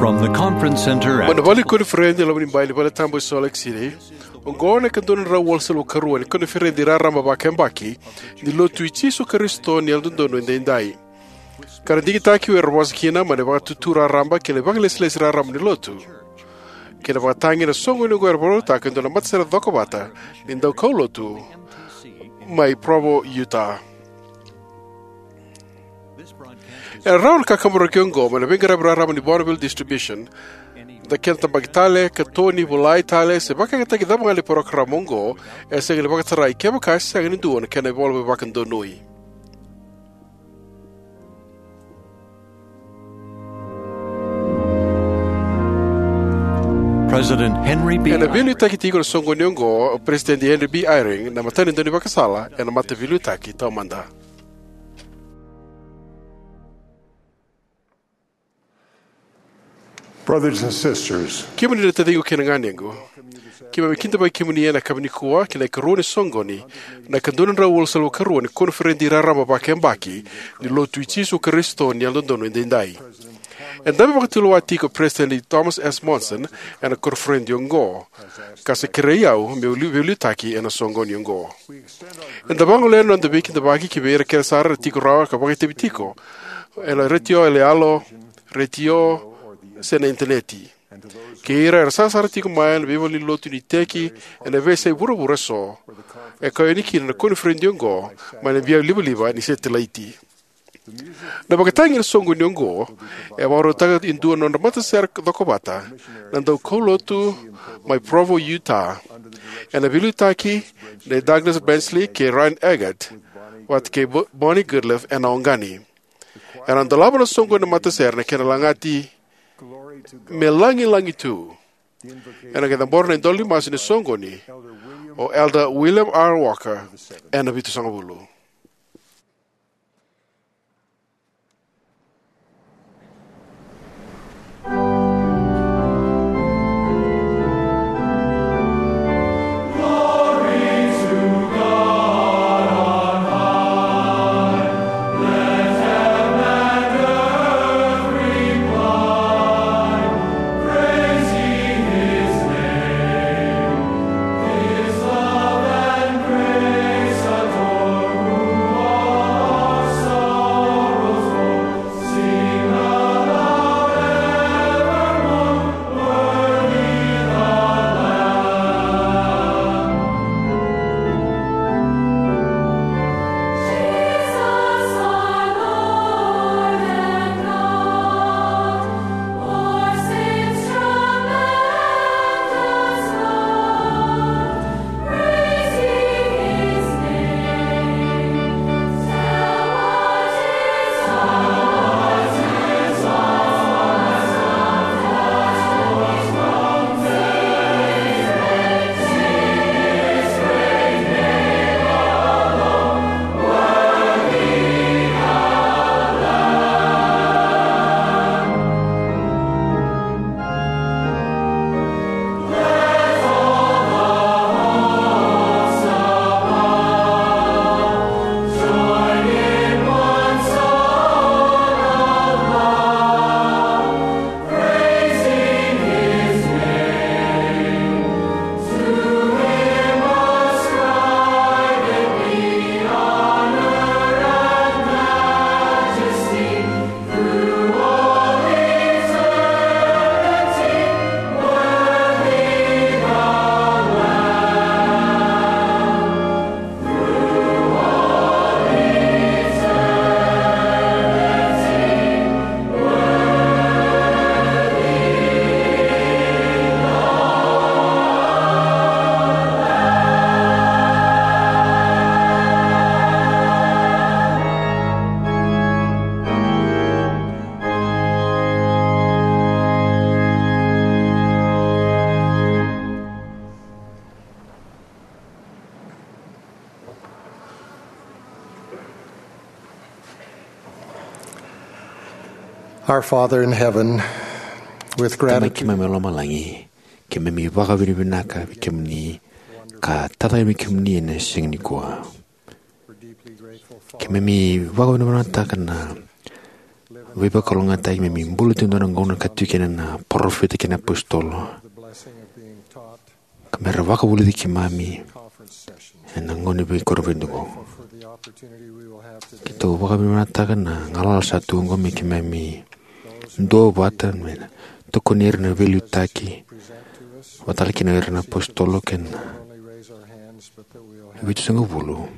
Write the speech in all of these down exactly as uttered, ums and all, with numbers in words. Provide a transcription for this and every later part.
From the conference center at Mai na vale ni koniferedi e loma ni bai ni vale tabu e Salt Lake City, oqo na ikadua na drau walusagavulu ka rua ni koniferedi raraba vakayabaki ni Lotu i Jisu Karisito ni Yalododonu Edaidai, ka ra digitaki vei ira era vosa kina mai na Vakaitutu Raraba kei na Vakailesilesi Raraba ni Lotu, kei na vakatagi na soqoni oqo era vakarautaka e dua na matasere cokovata ni daukaulotu mai Provo, Utah. E rawa na kakaburaki oqo mai na veiqaravi raraba ni Bonneville Distribution. Na kena tabaki tale, katoni, volai tale, se vakayagataki cava ga na parokaramu oqo, e sega ni vakatarai kevaka e sega ni dua na kena ivola me vakadonui. President Henry B. Ena veiliutaki tiko na soqoni oqo o President Henry B. Eyring, na matanitu ni vakasala ena mataveiliutaki taumada. Brothers and sisters, kemuni na taciqu kei na ganequ, keimami kidavaki kemuni ena yakavi nikua ki na ikarua ni soqoni, na ikadua na drau walusagavulu ka rua ni koniferedi raraba vakayabaki ni Lotu i Jisu Karisito ni Yalododonu Edaidai. E dabe vakatulewa tiko o President Thomas S. Monson ena koniferedi oqo, ka sa kerei au meu li-, veiliutaki ena soqoni oqo. Eda vagolea na noda veikidavaki ki vei ira kece sara era tiko rawa ka vakaitavi tiko ena retio, ena yalo, retio, se na initaneti. Kei ira era sarasara tiko mai na veivalenilotu ni iteki ena veiyasai vuravura eso, e kau yani kina na koniferedi oqo mai na via livaliva ni setilaiti. Na vakatagi ena soqoni oqo e vakarautaka e dua na nodra matasere cokovata na daukaulotu mai Provo, Utah, ena veiliutaki nei Douglas Bensley kei Ryan Eggett, vata kei Bo-, Bonnie Goodliffe ena oqani. Ena dolava na soqoni na matasere na kena lagati Me Lagilagi Tu. Ena qai cabora na idola ni masu ni soqoni, o Elder William R. Walker, ena vitusagavulu. Our Father in heaven, with Tamai gratitude, keimami e lomalagi, keimami vakavinavinaka vei kemuni, ka tacake vei kemuni ena siga nikua. Keimami vakavinavinakataka na Veivakalougatataki me keimami bula tu ena dua na gauna ka tiko kina na parofita kei na apositolo, ka me ra vakavulici keimami ena gauna vei koro vei dugo. Keitou vakavinavinakataka na galala sa tu oqo me keimami duavata me tokoni ira na veiliutaki, vakatale kina ira na apositolo kei na vitusagavulu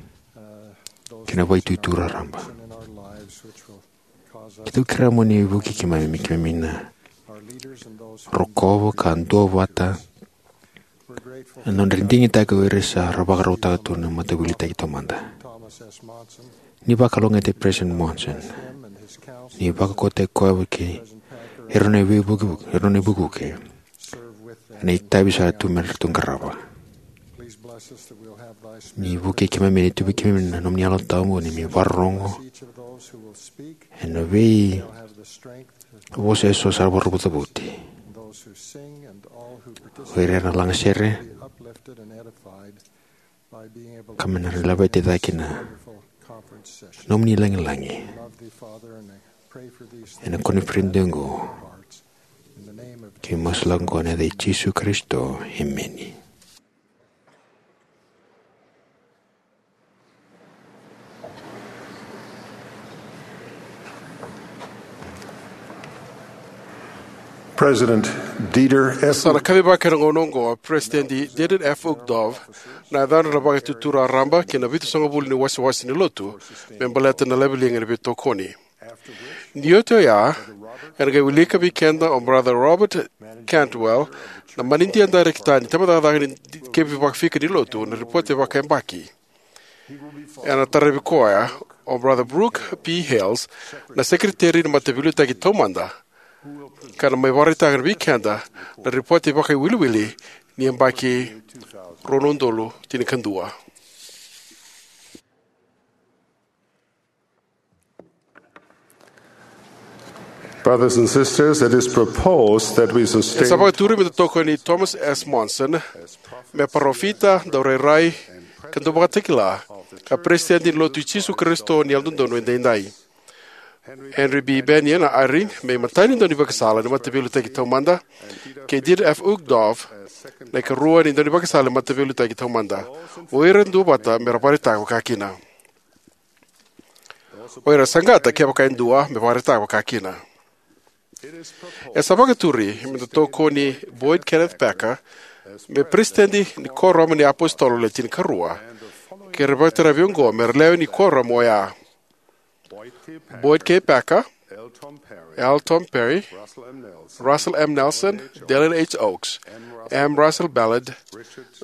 kei na vaitutu raraba. Keitou kerea mo ni vukei keimami me keimami na rokova ka duavata ena nodra digitaki o ira sa ra vakarautaka tu na Mataveiliutaki Taumada. Ni vakalougatataki President Monson, ni vakaukauwataki koya kei ira na veivuke, ira na veivuke ena itavi sa tu me ratou qarava. Ni vukei keimami, ni tu vei keimami na nomuni Yalo Tabu ni keimami vakarorogo ena veivosa eso sa vakarau cavuti, o ira na lagasere, ka me na laveti cake na nomuni lagilagi ena koniferedi oqo. Keimami masu lako oqo ena yaca i Jisu Karisito, emeni. President Dieter F. Sa na kacivaka ena gauna oqo o President Dieter F. Uchtdorf, na yacadra na Vakaitutu Raraba kei na Vitusagavulu ni Wasewase ni Lotu, me baleta na laveliga ni veitokoni. Ni oti oya, ena qai wilika vei keda o Brother Robert Cantwell na manidia darekita ni tabacakacaka ni kevi vakafika ni lotu na ripote vakayabaki. Ena taravi koya o Brother Brooke P. Hales, na sekeriteri ni Mataveiliutaki Taumada, ka na mai vakaraitaka vei keda na ripote vakaiwiliwili ni yabaki rua na udolu tinikadua. Brothers and sisters, it is proposed that we sustain. E sa vakaturi me da tokoni Thomas S. Monson me parofita, daurairai, ka dauvakatakila, ka Peresitedi ni Lotu i Jisu Karisito ni Yalododonu Edaidai. Henry B. Bennion Eyring me imatai ni daunivakasala ni Mataveiliutaki Taumada, kei Dieter F. Uchtdorf na ikarua ni daunivakasala ni Mataveiliutaki Taumada. O ira duavata me ra vakaraitaka vakakina. O ira saqata, kevaka e dua, me vakaraitaka vakakina. E sa vakaturi me da tokoni Boyd Kenneth Packer me Peresitedi ni Kuoramu ni iApositolo Le Tinikarua, kei ira vakataravi oqo me ra lewe ni kuoramu oya: Boyd K. Packer, L. Tom Perry, Russell M. Nelson, Dallin H. Oaks, M. Russell Ballard,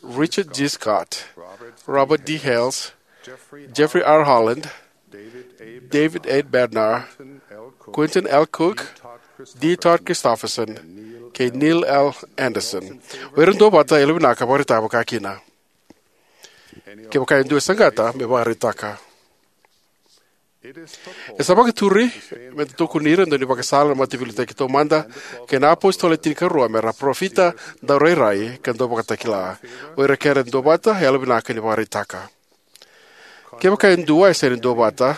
Richard G. Scott, Robert D. Hales, Jeffrey R. Holland, David A. Bednar, Quentin L. Cook, D. Todd Christofferson, kei Neil L. Andersen. O ira duavata, yalovinaka vakaraitaka vakakina. Kevaka e dua e saqata, me vakaraitaka. E sa vakaturi me da tokoni ira na daunivakasala ni Mataveiliutaki Taumada kei na iApositolo Le Tinikarua me ra parofita, daurairai, ka dauvakatakila. O ira kece duavata, yalovinaka ni vakaraitaka. Kevaka e dua e sega ni duavata,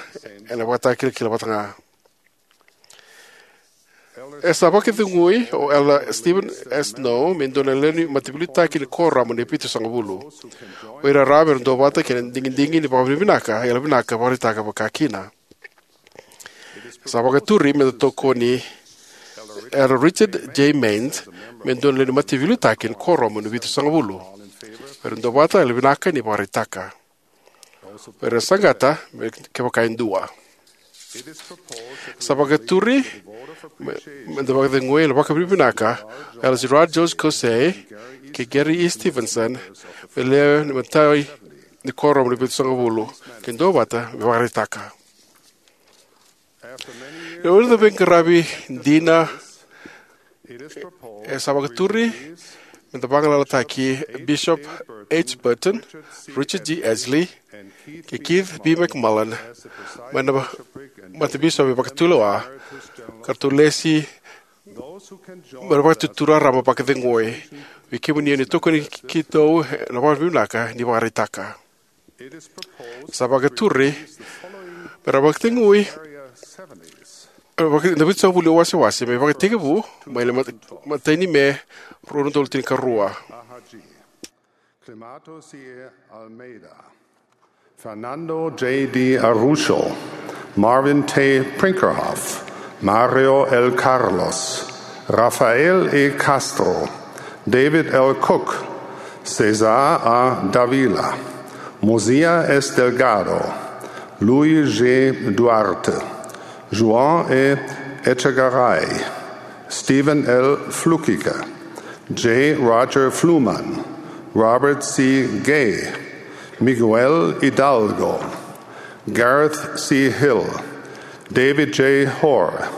ena ivakatakilakila vata ga. E sa vakacegui o Elder Steven S. Snow me dua na lewe ni Mataveiliutaki ni Kuoramu ni Vitusagavulu. O ira rawa me ra duavata kei na digidigi ni vakavinavinaka, yalovinaka vakaraitaka vakakina. E sa vakaturi me da tokoni Elder Richard J. Maynes me dua na lewe ni Mataveiliutaki ni Kuoramu ni Vitusagavulu. O ira duavata, yalovinaka ni vakaraitaka. O ira saqata, me kevaka e dua. Sa vakaturi me, me da vakacegui ena vakavinavinaka Elder Gerard George Caussé kei Gary E. Stevenson me lewe ni imatai ni Kuoramu ni Vitusagavulu, ke duavata, me vakaraitaka. Ena vuku ni veiqaravi dina, e sa vakaturi me da vagalalataki Bishop H. Burton, Richard G. Ashley, kei Keith B. McMullen mai na Matabisopi Vakatulewa, ka ratou lesi mai na Vakaitutu Raraba Vakacegui. Vei kemuni o ni tokoni keitou, ena vakavinavinaka ni vakaraitaka. Sa vakaturi me ra vakacegui Vaka- na vitusagavulu ni wasewase me vakatekivu mai na mat- matai ni Me rua na udolu tinikarua. Climato C. Almeida, Fernando J. D. Araujo, Marvin T. Brinkerhoff, Mario L. Carlos, Rafael E. Castro, David L. Cook, Cesar A. Davila, Mosiah S. Delgado, Luis G. Duarte, João E. Echegaray, Stephen L. Flukiger, J. Roger Fluhman, Robert C. Gay, Miguel Hidalgo, Gareth C. Hill, David J. Hoare,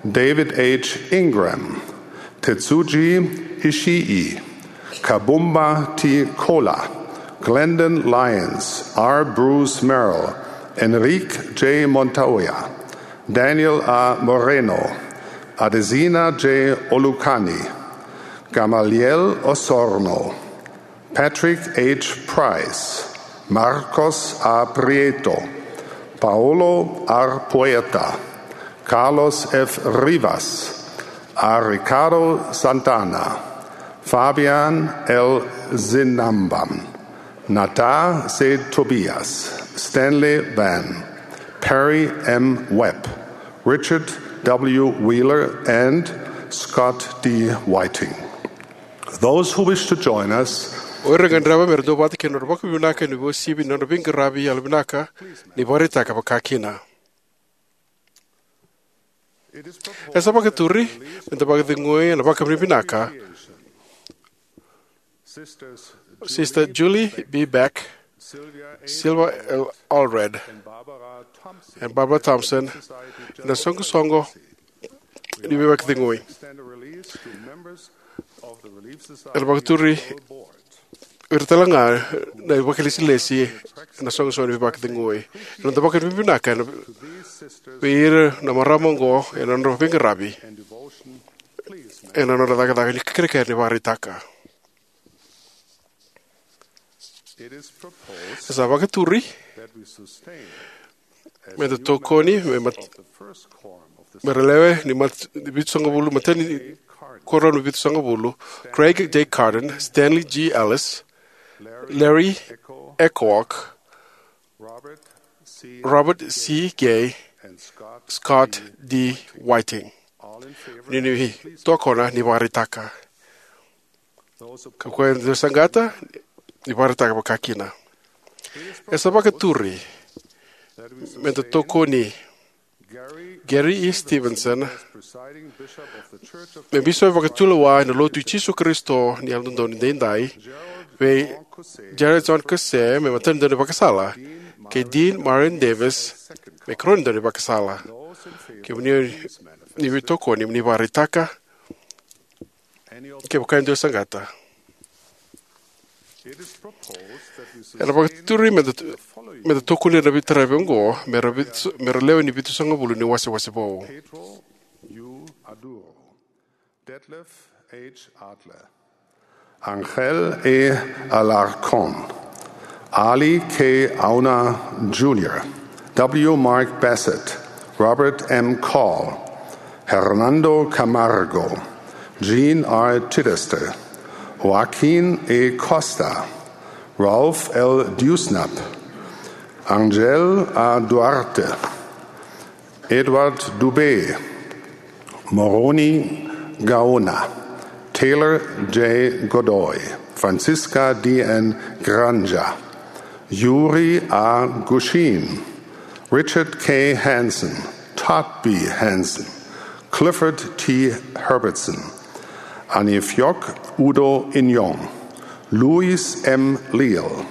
David H. Ingram, Tetsuji Ishii, Kabumba T. Kola, Glendon Lyons, R. Bruce Merrill, Enrique J. Montoya, Daniel A. Moreno, Adesina J. Olukanni, Gamaliel Osorno, Patrick H. Price, Marcos A. Prieto, Paulo R. Poeta, Carlos F. Rivas, A. Ricardo Santana, Fabian L. Zinambam, Nata C. Tobias, Stanley Van, Perry M. Webb, Richard W. Wheeler, and Scott D. Whiting. Those who wish to join us, o ira era gadreva me ra duavata kei na nodra vakavinavinaka ena uasivi ni nodra veiqaravi yalovinaka, ni vakaraitaka vakakina. E sa vakaturi me da vakacegui ena vakavinavinaka Sister Julie B. Beck, Sylvia L. Allred, and Barbara Thompson ena soqosoqo ni veivakacegui. Ena vakaturi ira tale ga na vakailesilesi ena soqosoqo ni veivakacegui. Ena noda vakavinavinaka ena vei ira na marama oqo ena nodra veiqaravi ena nodra cakacaka ni kerekere ni vakaraitaka. E sa vakaturi me da tokoni me mat- me ra lewe ni mat- vitusagavulu, matai ni kuoramu ni vitusagavulu, Craig J. Carden, Stanley G. Ellis, Larry Echowock, Robert C. Gay, Scott D. Whiting. Ni ni tokona ni vakaraitaka. Ka koya e dua saqata, ni vakaraitaka vakakina. E sa vakaturi me da tokoni Gary E. Stevenson me bisopi vakatulewa ena Lotu i Jisu Karisito ni Yalododonu Edaidai, vei Gerald John Caussé me matanidaru ni vakasala, kei Dean Myron Davis me karua ni daru ni vakasala. Kemuni ni veitokoni, mo ni vakaraitaka. Kevaka e dua e saqata, ena vakaturi me da, me da tokoni ira na veitaravi oqo me ra vitu, me ra lewe ni vitusagavulu ni wasewase vou: Pedro U. Aduro, Detlef H. Adler, Angel E. Alarcon, Ali K. Auna Junior, W. Mark Bassett, Robert M. Call, Hernando Camargo, Jean R. Chittister, Joaquin E. Costa, Ralph L. Dewsnup, Angel A. Duarte, Edward Dube, Moroni Gaona, Taylor J. Godoy, Francisca D. N. Granja, Yuri A. Gushin, Richard K. Hansen, Todd B. Hansen, Clifford T. Herbertson, Anifiok Udo Inyong, Luis M. Leal,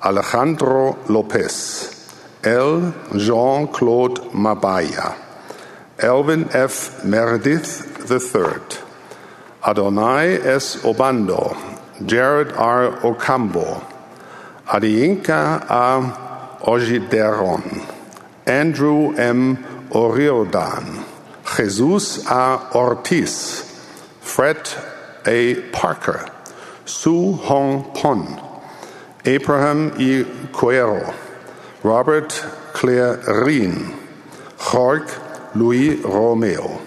Alejandro Lopez, L. Jean-Claude Mabaya, Elvin F. Meredith the third, Adonai S. Obando, Jared R. Ocampo, Adeyinka A. Ojideron, Andrew M. Oriordan, Jesus A. Ortiz, Fred A. Parker, Su Hong Pon, Abraham E. Cuero, Robert Clarin, Jorge Luis Romeo,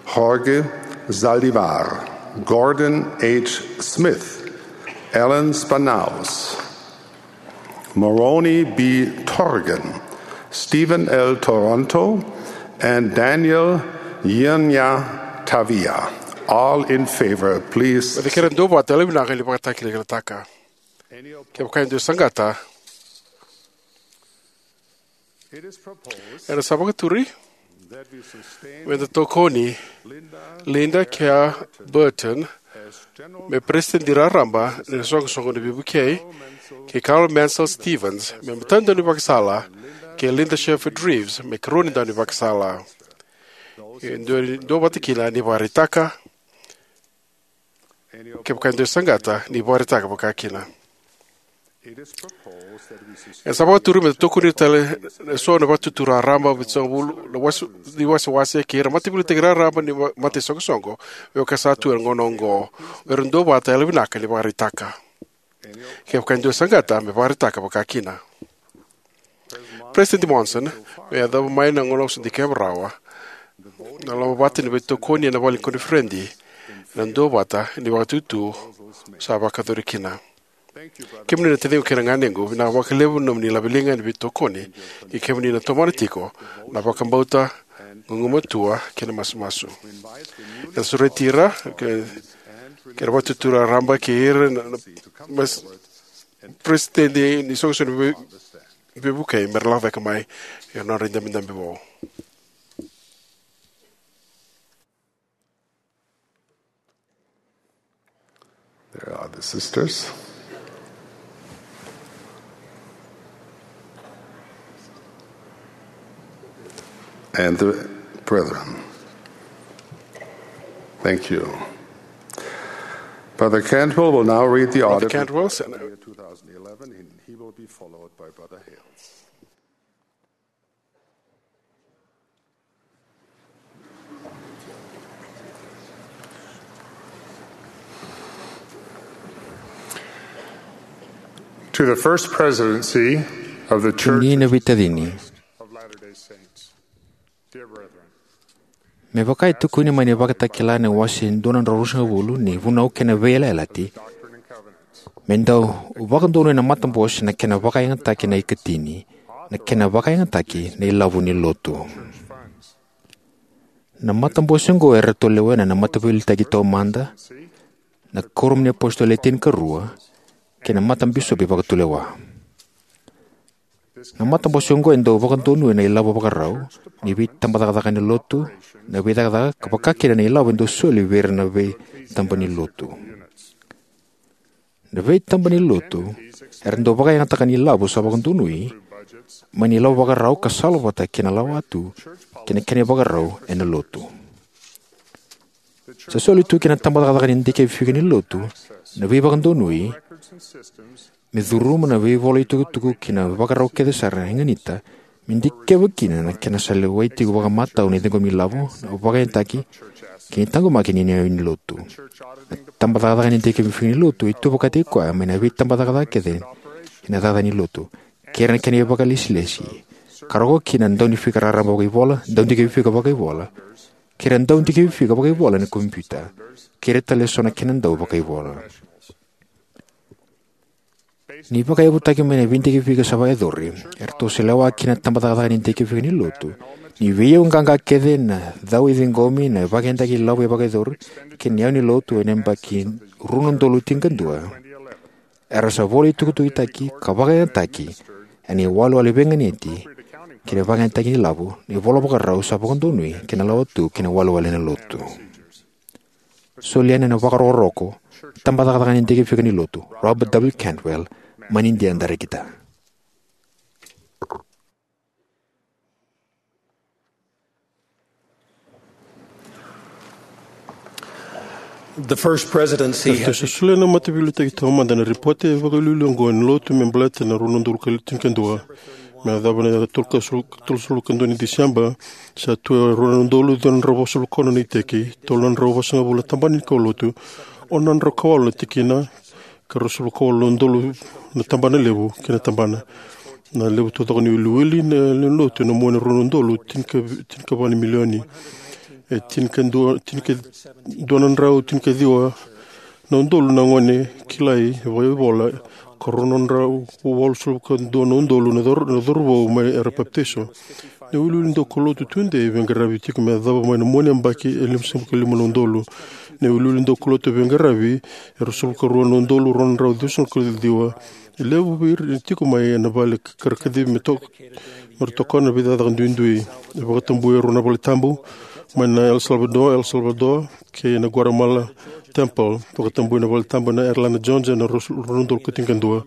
Jorge Zaldivar, Gordon H. Smith, Alan Spannaus, Moroni B. Torgan, Stephen L. Toronto, and Daniel Yirnya Tavia. All in favor, please. Vei kere dua vata, yala vinaka ni vakatakilakilataka. Kevaka e dua e saqata, ena sa vakaturi me da tokoni Linda K. Burton me peresitedi raraba ni soqosoqo ni veivukei, kei Carol Mansell Stevens me matadaunivakasala, kei Linda Shepherd Reeves me karua ni daunivakasala. E dua, dua vata kina ni vakaraitaka. Kevaka e dua e saqata, ni vakaraitaka vakakina. E sa vakaturi me da tokoni tale e so na Vatutu Raraba, vitusagavulu na wase, ni wasewase, kei ira mataveiliutaki raraba ni ma-, mataisoqosoqo, me vaka sa tu ena gauna oqo. O ira dua vata, yala vinaka ni vakaraitaka. Kevaka e dua e saqata, me vakaraitaka vakakina. President Monson, me yacova mai na gauna au sa dikeva rawa, na loma vata ni veitokoni ena vale ni koniferedi, ena dua vata ni vakatutu sa vakayacori kina. Kemuni na taciqu kei na ganequ, vinaka vakalevu na nomuni laveliga ni veitokoni, ni kemuni na tomana tiko na vakabauta, gugumatua kei na masumasu. Eda sureti ira, ke, kei na Vatutu Raraba kei ira na, na, mas-, peresitedi ni soqosoqo ni vei-, veivukei me ra lako cake mai ena nodra idabedabe vou. There are the sisters and the brethren. Thank you. Brother Cantwell will now read the Brother audit Cantwell, report for the year two thousand eleven, and he will be followed by Brother Hales. To the First Presidency of the Church Ni na veitacini. Of Latter-day Saints. Dear brethren, me vaka e tukuni mai na Vakatakila na wase dua na drau ruasagavulu ni Vunau kei na Veiyalayalati, me dau vakadonuya na matabose na kena vakayagataki na ikatini, na kena vakayagataki na ilavo ni lotu. Na matabose oqo eratou lewena na mataveiliutaki taumada, na kuoramu ni apositolo e tinikarua, kei na matabisopi vakatulewa. Na matabose oqo e dau vakadonuya na ilavo vakarau ni veitabacakacaka ni lotu, na veicakacaka, ka vakakina na ilavo e dau soli vei ira na veitaba ni lotu. Na veitaba ni lotu era dau vakayagataka na ilavo sa vakadonui mai na ilavo vakarau ka sala vata kei na lawatu kei na kena ivakarau ena lotu. Sa soli tu ki na tabacakacaka ni dikevifika ni lotu na veivakadonui me curuma na veivola itukutuku kei na vakarau kece sara e ganita me dikeva kina na kena sa lewai tiko vakamatau na ciqomi ilavo, na vakayagataki kei na taqomaki ni iyau ni lotu. Na tabacakacaka ni dikevifika ni lotu e tu vakataki koya mai na veitabacakacaka kece ena cakacaka ni lotu, kei ira na kena ivakalesilesi, ka rogo kina na daunifika raraba vakaivola, daudikevifika vakaivola, kei ira na daudikevifika vakaivola ena kompiuta, kei ira tale eso na kena dau vakaivola. Ni vakayavutaki mai na veidikevifika sa vakayacori, eratou sa lewa kina na tabacakacaka ni dikevifika ni lotu ni veiyau qaqa kece, na cau e ciqomi, na vakayagataki ilavo e vakayacori, kei na iyau ni lotu ena yabaki rua na udolu tinikadua. Era sa vola itukutukutaki ka vakayagataki ena iwalewale veiganiti kei na vakayagataki ni ilavo, na ivola vakarau sa vakadonui kei na lawatu kei na iwalewale ena lotu. Soli yani ena vakarokoroko, tabacakacaka ni dikevifika ni lotu, Robert W. Cantwell, mai Nidia, Darakita. The First Presidency. Eratou sa solia na mataveiliutaki taumada na ripote vakaliuliu oqo ni lotu me baleta na rua na udolu tinikadua. Me yacova na tolusagavulu ka dua ni Diseba, sa tu e rua na udolu ciwa na drau vasagavulu ka ono na iteki, tolu na drau vasagavulu na tabana ni kaulotu, ono na drau ka walu na tikina, ka ruasagavulu ka walu na udolu na tabana levu kei na tabana. Na levu taucoko ni wiliwili na lewe ni lotu ena mua ni rua na udolu tinikava na milioni. E tinikadua, tinikadua na drau tinikaciwa na udolu na gone kilai e vakaivola, ka rua na drau walusagavulu ka dua na udolu na cor-, na cauravou mai era papitaiso. Na wiliwili daukaulotu tudei e veiqaravi tiko me yacova mai na mua ni yabaki e limasagavulu ka lima na udolu. Na wiliwili daukaulotu e veiqaravi e ruasagavulu ka rua na udolu rua na drau ciwasagavulu ka ciwa. E levu vei ira e tiko mai ena vale ka ra kacivi me to-, me ra tokona na veicakacaka duidui. E vakatabui e rua na vale tabu mai na El Salvador, El Salvador, kei na Guatemala Temple. Vakatabui na vale tabu na Atlanta Georgia ena rua na udolu ka tinikadua.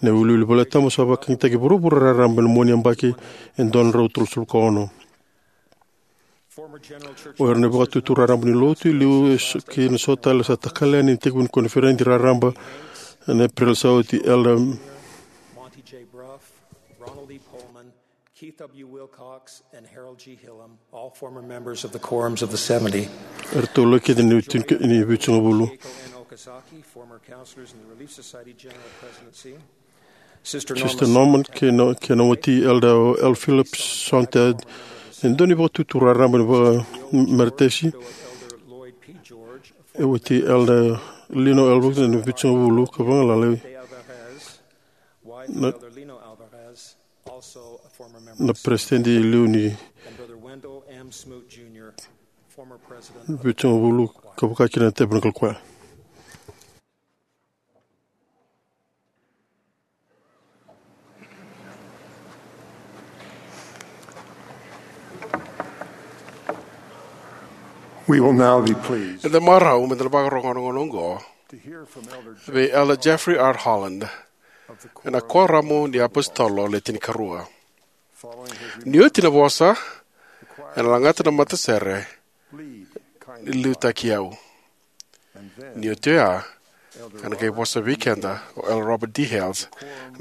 Na wiliwili vale tabu sa vakayagataki e vuravura raraba ena mua ni yabaki e dua na drau tolusagavulu ka ono. O ira na vakatutu raraba ni lotu e liu e so-, kei na so tale sa takali yani ena itekivu ni koniferedi raraba ena Epereli sa oti, Elder Monty J. Bruff, Ronald E. Coleman, Keith W. Wilcox, and Harold G. Hillam, all former members of the Quorums of the Seventy. Eratou laki kece ni tini-, ni vitusagavulu. Keiko N. Okazaki, former counselors in the Relief Society General Presidency. Sister Norma Sister Norman kei na, kei na wati Elder L. Phillips Sonntag, e dua ni vakatutu raraba ni vakameretesi. E wati Elder Lino Alvarez ena vitusagavulu ka vagalala na, na peresitedi e liu ni vitusagavulu ka vaka kina na Tabernacle Choir. We will now be pleased Eda marau me da na vakarorogo ena gauna oqo to hear from Elder vei Elder Jeffrey R. Holland, ena Kuoramu ni iApositolo Le Tinikarua. Ni oti na vosa, ena lagata na matasere ni Liutaki Au. Ni oti oya, ena qai vosa vei keda o Elder Robert D. Hales,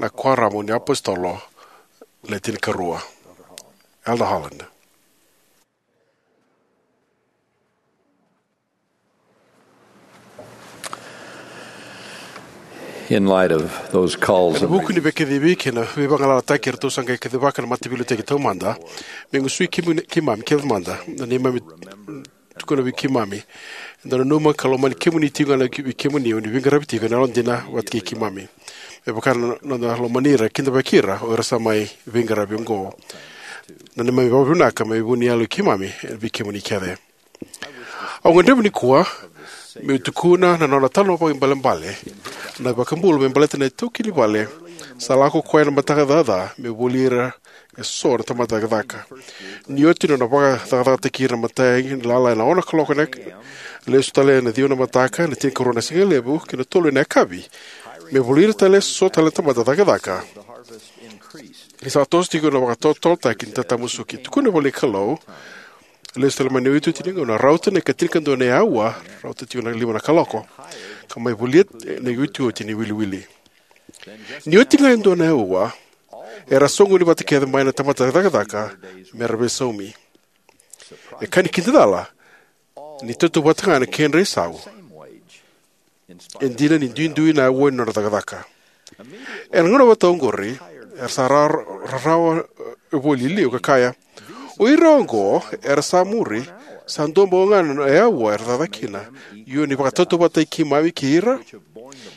na Kuoramu ni iApositolo Le Tinikarua. Elder Holland. In light of those calls Ena vuku ni veikacivi kei na veivagalalataki eratou sa qai kacivaka na Mataveiliutaki Taumada, meu gusui kemuni, keimami kece mada, na neimami tukuna vei keimami. Eda nanuma ka lomani kemuni tiko ga na ki-, vei kemuni o ni veiqaravi tiko ena yalodina vata kei keimami. Me vaka na noda lomani ira, kidavaki ira o ira sa mai veiqaravi oqo. Na neimami vakavinavinaka mai vu ni yalo i keimami vei kemuni kece. Au gadreva nikua meu tukuna na nona talanoa vakaibalebale na iVakabula me baleta na itaukei ni vale sa lako koya ena mataka caca meu voli ira eso na tamata cakacaka. Ni oti na nona vakacakacakataki ira na imatai ni lala ena ono na kaloko ena, lesu tale ena ciwa na mataka ena tinikarua na sigalevu kei na tolu ena yakavi, me voli ira tale eso tale na tamata cakacaka. Ni sa toso tiko na vakatotolotaki ni tatamusuki. Tukuna voli na Kalou, lesu tale mai na iotioti ni gauna, rauta na ikatinikadua ni aua, rauta tiko na lima na kaloko, ka mai volia na iotioti ni wiliwili. Ni oti ga e dua na aua, era soqoni vata kece mai na tamata cakacaka me ra veisaumi. E ka ni kidacala, ni tautauvata ga na kedra isau, e dina ni duidui na aua ni nodra cakacaka. Ena gauna vata oqori, era sa ra-, rarawa, e, voli e liu ka kaya, o ira oqo era sa muri, sa dua bau ga na aua era cakacaka kina. Io, ni vakatautauvatataki keimami kei ira,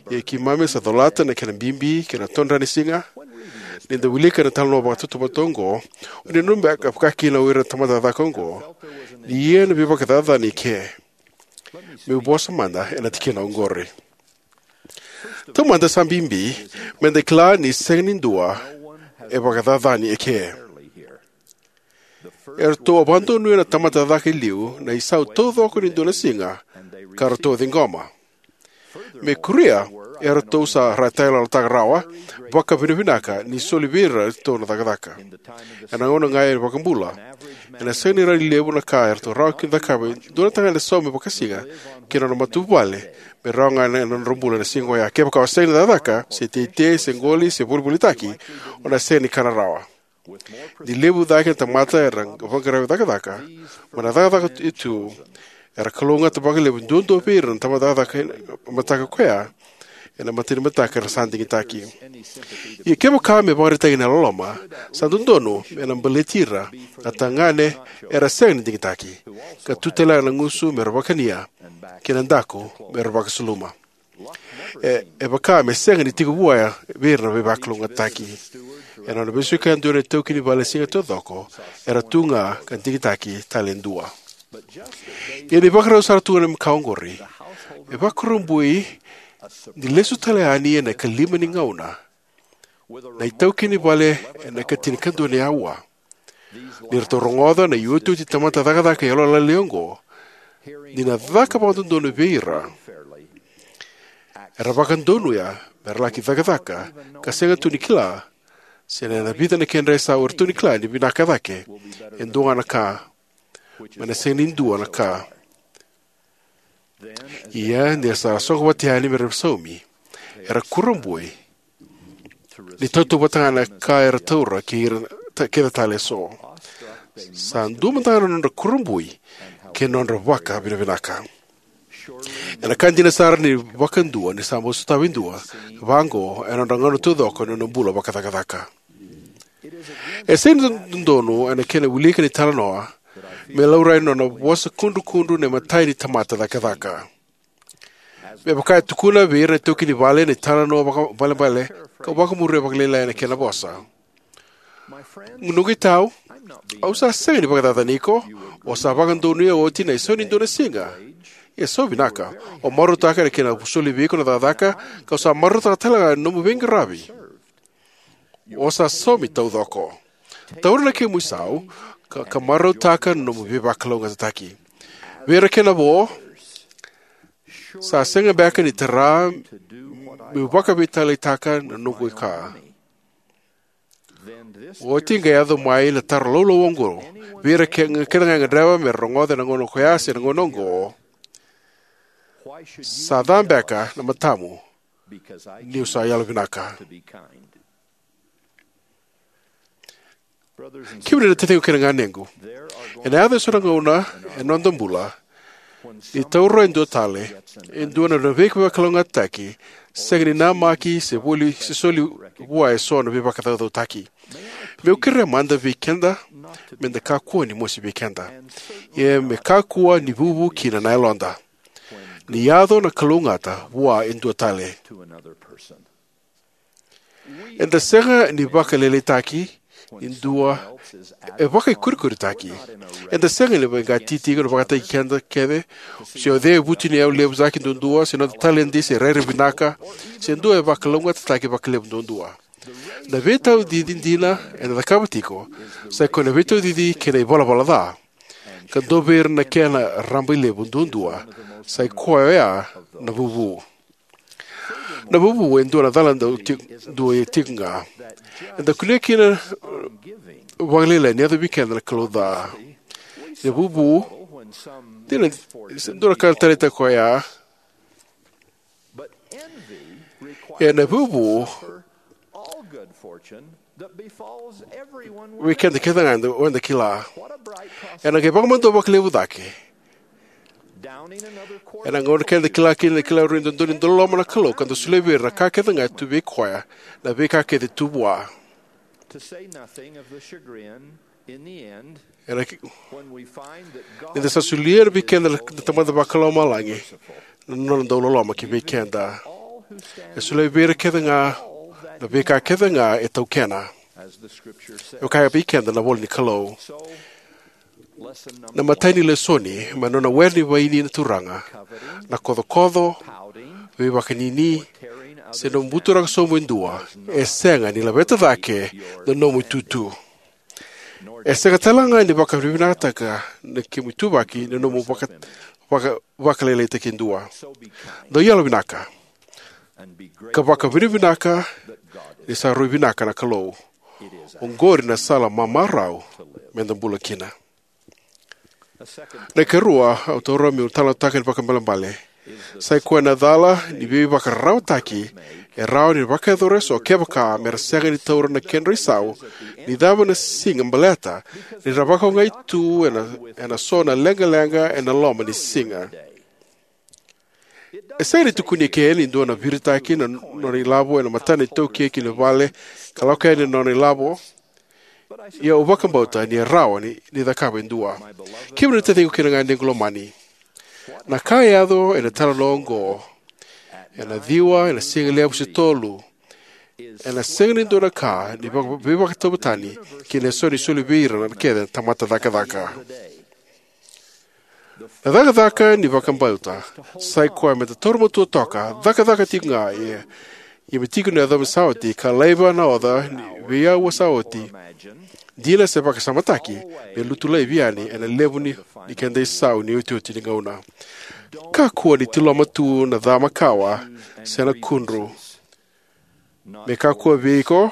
ia keimami sa colata na kena bibi kei na todra ni siga. Ni da wilika na italanoa vakatautauvata oqo, o ni nanuma beka, vaka kina o ira na tamata cakacaka oqo, ni ia na veivakacacani eke. Meu vosa mada ena tikina oqori. Taumada, sa bibi me da kila ni sega ni dua e vakacacani eke. Eratou a vakadonuya na tamata cakacaka e liu na isau taucoko ni dua na siga, ka ratou a ciqoma. Me kuria, eratou sa ra-, tayaloyalotaka rawa, vakavinavinaka ni soli vei iratou na cakacaka. Ena gauna ga ni iVakabula, ena sega ni rawa ni levu na ka eratou rawa kina ni cakava e dua na tagane saumi vakasiga kei na nona matavuvale, me rawa ga ena nodra bula ena siga oya. Kevaka o sega ni cakacaka, se teitei, se qoli, se volivolitaki, o na sega ni kana rawa. Ni levu cake na tamata era vaqara cakacaka, mai na cakacaka tu, era kalougata vakalevu duadua vei ira na tamata cakacaka ena mataka koya, ena mata ni mataka era sa digitaki. Ia kevaka me vakaraitaki na loloma, sa dodonu me na baleti ira na tagane era sega ni digitaki, ka tu tale ga na gusu me ra vakania, kei na daku me ra vakasuluma. E, e vaka me sega ni tiko vua vei ira na veivakalougatataki. Ena nona veisiko e dua na itaukei ni vale siga taucoko, era tu ga ka digitaki tale e dua. Ia ni vakarau sara tu ga na ka oqori, e vakurabui ni lesu tale yani ena ikalima ni gauna na itaukei ni vale ena ikatinikadua ni aua. Ni ratou rogoca na iotioti tamata cakacaka yalolailai oqo, ni na caka vakadodonu vei ira, era vakadonuya me ra laki cakacaka ka sega tu ni kila se na vica na kedra isau, eratou ni kila ni vinaka cake e dua ga na ka, mai na sega ni dua na ka. Ia ni ra sa soqo vata yani me ra saumi, era kurabui ni tautauvata ga na ka era taura kei ira ta-, kece tale eso. Sa dua mada ga na nodra kurabui kei na nodra vakavinavinaka. Ena ka dina sara ni vakadua ni sa bau sotava e dua vaqo ena nodra gauna taucoko ena nona bula vakacakacaka. E sega ni dodonu ena kena wilika na italanoa me laurai na nona vosa kudrukudru na imatai ni tamata cakacaka. Me vaka e tukuna vei ira na itaukei ni vale na italanoa vakaibalebale, kau vakamuria vakalailai na kena vosa. Noqu itau, au sa sega ni vakacacani iko. O sa vakadonuya oti na isau ni dua na siga. Ia sa vinaka, o marautaka na kena soli vei iko na cakacaka, kau sa marautaka tale ga na nomu veiqaravi. O sa saumi taucoko. Taura na kemu isau ka, ka marautaka na nomu veivakalougatataki. Vei ira kena vo, sa sega beka ni tara meu vakaveitaliataka na noqu ka. Oti qai yaco mai na taro laulau oqo vei ira ke-, kece ga e gadreva me ra rogoca ena gauna koya se na gauna oqo: Sa ca beka na matamu niu sa yalovinaka? Kemuni na taciqu kei na ganequ, ena yaco eso na gauna ena noda bula ni taura e dua tale e dua na veivakalougatataki sega ni namaki se voli, se soli vua eso na veivakacaucautaki. Meu kerea mada vei keda meda kakua ni mosi vei keda, ia me kakua ni vuvu kina na yaloda ni yaco na kalougata vua e dua tale. Eda sega ni vakalailaitaki ni dua e vakaikurikuritaki. Eda sega ni veiqati tiko na vakataki keda kece, se o cei e vutuniyau levu cake duadua, se noda taledi, se rairai vinaka, se dua e vakalougatataki vakalevu duadua. Na veitaucici dina eda cakava tiko sa i koya na veitaucici kei na ivalavala ca, ka dua vei ira na kena rabailevu duadua sa i koya oya na vuvu. Na vuvu e dua na cala dau ti-, dua e tiko ga. Eda kunea kina vakalailai ni yaco vei keda na kalou ca. Na vuvu, dina, se dua na ka na taleitaka koya. Ia na vuvu vei keda kece ga eda, eda kila. Ena qai vakamadua vakalevu cake. Ena gauna keda kila kina, kila rui dodonu ni dau loloma na Kalou ka dau solia vei ira na ka kece ga e tu vei koya, na veika kece tu vua. Ena ki-, ni da sa solia vei keda na Tamada Vakalomalagi na nona dau loloma ki vei keda. E solia vei ira kece ga na veika kece ga e taukena. E kaya vei keda na ivola ni Kalou. Na imatai ni lesoni mai na nona were ni vaini na Turaga: na kocokoco, veivakanini, se nomu buturaka sobu e dua, e sega ni laveta cake na nomu itutu. E sega tale ga ni vakavinavinakataka na kemu ituvaki na nomu vaka, vaka, vakalailaitaki e dua. Dau yalovinaka ka vakavinavinaka ni sa rui vinaka na Kalou. Oqori na sala mamarau meda bula kina. Na ikarua au taura meu talanoataka ni vakaibalebale sa i koya na cala ni veivakararawataki e rawa ni vakayacora eso kevaka mera sega ni taura na kedra isau ni cava na siga, baleta ni ra vakaogai tu ena, ena so na leqaleqa ena loma ni siga. E sega ni tukuni eke ni dua na viritaki na nona ilavo ena matana iTaukei ki na vale ka lako yani na nona ilavo. Ia au vakabauta ni e rawa ni, ni cakava e dua. Kemuni na taciqu kei na ganequ lomani, na ka e yaco ena italanoa oqo ena ciwa ena siga levu se tolu ena sega ni dua na ka ni vaka-, veivakatauvatani kei na eso ni soli vei ira na kece na tamata cakacaka. Na cakacaka ni vakabauta sai koya me da taura matua toka, cakacaka tiko ga, ia, ia me tiko na yacova sa oti ka laiva na oca ni veiauwa sa oti, dina se vakasamataki, me lutu laivi yani ena levu ni, ni keda isau ni otioti ni gauna. Kakua ni tiloma tu na ca makawa se na kudru. Me kakua vei iko,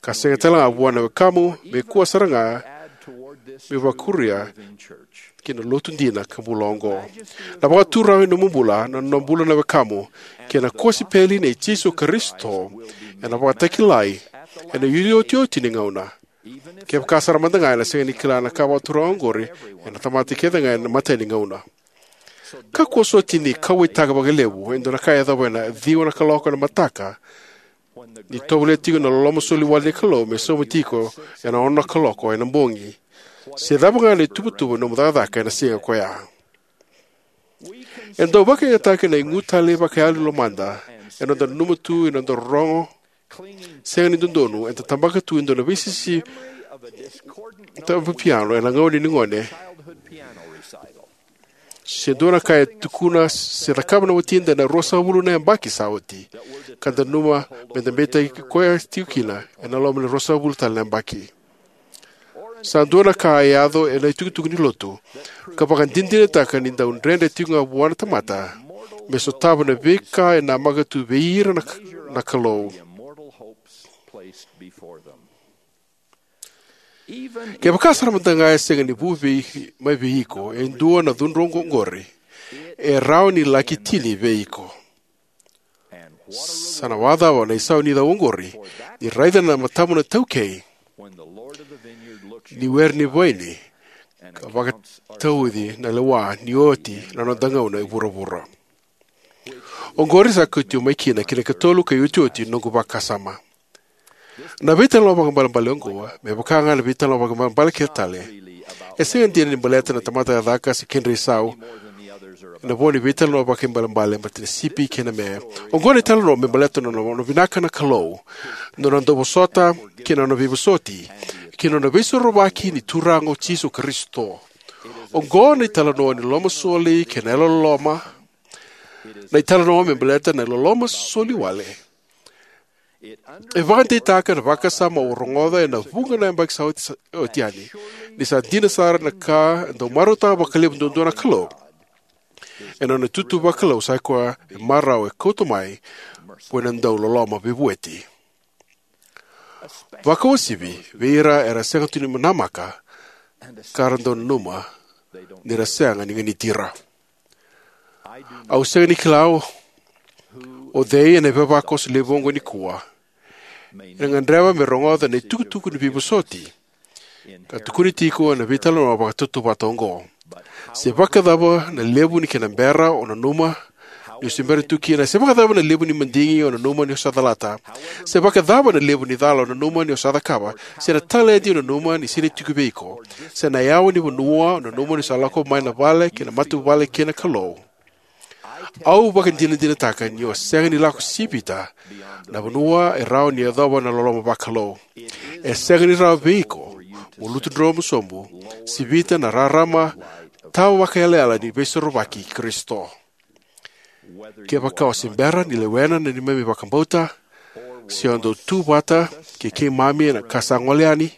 ka sega tale ga vua na wekamu, me kua sara ga, me vakuria ki na lotu dina ka bula oqo. Na vakaturaga ni nomu bula, na nona bula na wekamu, kei na kosipeli nei Jisu Karisito, ena vakatakilai ena iotioti ni gauna. Kevaka sara mada ga ena sega ni kila na ka vakaturaga oqori, ena tamata kece ga ena imatai ni gauna. Kakua soti ni kauwaitaka vakalevu e dua na ka e yacova ena ciwa na kaloko ena mataka, ni tovolea tiko na loloma soli wale ni Kalou me sauma tiko ena ono na kaloko ena bogi, se cava ga na ituvatuva ni nomu cakacaka ena siga koya. E dau vakayagataki na igu talei vakayalo ni lomada ena noda nanuma tu ena noda rorogo sega ni dodonu eda tabaka tu e dua na veisisi tavapiano ena gauna ni gone, se dua na ka e tukuna se cakava na watida ena ruasagavulu na yabaki sa oti, ka da nanuma me da beitaki koya tiko kina ena loma ni ruasagavulu tale na yabaki. Sa dua na ka e yaco ena itukutuku ni lotu ka vakadinadinataka ni dau dredre tiko ga vua na tamata me sotava na veika e namaka tu vei ira na, na Kalou. Kevaka sara mada ga e sega ni vu vei, mai vei iko e dua na cudru oqo-, oqori, e rawa ni laki tini vei iko. Sa na vakacava na isau ni cau oqori, ni raica na matamu na taukei ni were ni vaini ka vakatauci na lewa ni oti na noda gauna e vuravura? Oqori sa kauti au mai kina ki na ikatolu ka iotioti ni noqu vakasama. Na veitalanoa vakaibalebale oqo, me vaka ga na veitalanoa vakaibalebale kece tale, e sega dina ni baleta na tamata cakacaka se kedra isau. Ena vo ni veitalanoa vakaibalebale baleta na sipi kei na me. Oqo na italanoa me baleta na nona vinaka na Kalou, na nona dauvosota kei na nona veivosoti, kei na nona veisorovaki ni Turaga o Jisu Karisito. Oqo na italanoa ni lomasoli kei na yalololoma, na italanoa me baleta na loloma soli wale. E vakadeitaka na vakasama au rogoca ena vuqa na yabaki sa oti, sa oti yani, ni sa dina sara na ka e dau marautaka vakalevu duadua na Kalou. Ena nona itutu vakalou sa i koya e marau e kauta mai, ko ena dau loloma veivueti. Vakauasivi vei ira era sega tu ni namaka, ka ra dau nanuma ni ra sega ni ganiti ira. Au sega ni kila o, o cei ena ivavakoso levu oqo nikua ena gadreva me rogoca na itukutuku ni veivosoti ka tukuni tiko ena veitalanoa vakatautauvata oqo. Se vakacava na levu ni kena bera o nanuma ni o se bera tu kina, se vakacava na levu ni madigi o nanuma ni o sa calata, se vakacava na levu ni cala o nanuma ni o sa cakava, se na taledi o nanuma ni sega ni tiko vei iko, se na yawa ni vanua o nanuma ni sa lako mai na vale kei na matavuvale kei na Kalou. Au vakadinadinataka ni o sega ni lako sivita na vanua e rawa ni yacova na loloma vakalou. E sega ni rawa vei iko mo lutu dromu sobu, sivita na rarama tawa vakayalayala ni veisorovaki i Karisito. Kevaka o se bera ni lewena na neimami vakabauta, se o dau tu vata kei keimami ena ka sa gole yani,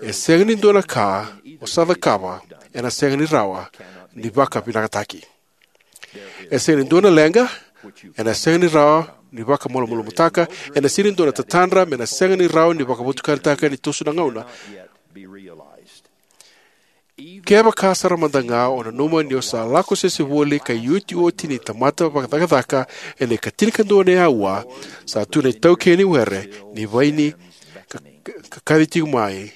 e sega ni dua na ka o sa cakava ena sega ni rawa ni vakavinakataki. E sega ni dua na leqa ena sega ni rawa ni vakamalumalumutaka, ena sega ni dua na tatadra me na sega ni rawa ni vakavotukanataka ni toso na gauna. Kevaka sara mada ga o nanuma ni o sa lako sese voli ka iotioti ni tamata vakacakacaka ena ikatinikadua ni aua, sa tu na itaukei ni were ni vaini ka, ka, ka kaci tiko mai.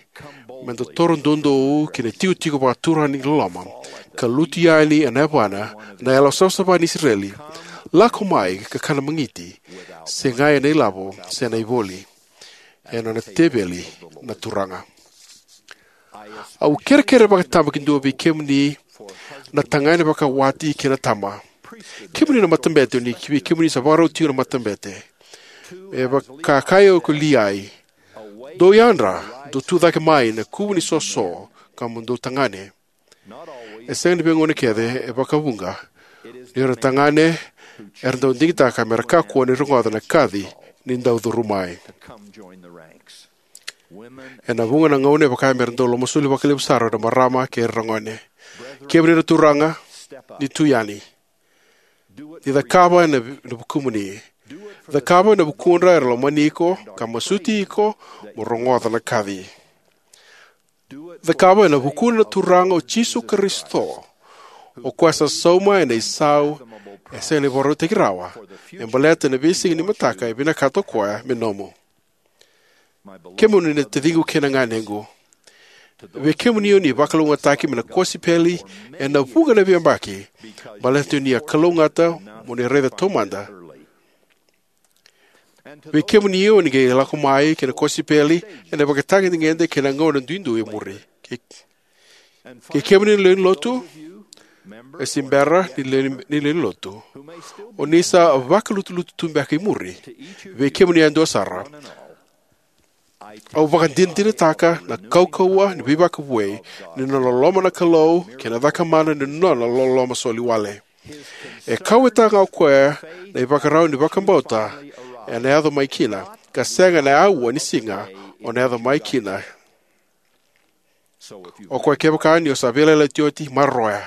me da toro doudou ki na itikotiko vakaturaga ni loloma, ka lutu yani ena yavana na yalo savasava ni Isireli, lako mai ka kana magiti, sega ena ilavo se na ivoli, ena nona teveli na Turaga. Au kerekere vakatabakidua vei kemuni na tagane vakawati kei na tama. Kemuni na matabete, ni vei kemuni sa vakarau tiko na matabete. E vaka kaya o Liai, dou yadra, dou tu cake mai na kuvu ni soso, ka mo dou tagane. E sega ni veigauna kece, e vakavuqa. Ni ra tagane, era dau digitaka me ra kakua ni rogoca na kaci ni dau curu mai. Ena vuqa na gauna e vaka me ra dau lomasoli vakalevu sara na marama kei ira na gone. Kemuni na turaga, ni tu yani. Ni cakava ena vi-, na vukumuni. Cakava ena vukudra era lomani iko, ka masuti iko, mo rogoca na kaci. Cakava ena vukuna na Turaga o Jisu Karisito. O koya sa sauma ena isau, e sega ni vakarautaki rawa. E baleta na veisiga ni mataka e vinakata o koya me nomu. Kemuni na taciqu kei na ganequ. Vei kemuni o ni vakalougatataki mai na kosipeli ena vuqa na veiyabaki. Baleta ni a kalougata mo ni raica taumada. Vei kemuni o ni qai lako mai ki na kosipeli ena ivakatagedegede kei na gauna duidui e muri. Kei, kei kemuni na lewe ni lotu, e se bera ni lewe ni, ni lewe ni lotu. O ni sa vakalutulutu tu beka i muri. Vei kemuni e dua sara. Au vakadinadinataka na kaukauwa ni veivakavoui ni nona loloma na Kalou kei na cakamana ni nona loloma soli wale. E kauwaitaka ga o koya na ivakarau ni vakabauta ena yaco mai kina, ka sega ena aua ni siga o na yaco mai kina. O koya kevaka ni o sa veiyalayalati oti, maroroya.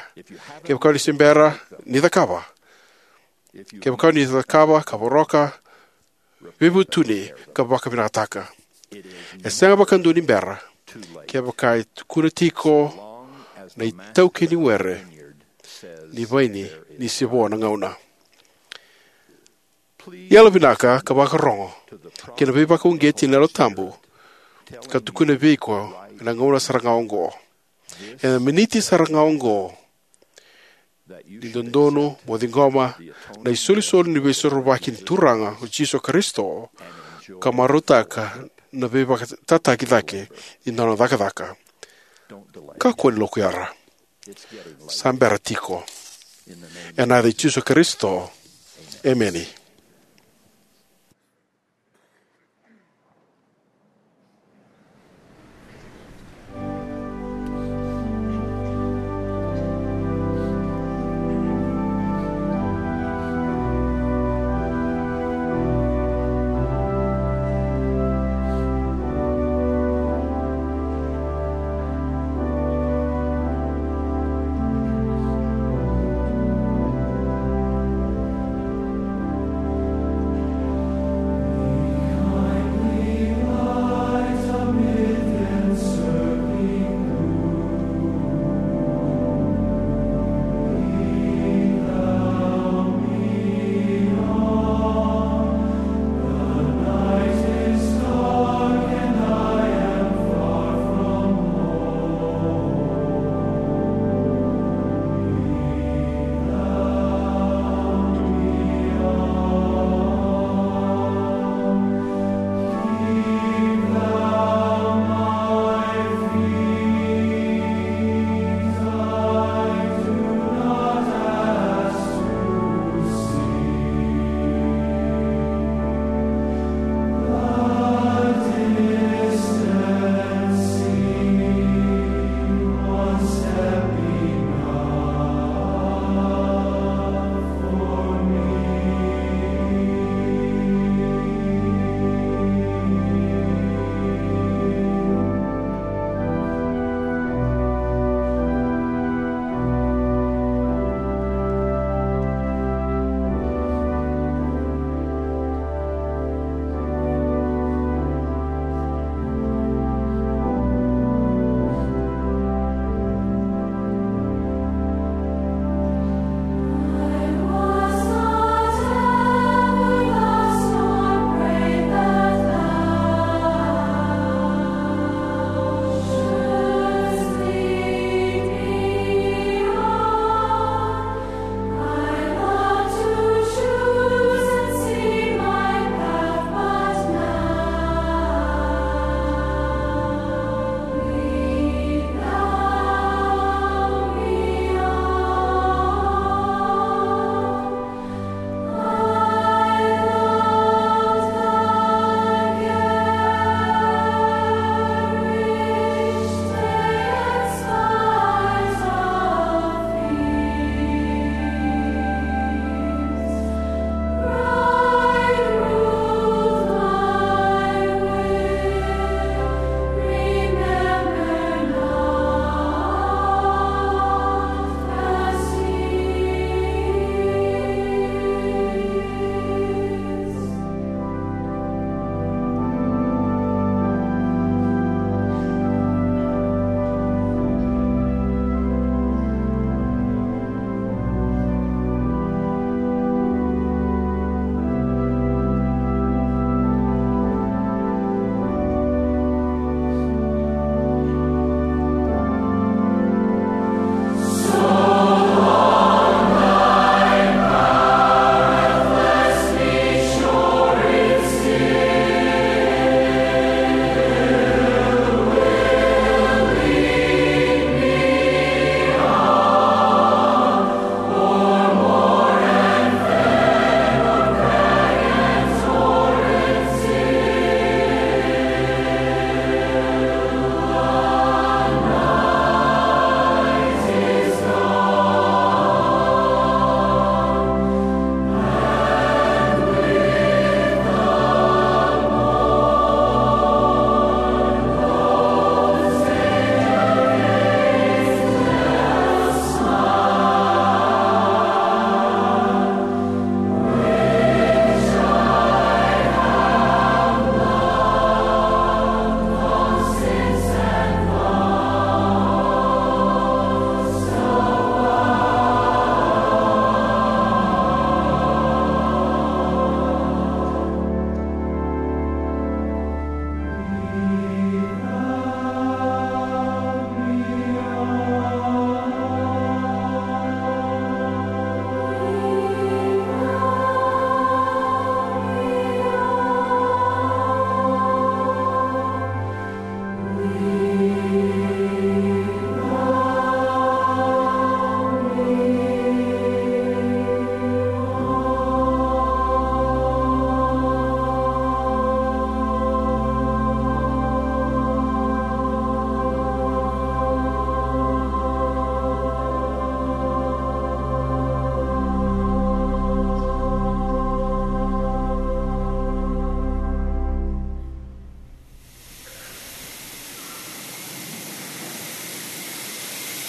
Kevaka ni se bera, ni cakava. Kevaka ni cakava, ka voroka, veivutuni, ka vakavinakataka. E sega vakadua ni bera. Kevaka e tukuna tiko na itaukei ni were ni vaini ni se vo na gauna. Yalovinaka ka vakarogo ki na veivakauqeti ni Yalo Tabu ka tukuna vei iko ena gauna sara ga oqo. Ena miniti sara ga oqo, ni dodonu mo ciqoma na isolisoli ni veisorovaki ni Turaga o Jisu Karisito, ka marautaka na veivakatataki cake ni nona cakacaka. Kakua ni lokuyara. Sa bera tiko. Ena yaca i Jisu Karisito. Emeni.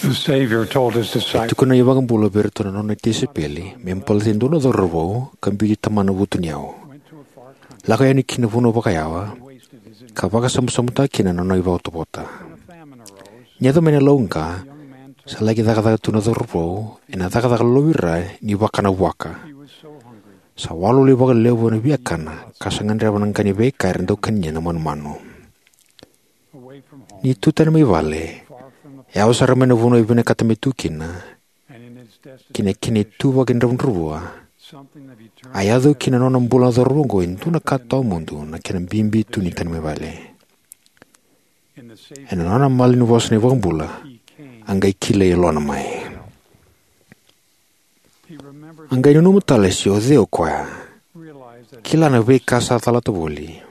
The Savior told his E disciples, tukuna na iVakabula vei iratou na nona tisaipeli me baleta e dua na cauravou ka biuti tamana vutuniyau. Lako yani ki na vanua vakayawa ka vakasabusabu taka kina na nona ivotavota. Ni yaco mai na lauqa, sa laki cakacaka tu na cauravou ena cakacaka lolovira ni vakana vuaka. Sa walewale vakalevu ena viakana ka sa gadreva na qa ni veika era dau kania na manumanu. Ni tu tani mai vale, yawa sara mai na vanua e vinakata me tu kina, kei na kena ituvaki dravudravua, a yaco ki na nona bula na cauravou oqo e dua na ka tawamudu, na kena bibi tu ni tani mai vale. Ena nona malanivosa na iVakabula, a qai kilai yalona mai. A qai nanuma tale se o cei o koya, kila na veika sa calata voli,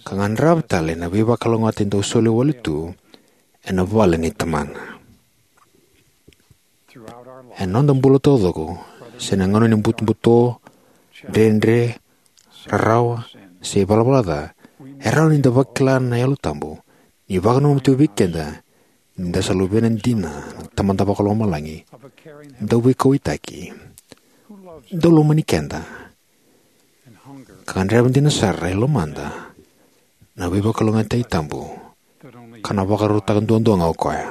ka gadreva tale na veivakalougatataki dau soli wale tu ena vale nei Tamana. Ena noda bula taucoko, se na gauna ni butobuto, dredre, rarawa, se ivalavala ca, e rawa ni da vakila na Yalo Tabu ni vakananuma tu vei keda ni da sa luvena dina na Tamada Vakalomalagi, dau veikauwaitaki, dau lomani keda, ka gadreva dina sara e lomada na veivakalougatataki tabu ka na vakarautaka duadua ga o koya.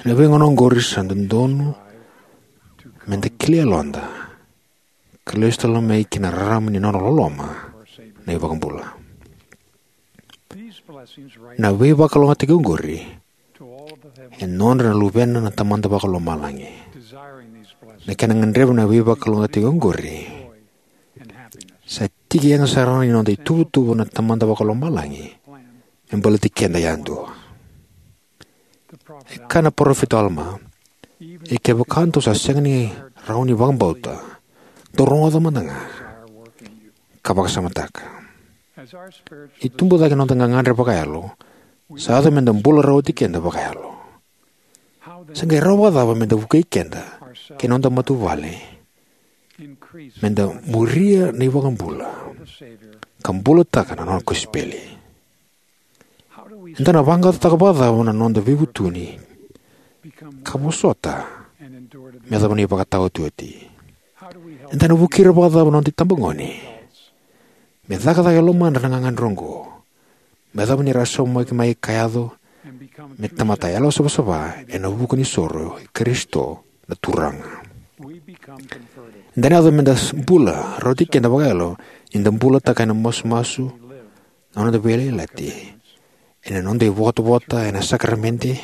Ena veigauna oqori sa dodonu me da kilai yaloda ka lesu tale mai ki na rarama ni nona loloma na iVakabula. Na veivakalougatataki oqori e nodra na luvena na Tamada Vakalomalagi. Na kena gadreva na veivakalougatataki oqori sa tiki yaga sara ni noda ituvatuva na Tamada Vakalomalagi me baleti keda yadua. E kaya na parofita o Alama, "Ia kevaka dou sa sega ni rawa ni vakabauta, dou rogoca mada ga ka vakasamataka." Ni tubu cake na noda gagadre vakayalo, sa yaco me da bula rawa oti keda vakayalo. Sa qai rawa vakacava me da vukei keda kei na noda matavuvale me da muria na iVakabula ka bulataka na nona kosipeli? Eda na vaqaqacotaka vakacava na noda veivutuni ka vosota me yacova na ivakataotioti? Eda na vukei ira vakacava na noda itabagone me cakacaka e lomadra na gagadre oqo, me yacova ni ra saumaki mai ka yaco me tamata yalosavasava ena vuku ni soro i Karisito na Turaga? Eda na yaco me da bula rawa oti keda vakayalo ni da bulataka ena masumasu na noda veiyalayalati, ena noda ivotavota ena sakaramede,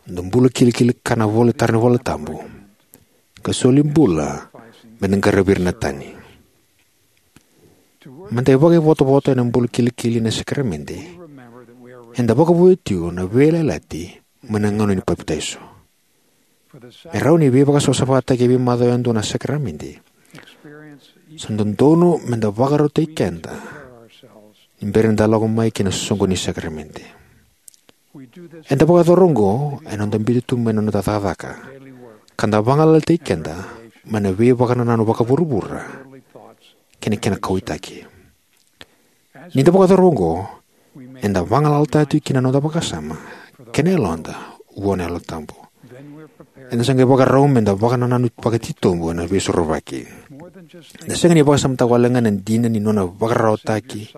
noda bula kilikili, kana voli, tara na iVola Tabu, ka soli bula me da qaravi ira na tani. Me da vakaivotavota ena bula kilikili ena sakaramede, eda vakavouya tiko na veiyalayalati mai na gauna ni papitaiso. Me rawa ni veivakasavasavataki e veimacawa yadua na sakaramede, sa dodonu me da vakarautaki keda ni bera ni da lako mai ki na soqoni ni sakaramede. Eda vakayacora oqo ena noda biuta tu mai na noda cakacaka ka da vagalalataki keda mai na veivakanananu vakavuravura kei na kena kauwaitaki. Ni da vakayacora oqo, eda vagalalataka tiko kina na noda vakasama kei na yaloda vua na Yalo Tabu. Eda sa qai vakarau me da vakanananu vakatitobu ena Veisorovaki. Eda sega ni vakasamataka wale ga na dina ni nona vakararawataki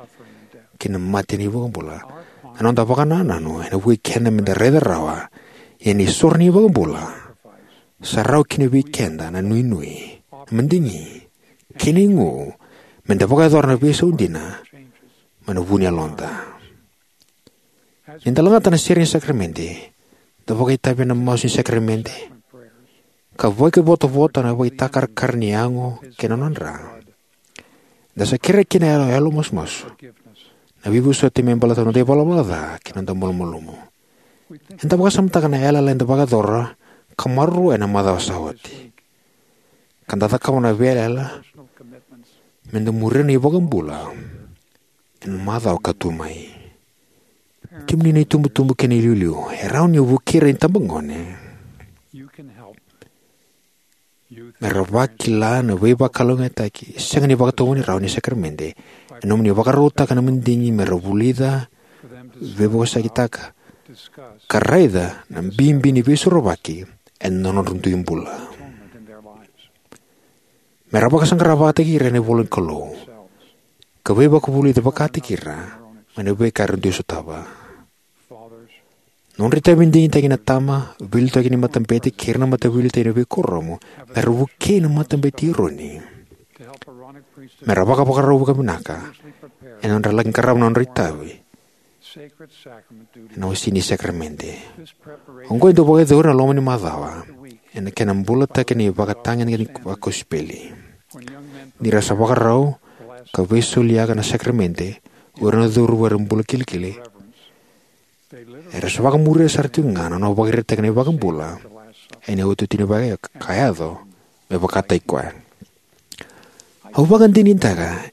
kei na mate na iVakabula. Na noda vakanananu ena vukei keda me da raica rawa, ia na isoro ni iVakabula sa rawa kina vei keda na inuinui, na madigi, kei na igu me da vakayacora na veisau dina mai na vu ni yaloda. Ni da lagata na sere ni sakaramede, da vakaitavi ena masu ni sakaramede, ka vakaivotavota ena vakaitakarakara ni yago kei na nona dra, da sa kerea kina na yalo, yalo masumasu, na veivosoti me baleta na noda ivalavala ca kei na noda malumalumu. Eda vakasamataka na yalayala eda vakayacora ka maroroya ena macawa sa oti, ka da cakava na veiyalayala me da muria na iVakabula ena macawa ka tu mai. Kemuni na itubutubu kei na iliuliu, e rawa ni o vukei ira na itabagone me ra vakila na veivakalougatataki sega ni vakatovolei rawa ni sakaramede ena nomuni vakarautaka na madigi me ra vulica, veivosakitaka, ka raica na bibi ni veisorovaki ena nodra dui bula. Me ra vakasaqara vakataki ira ena ivola ni Kalou, ka veivakavulici vakataki ira mai na veika era dui sotava. Nodra itavi digitaki na tama, veiliutaki ni matabete kei ira na mataveiliutaki ena veikuoramu me ra vukei na Matabete i Eroni me ra vakavakarau vakavinaka ena nodra laki qarava na nodra itavi ena wase ni sakaramede. Oqo e dau vakayacori ena loma ni macawa ena kena bulataki na ivakatagedegede vakosipeli. Ni ra sa vakarau ka veisoliyaka na sakaramede o ira na cauravou era bula kilikili, era sa vakamuria sara tiko ga na nona vakaraitaka na iVakabula ena iotioti ni vakayaco ka yaco me vakataki koya. Au vakadinadinataka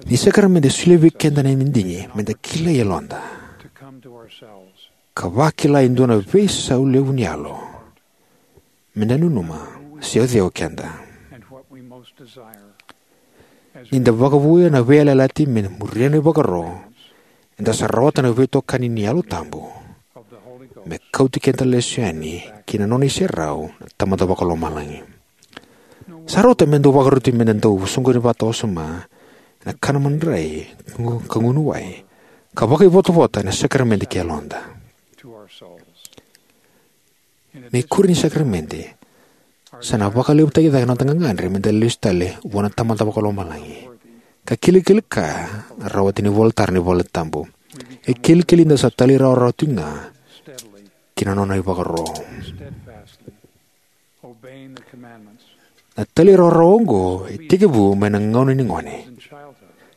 ni sakaramede e solia vei keda na madigi me da kilai yaloda ka vakila e dua na veisau levu ni yalo me da nanuma se o cei o keda. Ni da vakavouya na veiyalayalati me muria na ivakaro, eda sa rawata na veitokani ni Yalo Tabu me kauti keda lesu yani ki na nona iserau na Tamada Vakalomalagi. Sa rauta me dau vakaroti me da dau soqoni vata wasoma ena kana madrai ka gunu wai ka vakaivotavota ena sakaramede ki yaloda. Na ikuri ni sakaramede sa na vakalevutaki cake na noda gagadre me da lesu tale vua na Tamada Vakalomalagi ka kilikili kaya na rawati ni ivolatara ni valetabu. E kilikili ni da sa talairawarawa tiko ga ki na nona ivakaro. Na talairawarawa oqo e tekivu mai na gauna ni gone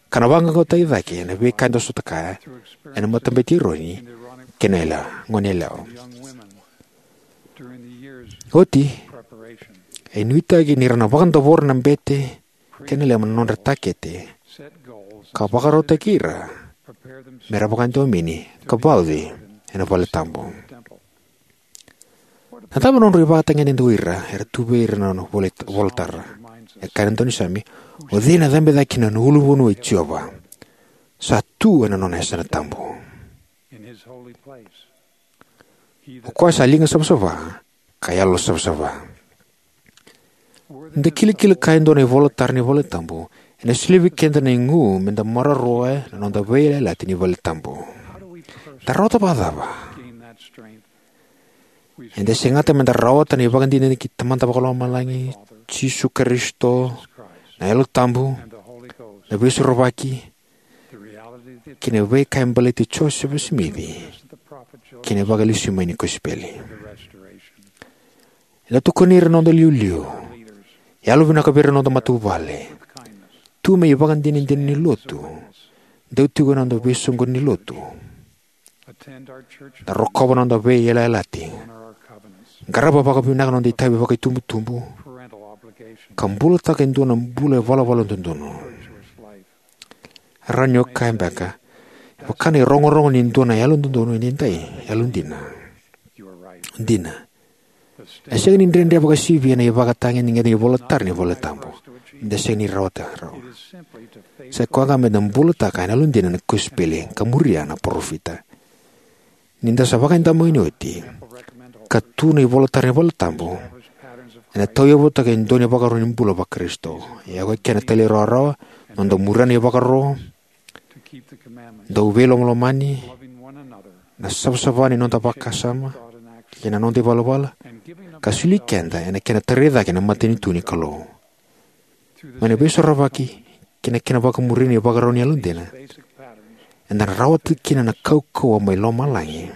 ka na vaqaqacotaki cake ena veika eda sota kaya ena Matabete i Eroni kei na yalewa, gone yalewa. Oti, e nuitaki ni ra na vakadavora na bete kei na lema na nodra takete ka vakarautaki ira me ra vakadomoni ka vauci ena valetabu. Na cava na nodrau ivakatagedegede o ira era tu vei ira na nona ivolatara? E kaya na daunisame, o cei ena cabe cake ki na nona ulunivanua i Jiova? Sa tu ena nona yasana tabu. O koya sa liga savasava ka yalo savasava. Ni da kilikili kaya e dua na ivolatara ni valetabu, ena solia vei keda na igu me da maroroya na noda veiyalayalati ni valetabu. Da rawata vakacava? Eda segata me da rawata na ivakadinadina kei Tamada Vakalomalagi, Jisu Karisito, na Yalo Tabu, na Veisorovaki, kei na veika e baleti Josefa Simici kei na Vakalesui Mai ni kosipeli. Eda tokoni ira na noda iliuliu, yalovinaka vei ira na noda matavuvale, tu me ivakadinadina ni lotu, dau tiko ena noda veisoqoni ni lotu, da rokova na noda veiyalayalati, qarava vakavinaka na noda itavi vakaitubutubu, ka bulataka e dua na bula ivalavala dodonu. Rawa ni o kaya beka, e vaka na irogorogo ni dua na yalododonu edaidai, yalodina. Dina. E sega ni dredre vakasivia na ivakatagedegede ni ivolatara ni valetabu me da sega ni rawata rawa. Sa koya ga me da bulataka ena yalodina na kosipeli ka muria na parofita. Ni da sa vakadaumeni oti ka tu na ivolatara ni valetabu, ena tauyavutaka e dua na ivakaro ni bula vaKarisito. E oka kina na talairawarawa, noda muria na ivakaro, dau veilomalomani, na savasava ni noda vakasama kei na noda ivalavala, ka soli keda ena kena tarai cake na matanitu ni Kalou. Mai na Veisorovaki kei na kena vakamuria na ivakarau ni yalodina, eda na rawata kina na kaukauwa mai lomalagi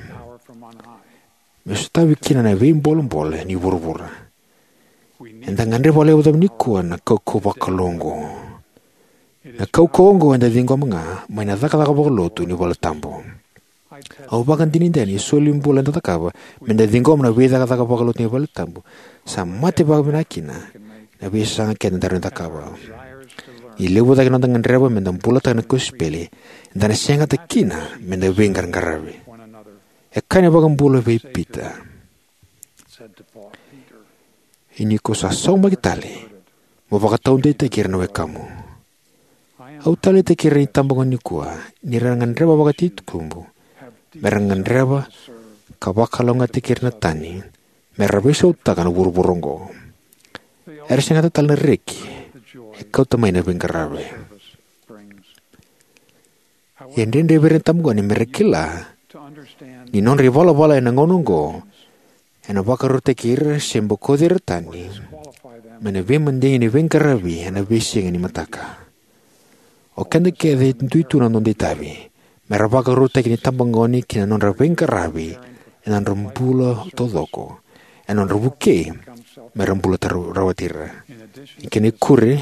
me sotavi kina na veibolebole ni vuravura. Eda gadreva vakalevu cava nikua na kaukauwa vakalou oqo? Na kaukauwa oqo eda ciqoma ga mai na cakacaka vakalotu ni valetabu. Au vakadinadina ni solibula eda cakava me da ciqoma na veicakacaka vakalotu ni valetabu sa mate vakavinaka kina na veisaga keda rawa ni cakava. Ni levu cake na noda gadreva me da bulataka na kosipeli, eda na segata kina me da veiqaraqaravi. E kaya na iVakabula vei Pita, "Ia ni ko sa saumaki tale, mo vakataudeitaki ira na wekamu." Au taleitaki ira na itabagone nikua ni ra gadreva vakatitobu me ra gadreva ka vakalougatataki ira na tani me ra veisautaka na vuravura oqo. Era segata tale na reki e kauta mai na veiqaravi. E dredre vei ira na tabagone me ra kila ni nodra ivalavala ena gauna oqo ena vakarautaki ira se bokoci ira tani mai na veimadigi ni veiqaravi ena veisiga ni mataka. O keda kece e dui tu na noda itavi me ra vakarautaki na itabagone ki na nodra veiqaravi ena nodra bula taucoko, ena nodra vukei me ra bula tara rawati ira. Ni kena ikuri,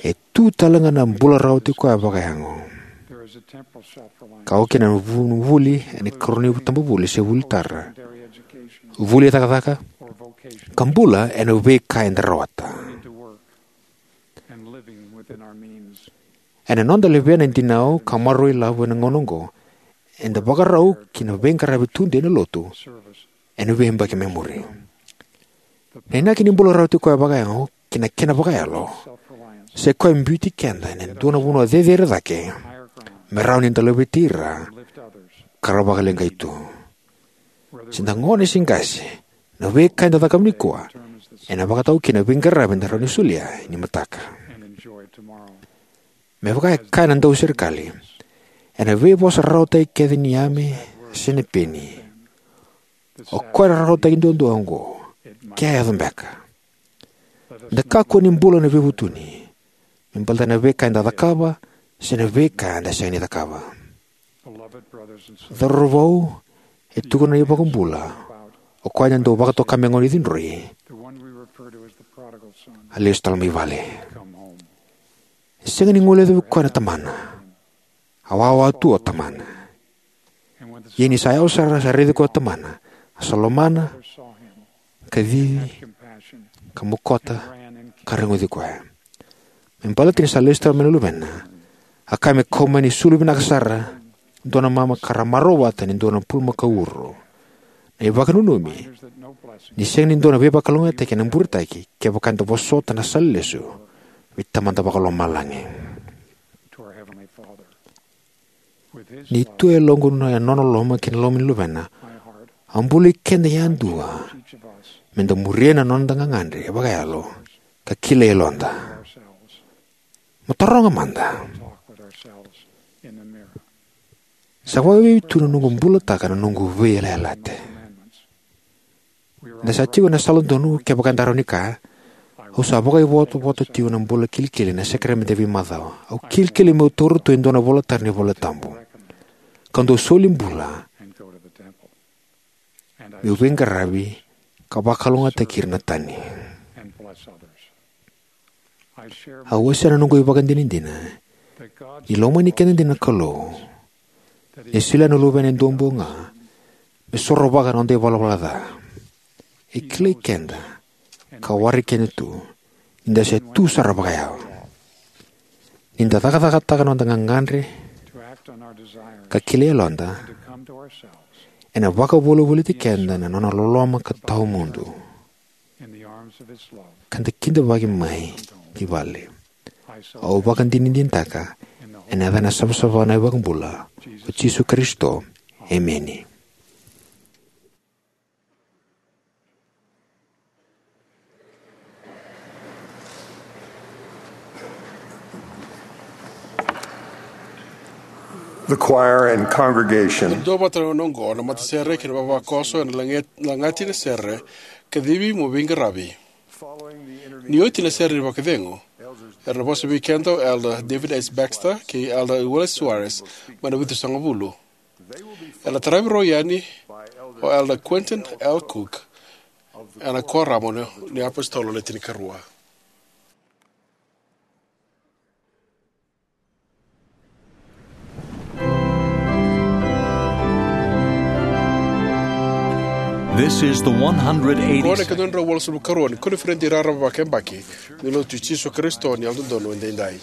e tu tale ga na bula rawati koya vakayago, ka oka kina na vu- vuli ena ikarua ni tabavuli se vuli tara, vuli e cakacaka, ka bula ena veika eda rawata. Ena noda levea na dinau ka maroroi lavo ena gauna oqo, eda vakarau ki na veiqaravi tudei ena lotu ena veiyabaki mai muri. Na inaki ni bula rawati koya vakayago kei na kena vakayalo, sa i koya e biuti keda ena dua na vanua cecere cake me rawa ni da laveti ira ka ra vakaleqai tu. Se da gone se qase, na veika eda cakava nikua ena vakatau kina na veiqaravi eda rawa ni solia ni mataka. Me vaka e kaya na dauserekali, ena veivosa rawata kece ni yame se na peni, o koya e rarawataki duadua oqo, ke a yaco beka. Da kakua ni bula ena veivutuni me baleta na veika eda cakava se na veika eda sega ni cakava. Cauravou, e tukuna na iVakabula, o koya eda dau vakatoka me gone cidroi, a lesu tale mai vale. E sega ni guilecavi koya na tamana. A wawa tu o tamana. Ia ni sa yawa sara, sa raici koya o tamana, a sa lomana, kacivi, ka mokota, ka reguci koya. Me baleta ni sa lesu tale mai na luvena, a kaya me kau mai na isulu vinaka sara, dua na mama ka ra marau vata ni dua na pulumakau uro. Na ivakananumi ni sega ni dua na veivakalougatataki ena buretaki kevaka eda vosota na sala lesu vei Tamada Vakalomalagi. Ni tu e yaloqu na nona loloma kei na loma ni Luvena, a buli keda yadua me da muria na noda gagadre vakayalo ka kilai yaloda. Mo taroga mada: Sa vakavei tu na noqu bulataka na noqu veiyalayalati? Da sa tiko ena sala donu kevaka eda rawa ni kaya: Au sa vakaivotavota tiko ena bula kilikili ena sakaramede veimacawa. Au kilikili meu taura tu e dua na ivolatara ni iVolatabu, kau dau soli bula meu veiqaravi ka vakalougatataki ira na tani. Au wasea na noqu ivakadinadina ni lomani keda dina na Kalou, ni solia na Luvena e duabau ga me sorovaka na noda ivalavala ca. E kilai keda ka waraki keda tu ni da se tu sara vakayawa. Ni da cakacakataka na noda gagadre ka kilai yaloda, ena vakavolivoliti keda na nona loloma ka tawamudu, ka da kidavaki mai ki vale. Au vakadinadinataka ena yaca savasava ni iVakabula, ko Jisu Karisito. Emeni. The choir and congregation. Duavata na oqo na matasere kei na vavakoso ena lagati na sere Kacivi Mo Veiqaravi. Ni oti na sere ni vakacegu, era na vosa vei keda o Elder David S. Baxter kei Elder Willis Soares mai na Vitusagavulu. Era na taravi rau yani o Elder Quentin L. Cook ena Kuoramu ni iApositolo Le Tinikarua. This is the one hundred eighty. Qo na ikaonodrau walusagavulu karua ni koniferedi raraba vakayabaki ni Lotu i Jisu Karisito ni Yalododonu Edaidai.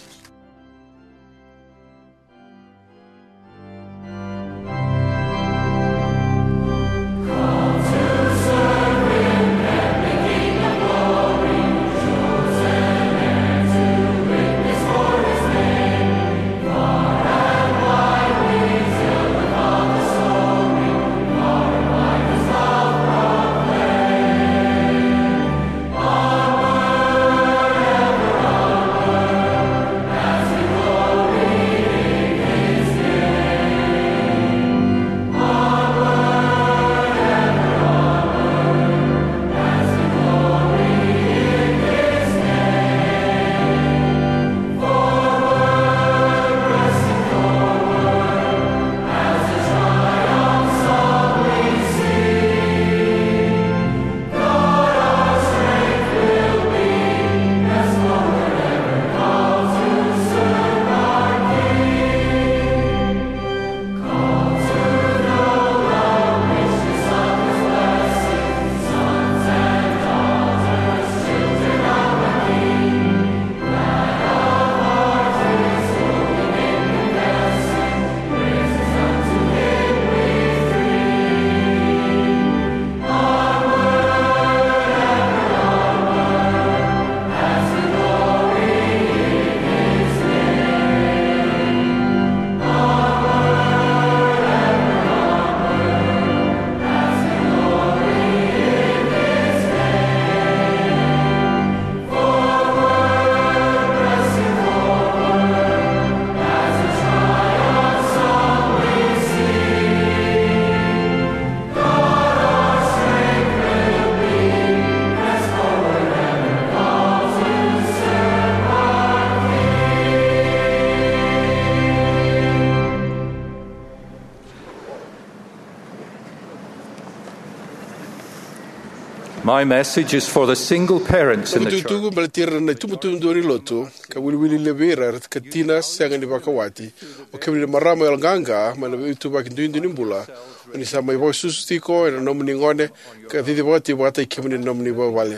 My message is for the single parents in the church. Tukutuku baleti ira na itubutubu dua ni lotu, ka wiliwili levu vei ira ka tina sega ni vakawati. O kemuni na marama yaloqaqa mai na veituvaki duidui ni bula, o ni sa mai vakasusu tiko ena nomuni gone ka cicivaka tiko vakataki kemuni na nomuni vuvale.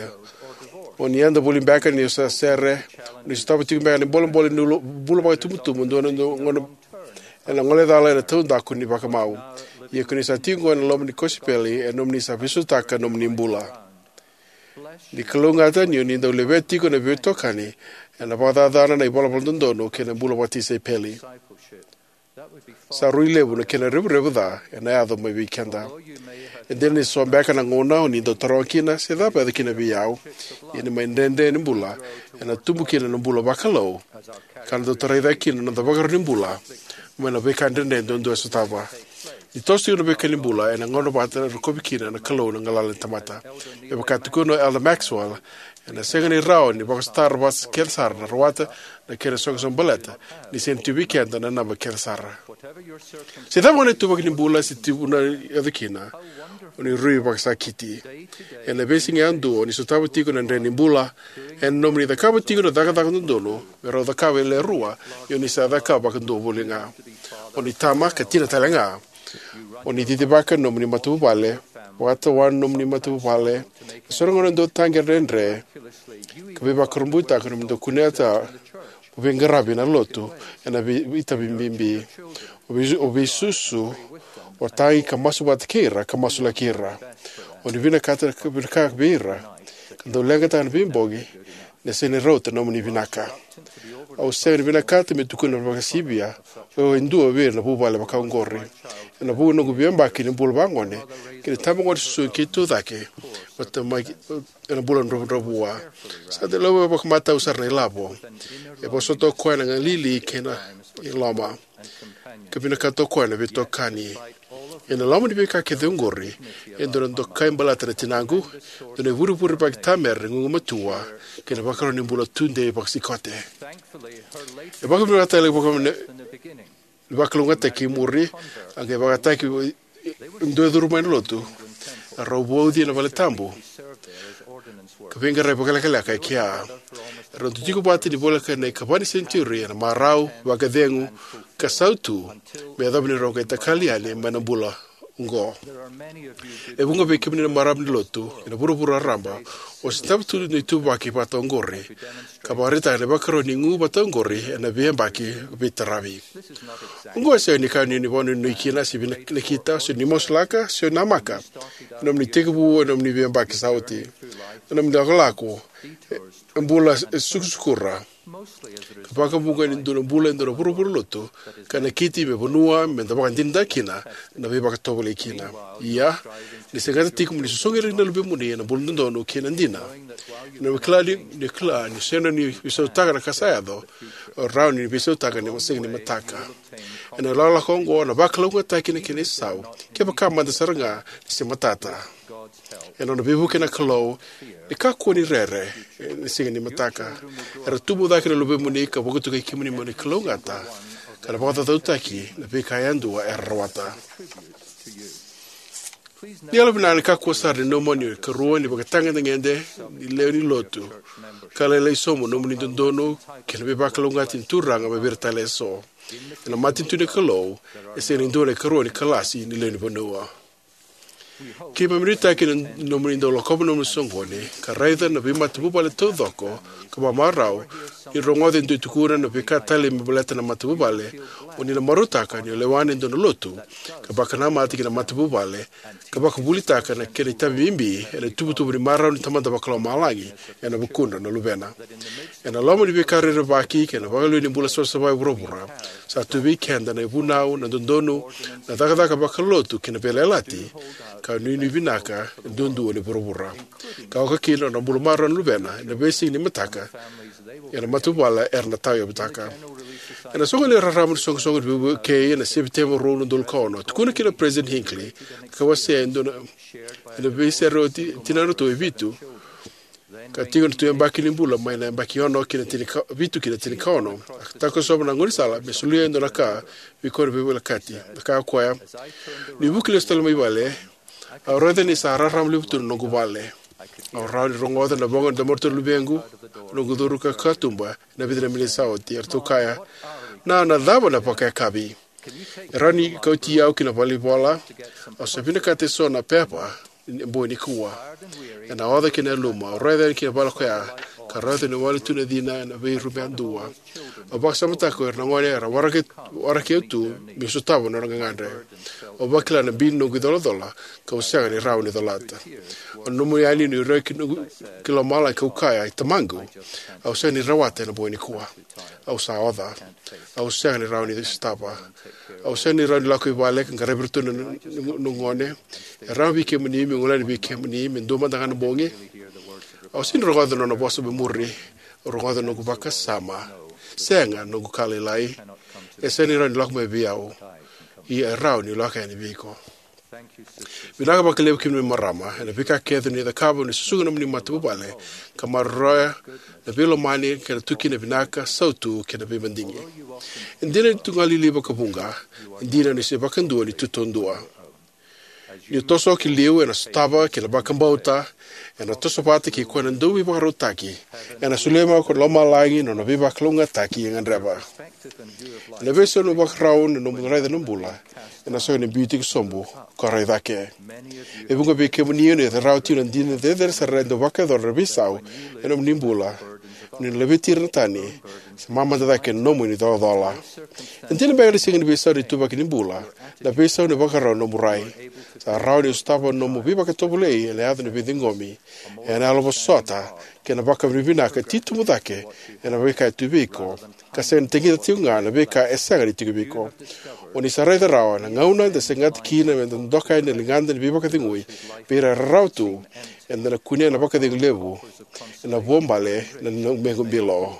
O ni yada voli beka ni sa sere, o ni sotava tiko beka na bolebole ni ulo- bula vakaitubutubu dua na dua gone ena gole cala ena taudaku ni vakamau. Ia ko ni sa tiko ena loma ni kosipeli, e nomuni sa veisautaka nomuni bula. Ni kalougata ni o ni dau levea tiko na veitokani ena vakacacana na ivalavala dodonu kei na bula vakatisaipeli. Sa rui levu na kena revurevu ca ena yaco mai vei keda. E dina ni so beka na gauna o ni dau taroga kina se cava e yaco kina vei au, ia ni mai dredre ni bula ena tubu kina na bula vakalou, ka na dau tarai cake kina na noda vakarau ni bula mai na veika dredre duadua e sotava. Ni toso tiko na veika ni bula, ena gauna vata e rokovi kina na Kalou na galala ni tamata. Me vaka tukuna o Elder Maxwell, ena sega ni rawa ni vakasotara vata kece sara na rawata na kena soqosoqo baleta ni sega ni tu vei keda na naba kece sara. Se cava ga na ituvaki ni bula se tuvuna e yaco kina, o ni rui vakasakiti. Ena veisiga yadua o ni sotava tiko na dredre ni bula ena nomuni cakava tiko na cakacaka dodonu me rau cakava e lewe rua, ia o ni sa cakava vakadua voli ga. O ni tama ka tina tale ga. O ni cicivaka na nomuni matavuvale, vakatawana na nomuni matavuvale, e so na gauna dau taqi dredre, ka veivakurabuitaka na nomuni dau kunea mo veiqaravi ena lotu ena vei- itavi bibi. O vei- o veisusu, o tagi ka masu vata kei ira ka masulaki ira. O ni vinakata ka vinaka vei ira, ka dau leqataka na veibogi ni sega ni rauta na nomuni vinaka. Au sega ni vinakata me tukuna vakasivia, o au e dua vei ira na vuvale vakaoqori. Ena vuku ni noqu veiyabaki ni bula vagone kei na tabagone susu keitou cake, vata mai ena bula dravudravua. Sa dau laiva vakamatau sara na ilavo. E vosota o koya na galili kei na iloma, ka vinakata o koya na veitokani. Ena loma ni veika kece oqori, e dua na dokai baleta na tinaqu, dua na ivurevure vakaitamera ni gugumatua, kei na vakarau ni bula tudei vakasikote. E vakavinakataki vaka- ni vakalougatataki i muri, a qai vakataki e dua e curu mai na lotu. Rau vauci ena valetabu ka veiqaravi vakalekaleka e kea. Rau dau tiko vata ni voleka na ikava ni senitiuri ena marau, vakacegu, ka sautu, me yacova ni rau qai takali yani mai na bula oqo. E vuqa vei kemuni na marama ni lotu ena vuravura raraba o sotava tu na ituvaki vata oqori, ka vakaraitaka na ivakarau ni gu vata oqori ena veiyabaki veitaravi. Oqo e sega ni ka ni o ni vakanuinui kina se vinakita, se o ni masulaka, se o ni namaka ena nomuni tekivu ena nomuni veiyabaki sa oti. Ena nomuni lakolako e bula e sukusukura, ka vakavuqa ni dua na bula e dua na vuravura lotu, ka nakiti me vanua me da vakadinadinataka kina, na veivakatovolei kina. Ia, ni segata tiko mo ni sosogi ira na luvemuni ena bula dodonu kei na dina. Ena kila ni, ni kila ni sega ni veisautaka na ka sa yaco, o rawa ni veisautaka ni sega ni mataka. Ena lakolako oqo na vakalougatataki na kena isau, kevaka mada sara ga ni se matata. Ena nona veivuke na Kalou, ni kakua ni rere, e, ni sega ni mataka. Era tubu cake na luvemuni ka vakatokai kemuni mo ni kalougata, ka na vakacaucautaki na veika yadua era rawata. Ni yalovinaka ni kakua sara ni nomuni ikarua ni vakatagedegede ni lewe ni lotu, ka lailai sobu na nomuni dodonu kei na veivakalougatataki ni Turaga mai vei ira tale eso. Ena matanitu ni Kalou, e sega ni dua na ikarua ni kalasi ni lewe ni vanua. Keimami nuitaka ni nomuni dau lakova na nomuni soqoni ka raica na veimatavuvale taucoko ka vakamarau. Ni rogoca e dua e tukuna na veika talei me baleta na matavuvale, o ni na marautaka ni o lewena e dua na lotu ka vakanamata ki na matavuvale, ka vakavulitaka na kena itavi bibi ena ituvatuva ni marau ni Tamada Vakalomalagi ena vukudra na luvena. Ena loma ni veika rerevaki kei na vakaliuci ni bula savasava e vuravura, sa tu vei keda na ivunau, na dodonu, na cakacaka vakalotu kei na veiyalayalati, ka nuinui vinaka duadua ni vuravura. Ka oka kina na bula marau na luvena ena veisiga ni mataka, ena matavuvale era na tauyavutaka. Ena soqoni raraba ni soqosoqo ni veivukei ena Sepiteba rua na udolu ka ono, tukuna kina o President Hinckley, ka wasea e dua na, ena veisere o ti- tinadratou e vitu, ka tiko na tu yabaki ni bula mai na yabaki ono ki na tinikavitu ki na tinikaono. A takosova na gaunisala me solia e dua na ka vei koya na veiwilakati. A kaya o koya, niu vuki lesu tale mai vale, au raica ni sa rarama levu tu na noqu vale. Au rawa ni rogoca na voqa ni domo ni luvequ, noqu curu ka katuba ena vica na miniti sa oti. Eratou kaya, "Na, na cava na vakayakavi? E rawa ni kauti au ki na valenivola? Au sa vinakata eso na pepa ena bogi nikua." Ena oca kina na yaluma, au raica yani ki na vale koya, ka raica ni wale tu na cina ena veirumu yadua. Au vakasamataka ko ira na gone era waraki, waraki au tu meu sotava na nona gagadre. Au vakila na bi ni noqu icolacola, kau sega ni rawa ni colata. Au nanuma yani niu raici noqu, ki lomalagi kau kaya, "Tamaqu, au sega ni rawata ena bogi nikua. Au sa oca. Au sega ni rawa ni sotava. Au sega ni rawa ni lako i vale ka qaravi iratou na, na, na gone. E rawa vei kemuni meu gole yani vei kemuni me dua mada ga na bogi?" Au sega ni rogoca na nona vosa me muri. Au rogoca na noqu vakasama. "Sega, noqu ka lailai. E sega ni rawa ni lako mai vei au. Ia e rawa niu lako yani vei iko." Vinaka vakalevu kemuni na marama ena veika kece o ni cakava ni susuga na nomuni matavuvale ka maroroya na veilomani kei na tu kina vinaka, sautu kei na veimadigi. E dina ni tu galili vakavuqa, e dina ni se vakadua ni tu taudua. Niu toso ki liu ena sotava kei na vakabauta, ena toso vata kei koya na Dauveivakarautaki, ena solia mai ko lomalagi na nona veivakalougatataki e gadreva. Ena veisau ni vakarau na nomu raica na bula, ena sega ni biu tiko sobu, ko rai cake. E vuqa vei kemuni o ni rawa tiko na dina cecere sara e dau vakayacora na veisau ena nomuni bula, ni laveti ira na tani, se mamada cake na nomuni colacola. E dina beka ni sega ni veisau ni ituvaki ni bula, na veisau ni vakarau na nomu rai. Sa rawa ni sotava na nomu veivakatovolei ena yaco ni veiciqomi, ena yalovosota, kei na vakavinavinaka titobu cake ena veika e tu vei iko, ka sega ni taqita tiko ga na veika e sega ni tiko vei iko. O ni sa raica rawa na gauna eda segata kina meda doka yani na ligada ni veivakacegui vei ira e rarawa tu, eda na kunea na vakacegu levu ena vuabale na noda mequ bilo.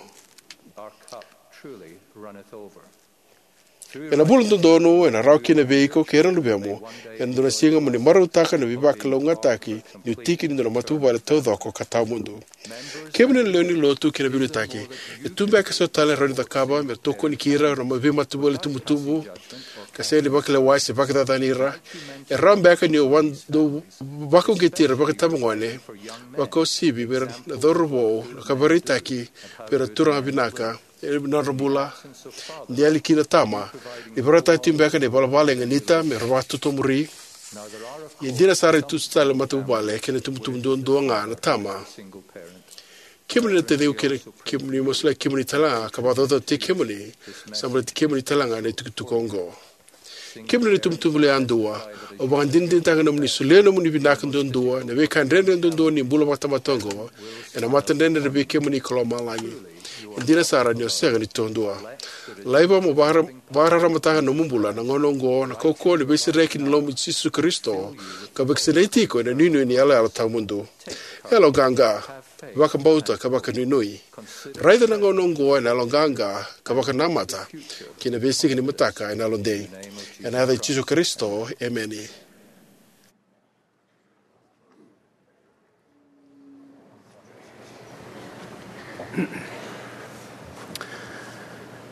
Ena vula dodonu ena rawa kina vei iko kei ira na luvemu ena dua na siga mo ni marautaka na veivakalougatataki ni tiki ni dua na matavuvale taucoko ka tawamudu. Kemuni na lewe ni lotu kei na veiliutaki, e tu beka eso tale e rawa ni cakava me tokoni kei ira na veimatavuvale tubutubu ka sega ni vakalewai se vakacacani ira? E rawa beka ni o dau vakauqeti ira vakaitabagone, vakauasivi vei ira na cauravou, na ka vakaraitaki vei ira na turaga vinaka ena nodra bula? De yali kina na tama, ni vakaraitaka tiko beka na ivalavala e ganita me ra vakatotomuri. Ia e dina sara e tu tale na matavuvale kei na itubutubu duadua ga na tama. Kemuni na taciqu kei na kemuni, mo solia kemuni talega ka vakacaucautaki kemuni, sa baleti kemuni talega na itukutuku oqo. Kemuni na itubutubu lewe yadua, au vakadinadinataka na nomuni solia na nomuni vinaka duadua, na veika dredre duadua ni bula vakatamata oqo, ena matadredredre vei kemuni ko lomalagi. E dina sara ni o sega ni taudua. Laiva mo vakara-, vakararamataka na nomu bula na gauna oqo, na kaukauwa ni veisereki ni loma i Jisu Karisito, ka vakasinaiti iko ena inuinui ni iyaloyalo tawamudu. Yaloqaqa, vakabauta ka vakanuinui. Raica na gauna oqo ena yaloqaqa ka vakanamata ki na veisiga ni mataka ena yalodei. Ena yaca i Jisu Karisito, emeni.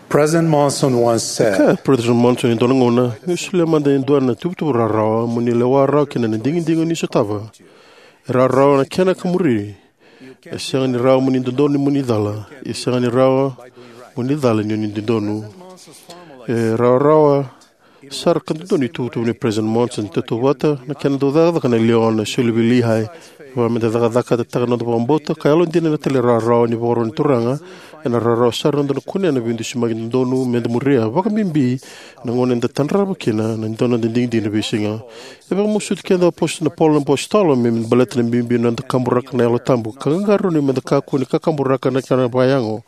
President Monson once said, Kaya o President Monson e dua na gauna, "Meu solia mada e dua na tuvatuva rawarawa mo ni lewa rawa kina na digidigi o ni sotava. E rawarawa na kena ka muri. E sega ni rawa mo ni dodonu mo ni cala. E sega ni rawa mo ni cala ni o ni dodonu." E rawarawa sara ka dodonu na ituvatuva nei President Monson. Tautauvata na kena dau cakacaka na leona e soli vei Lehi. Kevaka meda cakacakataka na noda vakabauta ka yalodina ena talairawarawa ni ivakaro ni Turaga, ena rawarawa sara na noda kunea na veidusimaki dodonu meda muria, vakabibi na gauna eda tadrava kina na dua na noda digidigi ena veisiga. E vakamasuti keda na aposto-, na Paula na apositolo me, me baleta na bibi ni noda kaburaka na Yalo Tabu, ka qaqarauni meda kakua ni kakaburaka na kena vakayago.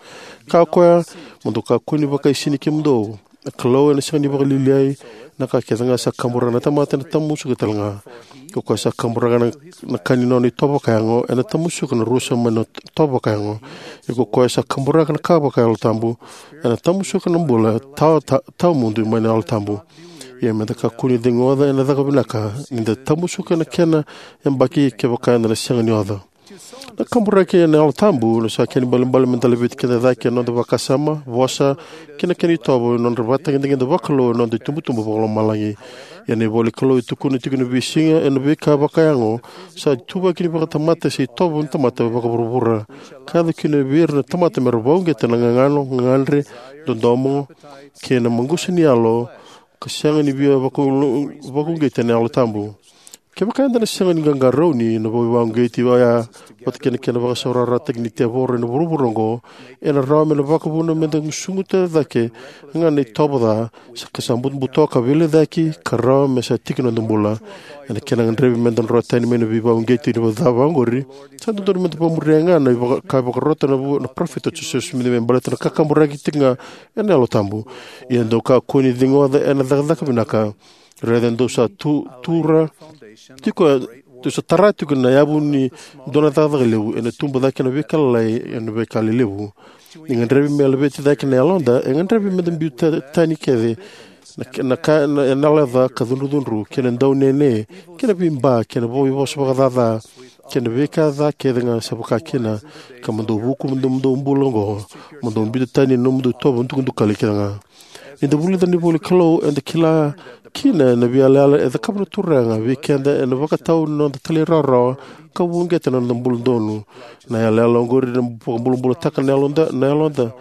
Kaya o koya, "Mo dou kakua ni vakaisini kemudou. Na Kalou ena sega ni vakalialiai. Na ka kece ga sa kaburaka na tamata ena tamusuka talega. Ko koya sa kaburaka na, na ka ni nona itovo vakayago, ena tamusuka na rusa mai na itovo vakayago. Ia ko koya sa kaburaka na ka vaka Yalo Tabu, ena tamusuka na bula tawa, ta-, tawamudu mai na Yalo Tabu." Ia meda kakua ni ceguoca ena caka vinaka, nida tamusuka na kena yabaki kevaka eda na sega ni oca. Na kaburaki ena Yalo Tabu sa kena ibalebale me da laveti keda cake ena noda vakasama, vosa, kei na kena itovo ena nodra ivakatagedegede vakalou ena noda itubutubu vakalomalagi. Ia na ivola ni Kalou e tukuna tiko ena veisiga, ena veika vakayago sa ituvaki ni vakatamata se itovo ni tamata vakavuravura, ka yaco kina vei ira na tamata me ra vakauqeta na gagano, gagadre, dodomo, kei na maqusa ni yalo, ka sega ni via vakau-, vakauqeti ena Yalo Tabu. Kevaka eda na sega ni qaqarauni na veivakauqeti oya vata kei na kena vakasaurarataki ni tevoro ena vuravura oqo, ena rawa me na vakavuna me da gusuguta cake ga na itovo ca, sa ka sa butobuto ka veilecayaki, ka rawa me sa tiki noda bula. Ena kena gadrevi me da dro tani mai na veivakauqeti ni ca vaqori, sa dodonu me da vakamuria ga na ivaka-, ka vakarota na vu-, na parofita o Josefa Simici me baleta na kakaburaki tiko ga ena Yalo Tabu. Ia dou kakua ni ciqoma ena cakacaka vinaka. Raica dou sa tu, tura tiko, dou sa tara tiko na yavu ni dua na cakacaka levu, ena tubu cake na veika lalai ena veika lelevu. Ni gadrevi me laveti cake na yaloda, e gadrevi me da biu ta-, tani kece na, na ka, na, na yaloca ka cudrucudru, kei na daunene, kei na veiba, kei na veivosa vakacaca, kei na veika ca kece ga sa vaka kina, ka mo dou vuku mo dou, mo dou bula oqo, mo dou biuta tani na nomudou itovo dukadukali kece ga. Ni da vulica na ivola ni Kalou, eda kila kina na veiyalayala e cakava na Turaga vei keda ena vakatau na noda talairawarawa ka vakauqeta na noda bula donu. Na yalayala oqori na vakabulabulataka na yaloda, na yaloda,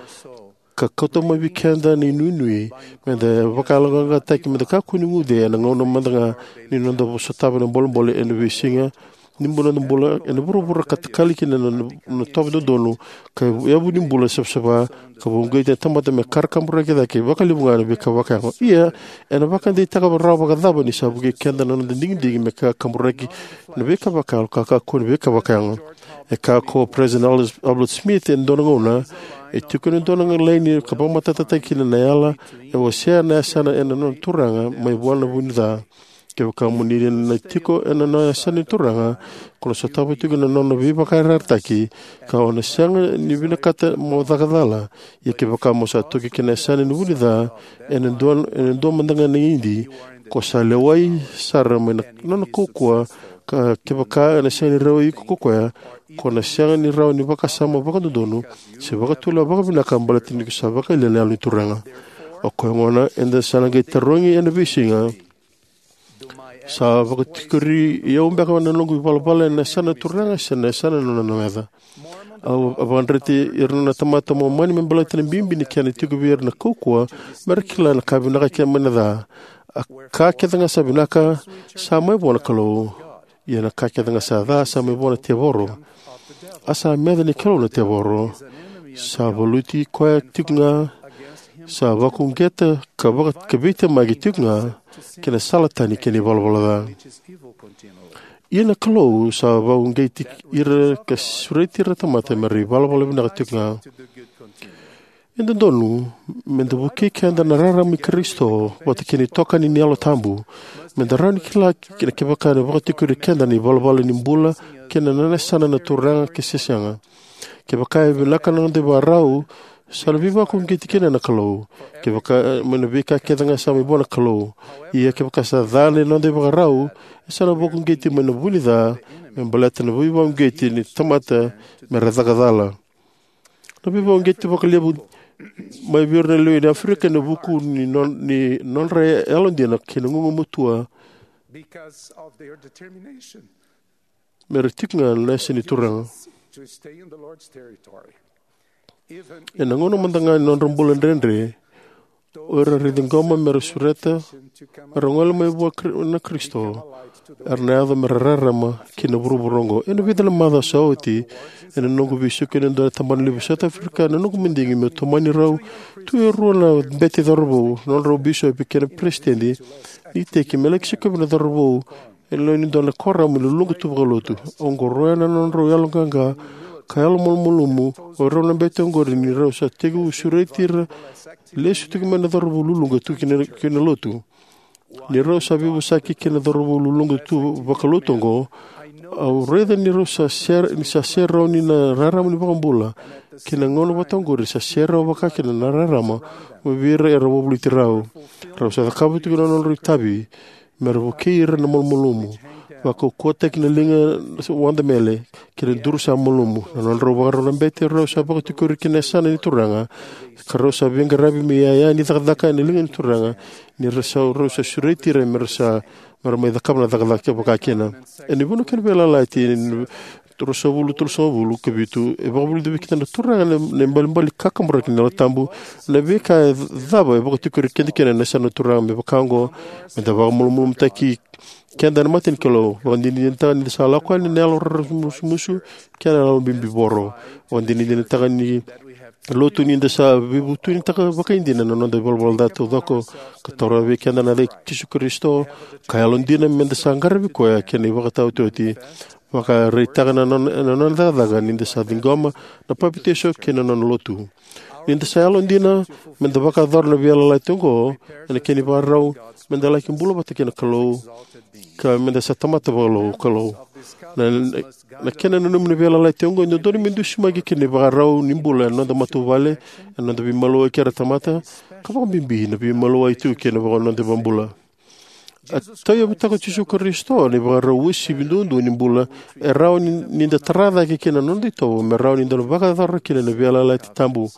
ka kauta mai vei keda na inuinui me da vakayaloqaqataki, me da kakua ni guce ena gauna mada ga ni noda sotava na bolebole ena veisiga ni bula, noda bula ena vuravura ka takali kina na, na, na itovo dodonu, ka yavu ni bula savasava, ka vakauqeti na tamata me ka ra kaburaki cake vakalevu ga na veika vakayago. Ia, ena vakadeitaka rawa vakacava ni sa vukei keda na noda digidigi me ka kaburaki na veika vakayago, ka kakua ni veika vakayago? E kaya ko President Albert Smith ena dua na gauna, e tiko ena dua na laini ka vakamatatataki kina na yala e wasea na yasana ena nona turaga mai vua na vu ni ca. Kevaka mo ni na tiko ena nona yasana ni Turaga, ko na sotava tiko na nona veivakayarayarataki, ka o na sega ni vinakata mo caka cala. Ia kevaka mo sa toki ki na yasana ni vu ni ca, ena dua, ena dua mada ga na idi, ko sa lewai sara mai na nona kaukauwa, ka kevaka ena sega ni rawai iko ko koya, ko na sega ni rawa ni vakasama vakadodonu se vakatulewa vakavinaka baleta ni ko sa vakayalia na Yalo ni Turaga. O koya gona, eda sa na qai tarogi ena veisiga, sa vakatikori au beka na noqu ivalavala ena yasana na Turaga se na yasana na nona meca? A, a vakadreti ira na tamata Momani me baleta na bibi ni kena tiko vei ira na kaukauwa me ra kila na ka vinaka kei na ca. A ka kece ga sa vinaka sa mai vua na Kalou. Ia na ka kece ga sa ca sa mai vua na tevoro. A sa meca ni Kalou na tevoro. Sa valuti koya tiko ga, sa vakauqeta ka vaka, ka veitemaki tiko ga kei na sala tani kei na ivalavala ca. Ia na Kalou sa vakauqeti ira ka sureti ira na tamata me ra ivalavala vinaka tiko ga. E dodonu me da vukei keda na rarama i Karisito vata kei na itokani ni Yalo Tabu, me da rawa ni kila kina kevaka ena vakatikori keda na ivalavala ni bula kei na nona yasana na Turaga ke se sega. Kevaka e vinaka na noda ivakarau, sa na veivakauqeti kina na Kalou. Kevaka, e, mai na veika kece ga sa mai vua na Kalou. Ia kevaka sa ca na noda ivakarau, e sa na vakauqeti mai na vu ni ca, me baleta na veivakauqeti ni tamata me ra caka cala. Na veivakauqeti vakalevu mai vei ira na lewe ni Aferika ena vuku ni non-, ni nodra yalodina kei na gugumatua because of their determination me ra tiko ga na yasa ni Turaga. To stay in the Lord's territory. Ena gauna mada ga ni nodra bula dredre, o ira era ciqoma me ra sureta, me ra gole mai vua Kri-, na Karisito, era na yaco me ra rarama ki na vuravura oqo. Ena vica na macawa sa oti, ena noqu veisiko ena dua na tabana levu South Africa, na noqu madigi meu tomani rau tu e rua na bete cauravou, na nodrau bisopi kei na peresitedi ni iteki, me laki sikovi na cauravou ena lewe ni dua na kuoramu luluqa tu vakalotu. Au qoroya na nodrau yaloqaqa ka yalomalumalumu o rau na bete oqori ni rau sa tekivu sureti ira, lesu tiko mai na cauravou luluqa tu ki na, ki na lotu. Ni rau sa veivosaki kei na cauravou luluqa tu vakalotu oqo, au raica ni rau sa sere, ni sa sere rawa ni na rarama ni vakabula. Kei na gauna vata oqori sa sere rawa vakakina na rarama mai vei ira era wavoliti rau. Rau sa cakava tiko na nodrau itavi me ra vukei ira na malumalumu. vakaukauwataki na liga sa wada mele kei na duru sa malumu. Na nodrau vakarau na bete, rau sa vakatikori ki na yasana ni Turaga, ka rau sa veiqaravi me iyaya ni cakacaka ena liga ni Turaga, ni ra sa, rau sa sureti ira me ra sa, me ra mai cakava na cakacaka vakakina. Ena vuna kei na Veiyalayalati, rua sagavulu, tolu sagavulu ka vitu, e vakavulica vei keda na Turaga na, na ibalebale kakaburaki ni Yalo Tabu. Na veika cava e vakatikori keda kina na yasana na Turaga me vaka oqo? Me da vakamalumalumutaki keda na mata ni Kalou, vakadinadinataka ni da sa lako yani na yalo raramusumusu kei na yalo bibivoro, vakadinadinataka ni lotu ni da sa veivutunitaka vakaidina na noda ivalavala ca taucoko, ka taura vei keda na yaca i Jisu Karisito, ka yalodina me da sa qaravi koya kei na ivakataotioti, vakaraitaka na nona, na nona cakacaka ni da sa ciqoma na papitaiso kei na nona lotu. Ni da sa yalodina me da vakayacora na veiyalayalati oqo, ena kena ivakarau me da laki bula vata kei na Kalou, ka me da sa tamata vakalou Kalou. Na, na, na kena nanumi na veiyalayalati oqo e dodonu me dusimaki kei na ivakarau ni bula ena noda matavuvale, ena noda veimalua kei ira tamata, ka vakabibi na veimalua e tu kei na vaka noda iVakabula. A tauyavutaka o Jisu Karisito na ivakarau uasivi duadua ni bula e rawa ni, ni da tara cake kina na noda itovo, me rawa ni da vakayacora kina na veiyalayalati tabu.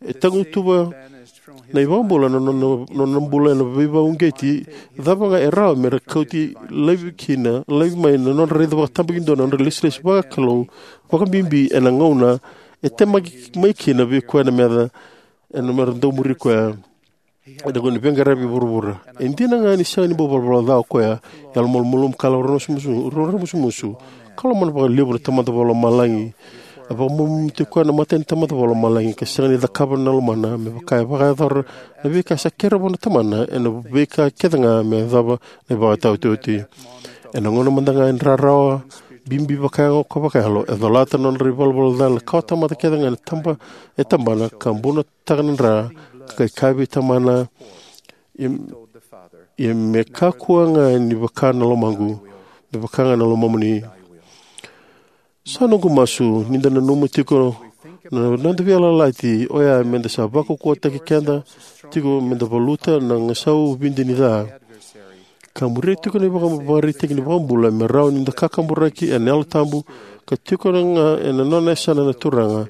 E tagutuva na iVakabula na nona, nona bula ena veivakauqeti cava ga e rawa me ra kauti laivi kina, laivi mai na nodra raica vakatabakidua na nodra ilesilesi vakalou, vakabibi ena gauna e temaki mai kina vei koya na meca ena mera dau muri koya ena gauna ni veiqaravi e vuravura. E dina ga ni sega ni bau valavala ca o koya, yalomalumalumu ka yalo raramusumusu, raramusumusu, ka lomana vakalevu na Tamada Vakalomalagi. A vakamalumalumutaki koya na mata ni Tamada Vakalomalagi, ka sega ni cakava na lomana me vaka e vakayacora na veika sa kerea vua na Tamana ena veika kece ga me yacova na ivakataotioti. Ena gauna mada ga e rarawa bibi vakayago ka vakayalo, e colata na nodra ivalavala ca na kawatamata kece ga ena taba, e tabana, ka buna taka na dra, ka kai kaya vei Tamana, ia, ia me kakua ga ni vaka na lomaqu, me vaka ga na lomamuni. Sa noqu masu ni da nanuma tiko na noda veiyalayalati oya me da sa vakaukauwataki keda tiko me da valuta na gasau vidi ni ca, ka muria tiko na ivakavakaraitaki ni iVakabula me rawa ni da kakaburaki ena Yalo Tabu ka tiko ga ena nona yasana na Turaga.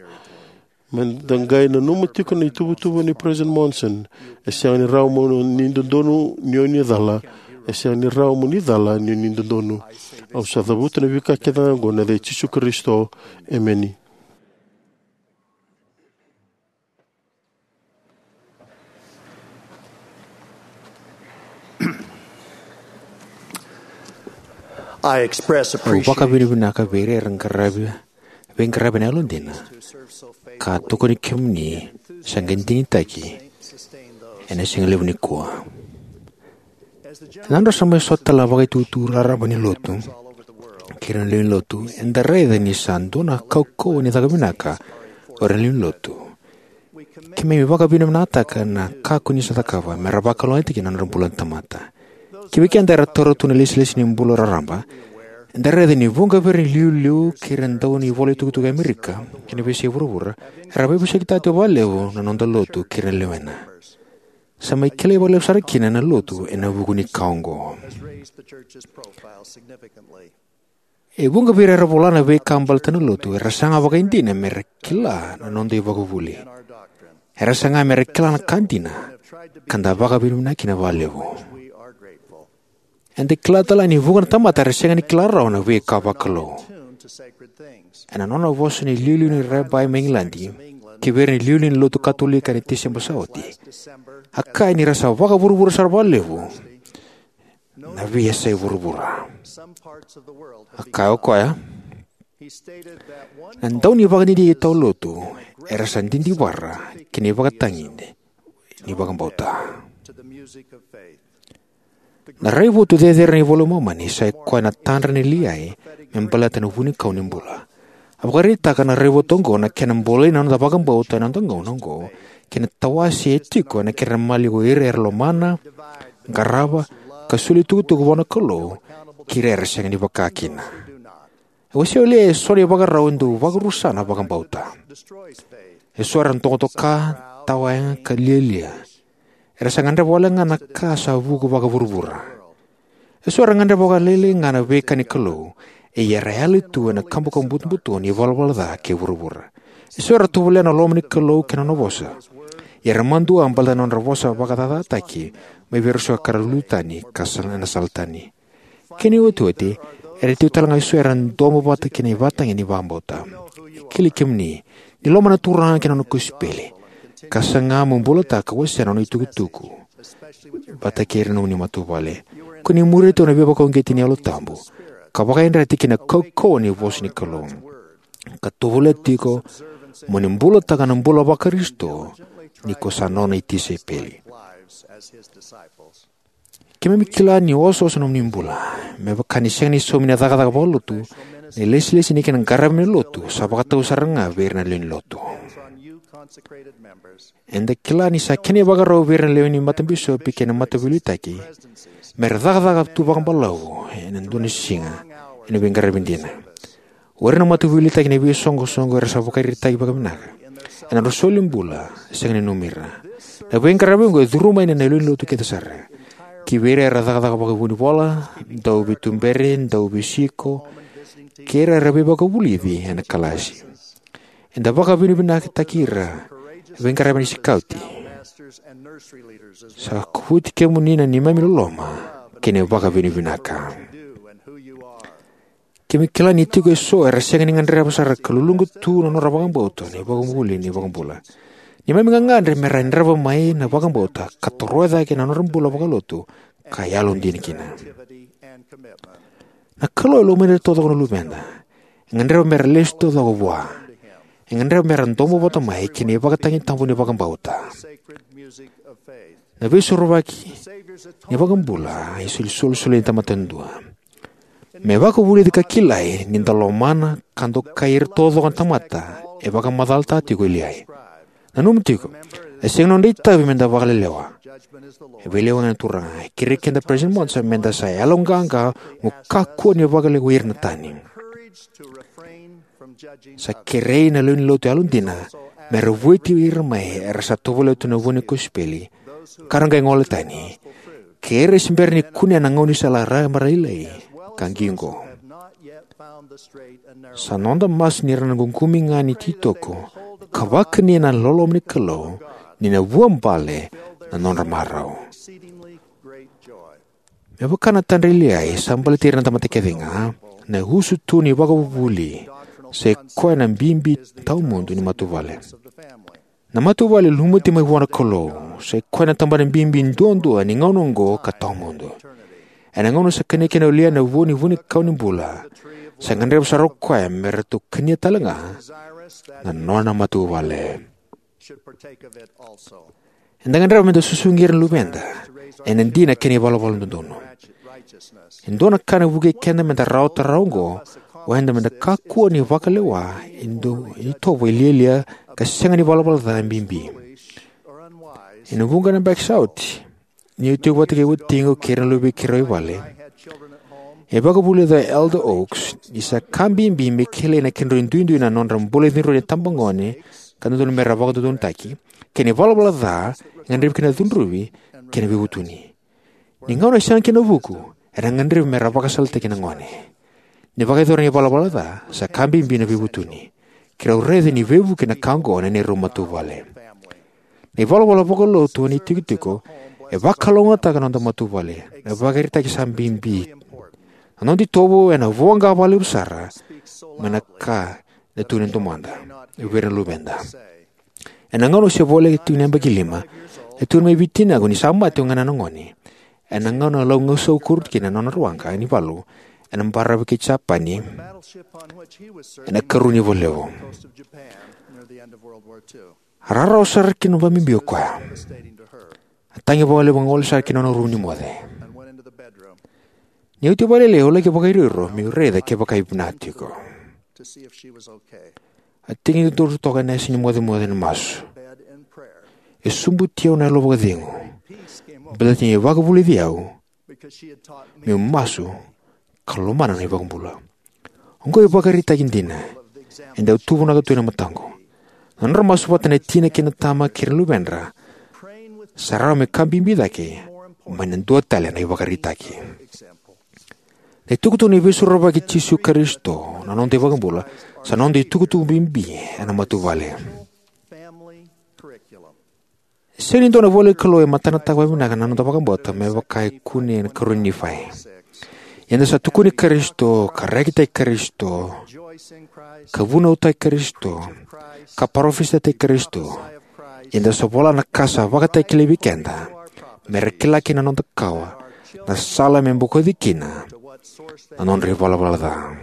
Me da qai nanuma tiko na ituvatuva nei President Monson: E sega ni rawa mo ni dodonu ni o ni cala. E sega ni rawa mo ni cala ni o ni dodonu. Au sa cavuta na veika kece ga oqo ena yaca i Jisu Karisito. Emeni. I express Au appreciation vakavinavinaka vei ira era qaravi, veiqaravi ena yalodina, ka tokoni kemuni sa qai digitaki ena siga levu nikua. Ena nodra sa mai sota tale na vakaitutu raraba ni lotu kei ira na lewe ni lotu, eda raica ni sa dua na kaukauwa ni caka vinaka o ira na lewe ni lotu. Keimami vakavinavinakataka na kakua ni sa cakava me ra vakalougatataki na nodra bula na tamata. Kivei keda era taura tu na ilesilesi ni bula raraba, eda raica ni vuqa vei ira na iliuliu kei ira na dau ni ivola itukutuku e Amerika kei na veiyasai vuravura era veivosakitaka tiko vakalevu na noda lotu kei ira na lewena. Sa mai kilai vakalevu sara kina na lotu ena vuku ni ka oqo. E vuqa vei ira era vola na veika baleta na lotu era saga vakaidina me ra kila na noda ivakavuvuli. Era saga me ra kila na ka dina, ka da vakavinavinaka kina vakalevu. Eda kila tale ga ni vuqa na tamata era sega ni kila rawa na veika vakalou. Ena nona vosa na iliuliu ni Rabi mai Igiladi ki vei ira na iliuliu ni Lotu Katolika ena Tiseba sa oti, a kaya ni ra sa vakavuravura sara vakalevu na veiyasai vuravura. A kaya o koya, na dau ni vakadidike tau lotu era sa didivara ki na ivakatagi ni vakabauta. Na raivotu cecere ni iVola i Momani sa i koya na tadra nei Liai me baleta na vunikau ni bula. A vakaraitaka na raivotu oqo na kena bolei na noda vakabauta ena noda gauna oqo kei na tawase e tiko ena kena maliwa o ira era lomana, qarava, ka soli itukutuku vua na Kalou kei ira era sega ni vaka kina. E wasea o Liai eso na ivakarau e dau vakarusa na vakabauta. Eso era dokadoka, tawayaga, ka lialia. Era sa gadreva wale ga na ka sa vuku vakavuravura. Eso era gadreva vakalailai ga na veika ni Kalou, ia era yali tu ena kabukabu butobuto ni ivalavala ca kei vuravura. Eso era tovolea na loma ni Kalou kei na nona vosa, ia era madua baleta na nodra vosa vakacacataki mai vei ira eso ka ra lulu tani ka sa na sala tani. Kena iotioti, era tiko talega eso era domo vata kei na ivakatagi ni vakabauta. E kilai kemuni ni lomana na Turaga kei na nona kosipeli, ka saga mo bulataka ka wasea na nona itukutuku vata kei ira na nomuni matavuvale. Ko ni muria tiko na veivakauqeti ni Yalo Tabu ka vakayadrati ki na kaukauwa ni vosa ni Kalou, ka tovolea tiko mo ni bulataka na bula vaKarisito ni ko sa nona itisaipeli. Keimami kila ni osooso na nomuni bula, me vaka ni sega ni saumi na cakacaka vakalotu na ilesilesi ni kena qaravi na lotu sa vakatau sara ga vei ira na lewe ni lotu. Eda kila ni sa kena ivakarau vei ira na lewe ni matabisopi kei na mataveiliutaki me ra cakacaka tu vakabalavu ena dua na siga ena veiqaravi dina. O ira na mataveiliutaki ena veisoqosoqo era sa vakaraitaki vakavinaka ena nodra solibula, sega ni nanumi ira. Na veiqaravi oqo e curu mai na lewe ni lotu kece sara, ki vei ira era cakacaka vakavunivola, dauveituberi, dauveisiko, kei ira era veivakavulici ena kalasi. Eda vakavinavinakataki ira na veiqaravi ni sikauti. Sa kovuti kemuni na neimami loloma kei na vakavinavinaka. Keimami kila ni tiko eso era sega ni gadreva sara ka luluqa tu na nodra vakabauta na ivakavuvuli ni iVakabula. Neimami gagadre me ra yadrava mai na vakabauta ka toroya cake na nodra bula vakalotu ka yalodina kina. Na Kalou e lomani ira taucoko na luveda. E gadreva me ra lesu taucoko vua. E gadreva me ra domo vata mai kei na ivakatagi tabu ni vakabauta. Na Veisorovaki ni iVakabula e isolisoli ena tamata yadua. Me vakavulici ka kilai ni da lomana ka dokai ira taucoko na tamata, e vakamacalataka tiko o Liai. Nanuma tiko, e sega ni noda itavi me da vakalelewa. E veilewai na Turaga. E kerei keda o Peresitedi Monson me da sa yaloqaqa mo kakua ni vakalewai ira na tani. Sa kerei na lewe ni lotu yalodina me ra vueti ira mai era sa tovolea tu na vua ni kosipeli, ka ra qai gole tani, kei ira e se bera ni kunea na gaunisala raraba lailai ka qiqo. Sa noda masu ni ra na ququmi ga ni ititoko ka vakania na loloma ni Kalou ni na vuabale na nodra marau. Me vaka na tadra i Liai sa baleti ira na tamata kece ga, na usutu ni vakavuvuli sa i koya na bibi tawamudu ni matavuvale. Na matavuvale e lumuti mai vua na Kalou sa i koya na tabana bibi duadua ni gauna oqo ka tawamudu. Ena gauna sa kania kina o Liai na vu ni vunikau ni bula, sa gadreva sara o koya me ratou kania talega na nona matavuvale. Eda gadreva me da susugi ira na luveda ena dina kei na ivalavala dodonu. E dua na ka ena vukei keda me da rawata rawa oqo, o eda me da kakua ni vakalewa e dua na itovo e lialia ka sega ni valavala ca bibi. Ena vuqa na yabaki sa oti, niu tiko vata kei watiqu kei ira na luvei keirau e vale, e vakavulica o Elder Oaks ni sa ka bibi me kilai na kedrau duidui na nodra bula e cudru na itabagone ka dodonu me ra vakadodonutaki, kei na ivalavala ca e gadrevi kina na cudruvi kei na veivutuni. Ni gauna e sega kina na vuku, era gadrevi me ra vakasalataki na gone. Ni vakayacori na ivalavala ca, sa ka bibi na veivutuni. Keirau raica ni veivuke na ka oqo ena neirau matavuvale. Na ivalavala vakalotu ena itikotiko e vakalougatataka na noda matavuvale. Na ivakaraitaki sa bibi, na noda itovo ena voqa vakalevu sara mai na ka e tukuni e domoda vei ira na luveda. Ena gauna au se voleka tiko ni yabaki lima, e tukuna mai vei tinaqu ni sa mate o ganena gone ena gauna e lau gausau koru kina na nona waqa ni valu ena baravi kei Japani ena ikarua ni ivolevu. A rarawa sara kina vakabibi o koya. A tagi vakalevu ka gole sara ki na nona rumu ni moce. Ni oti vakalailai, au laki vakairoiro meu raica kevaka e vinaka tiko. A tiki ni dodonu toka ena yasa ni mocemoce ena masu. E sobuti au na yalo vakacegu, baleta ni a vakavulici au meu masu ka lomana na iVakabula. Oqo e ivakaraitaki dina. E dau tuvunaka tu ena mataqu. Na nodra masu vata na tina kei na tama kei ira na luvedra sa rawa me ka bibi cake mai na dua tale na ivakaraitaki. Na itukutuku ni Veisorovaki i Jisu Karisito, na noda iVakabula, sa noda itukutuku bibi ena matavuvale. Sega ni dua na ivolanikalou e matanataka vakavinaka na noda vakabauta me vaka e kune ena ikarua ni Nifai. Ia eda sa tukuni Karisito, ka rekitaki Karisito, ka vunautaki Karisito, ka parofisaitaki Karisito. Ia eda sa vola na ka sa vakatakilai vei keda, me ra kila kina na noda kawa, na sala me bokoci kina na nodra ivalavala ca.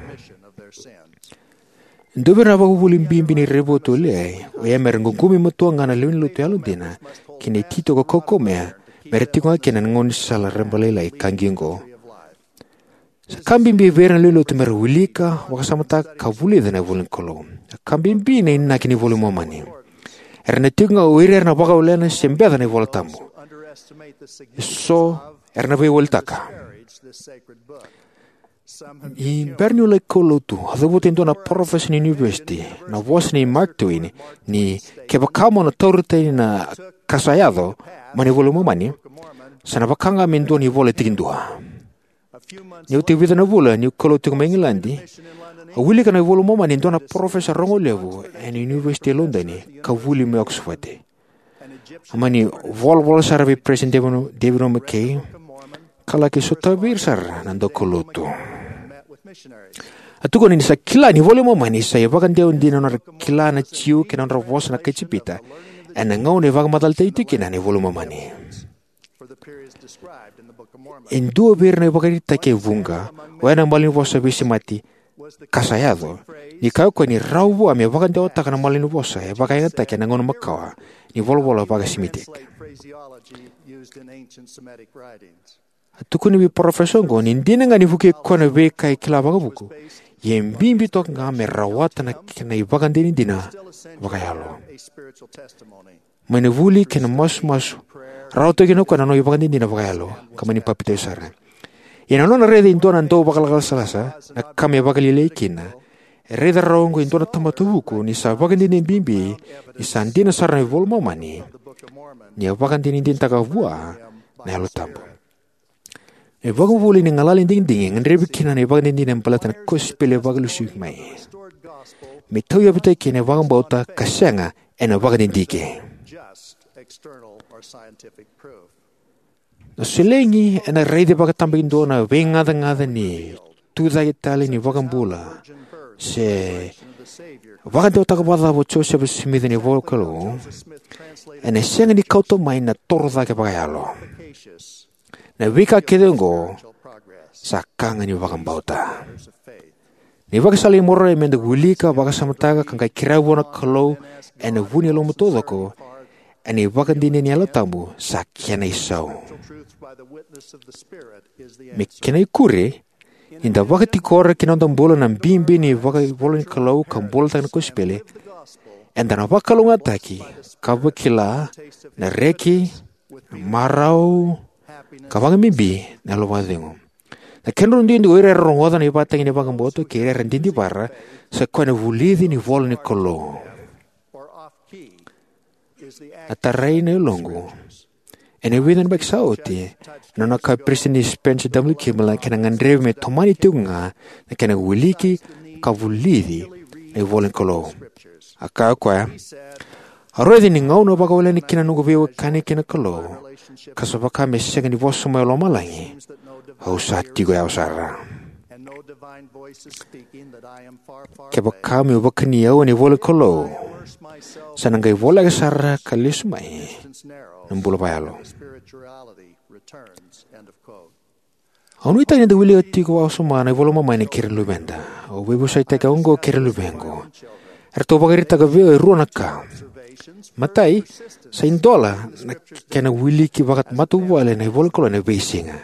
E dua vei ira na ivakavuvuli bibi ni raivotu e liai, o ya me ra ququmi matua ga na lewe ni lotu yalodina kei na ititoko kaukauwa me ra tiko ga kina ena gaunisala rabalailai ka qiqo. Sa ka bibi vei ira na lewe ni lotu me ra wilika, vakasamataka, ka vulica na ivolanikalou. Sa ka bibi na inaki ni iVola i Momani. Era na tiko ga o ira era na vakawalena se beca na iVola Tabu. Eso era na veiwalitaka. Ni bera niu laki kaulotu, a cavuta e dua na parofesa ni univesiti na vosa nei Mark Twain, ni kevaka mo na taura tani na ka sa yaco mai na iVola i Momani, sa na vaka ga me dua na ivola e tikidua. Ni oti e vica na vula niu kaulotu tiko mai Igiladi, au wilika na iVola i Momani e dua na parofesa rogo levu ena univesiti e Lodoni ka vuli mai Oxford. A mani volavola sara vei Peresitedi David, David O. McKay, ka laki sotavi ira sara na daukaulotu. A tukuna ni sa kila ni iVola i Momani sa ivakadewa dina na nodra kila na Jiu kei na nodra vosa na kai Ijipita ena gauna e vakamacalataki tiko kina na iVola i Momani. E dua vei ira na ivakaraitaki e vuqa, oya na malanivosa veisemati ka sa yaco, ni kaya o koya ni rawa vua me vakadewataka na malanivosa e vakayagataki ena gauna makawa ni volavola vaka-Semitic. A tukuni vei parofesa oqo ni dina ga ni vukei koya na veika e kila vakavuku, ia e bibi toka ga me rawata na kena ivakadinadina vakayalo. Mai na vuli kei na masumasu, rawa toka kina o koya na nona ivakadinadina vakayalo, ka mani papitaiso sara. Ia na nona raica e dua na dauvakalakalaka, na ka me vakalialiai kina, e raica rawa oqo e dua na tamata vuku ni sa vakadinadina bibi ni sa dina sara na iVola i Momani, ni a vakadinadinataka vua na Yalo Tabu. Na ivakavuvuli ni galala ni digidigi e gadrevi kina na ivakadinadina baleta na kosipeli vakalesui mai, me tauyavutaki kina na vakabauta ka sega ena vakadidike. Na solegi ena raici vakatabakidua na veigacagaca ni tucake tale ni iVakabula se vakadewataka vakacava o Josefa Simici na ivolanikalou, ena sega ni kauta mai na torocake vakayalo. Na veika kece oqo sa ka ga ni vakabauta. Na ivakasala i Moronai meda wilika, vakasamataka, ka qai kerea vua na Kalou ena vu ni lomamu taucoko, ena ivakadinadina ni Yalo Tabu, sa kena isau. Me kena ikuri, ni da vakatikora ki na noda bula na bibi ni vakaivolanikalou ka bulataka na kosipeli, eda na vakalougatataki ka vakila na reki, na marau, ka vakabibi na yalo vakacegu. Na kedrau duidui o ira era rogoca na ivakatagi ni vakabauta kei ira era didivara, sa koya na vulici ni ivolanikalou. Na tarai na yaloqu ena vica na yabaki sa oti, ena nona kaya o Peresitedi Spencer W. Kimball na kena gadrevi me tomani tiko ga na kena wiliki ka vulici na ivolanikalou. A kaya o koya, au raica ni gauna au vakawalena kina na noqu veiwekani kei na Kalou, ka sa vaka me sega ni vosa mai o lomalagi, au sa tiko yawa sara. Kevaka meu vakani au ena ivolanikalou, sa na qai voleka sara ka lesu mai na bula vakayalo. Au nuitaka ni da wilika tiko vakawasoma na iVola i Momani kei ira na luveda. Au veivosakitaka oqo kei ira na luvequ. Eratou vakaraitaka vei au e rua na ka. Matai, sa idola na kena wiliki vakamatavuvale na ivolanikalou ena veisiga.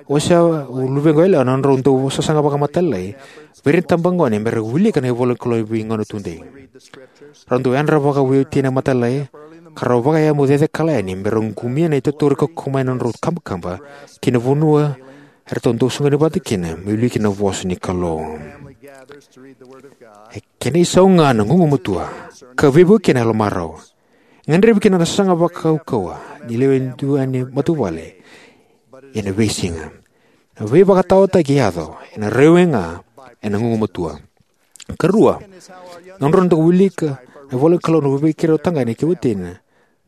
Au wasea na luvequ yalewa na nodrau dau sasaga vakamatailalai vei ira na itabagone me ra wilika na ivolanikalou ena veigauna tudei. Rau dau yadra vakaveiwatini na matailalai, ka rau vakayamu cecekala yani me rau qumia na itatori kaukaua mai na nodrau kabakaba ki na vanua eratou dau soqoni vata kina me wiliki na vosa ni Kalou. E kena isau ga na gugumatua, ka veivuke kina na yalomarau. E gadrevi kina na sasaga vakaukauwa ni lewe dua ni matavuvale ena veisiga. Na veivakataotaki e yaco ena raiwai ga ena gugumatua. Karua, na nodrau dau wilika na ivola ni Kalou na veivuke rau tagane kei watina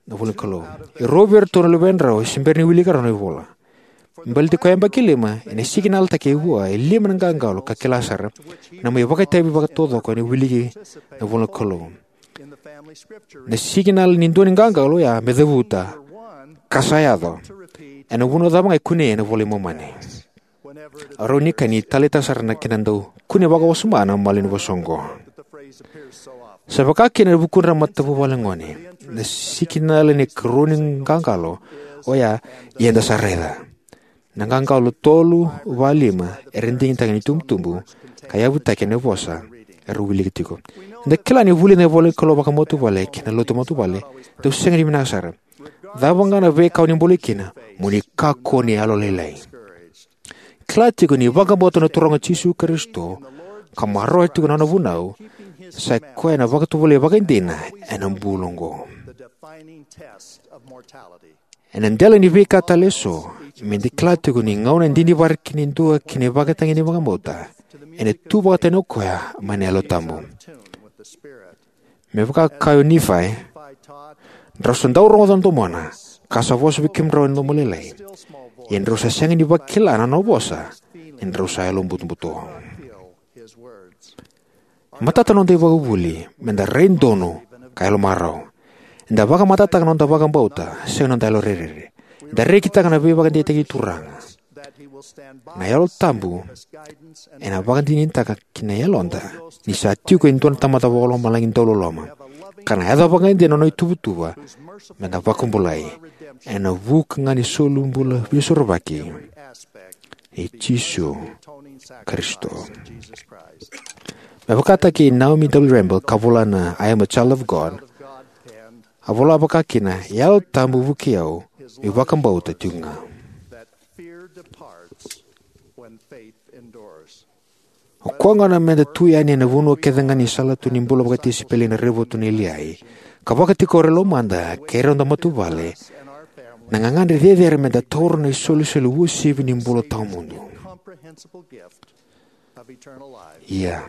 na ivola ni Kalou. E rua vei iratou na luvedrau e se bera ni wilika rawa na ivola. Me baleti koya yabaki lima, ena sikinala taki e vua e lima na qaqalo ka kila sara, na mai vakaitavi vakataucoko ena wiliki na ivola ni Kalou. Na sikinala ni dua ni qaqalo oya me cavuta, ka sa yaco. Ena vanua cava ga e kunei ena iVola i Momani. A rau ni ka ni taleitaka sara na kena dau kune vakawasoma na malanivosa oqo. Sa vaka kina ena vukudra na matavuvale gone, na sikinala ni karua ni qaqalo oya, ia eda sa raica. Na qaqalo tolu va lima era digitaka ni tubutubu, ka yavutaki ena vosa erau wilika tiko. Eda kila ni vulica na ivola ni Kalou vakamatavuvale kei na lotu matavuvale dau sega ni vinaka sara. Cava ga na veika o ni bolei kina, mo ni kakua ni yalolailai. Kila tiko ni vakabauta na Turaga o Jisu Karisito ka maroroya tiko na nona vunau, sa i koya na vakatovolei vakaidina ena bula oqo. Ena dela ni veika tale eso, me da kila tiko ni gauna e didivara kina e dua ki na ivakatagi ni vakabauta, ena tu vakatani o koya mai na Yalo Tabu. Me vaka e kaya o Nifai, drau sa dau rogoca na domona, ka sa vosa vei kemudrau ena domo lailai. Ia drau sa sega ni vakila na nona vosa, ni drau sa yalo butobuto. E matata na noda ivakavuvuli me da rai donu ka yalo marau. Eda vakamatatataka na noda vakabauta, sega na noda yalo rerere. Eda rekitaka na veivakadeitaki ni Turaga. Na Yalo Tabu ena vakadinadinataka ki na yaloda ni sa tiko e dua na Tamada Vakalomalagi dauloloma, ka na yaco vakaidina na nona ituvatuva me da vakabulai ena vuku ga ni solibula veisorovaki i Jisu Karisito. Me vakataki Naomi W. Rambert ka vola na I Am a Child of God, a vola vaka kina, Yalo Tabu vukei au me vakabauta tiko ga. O koya gona me da tu yani ena vanua kece ga ni salatu ni bula vakatisaipeli ena raivotu nei Liai, ka vakatikori e lomada kei ira noda matavuvale na gagadre cecere me da taura na isolisoli uasivi ni bula tawamudu. Ia,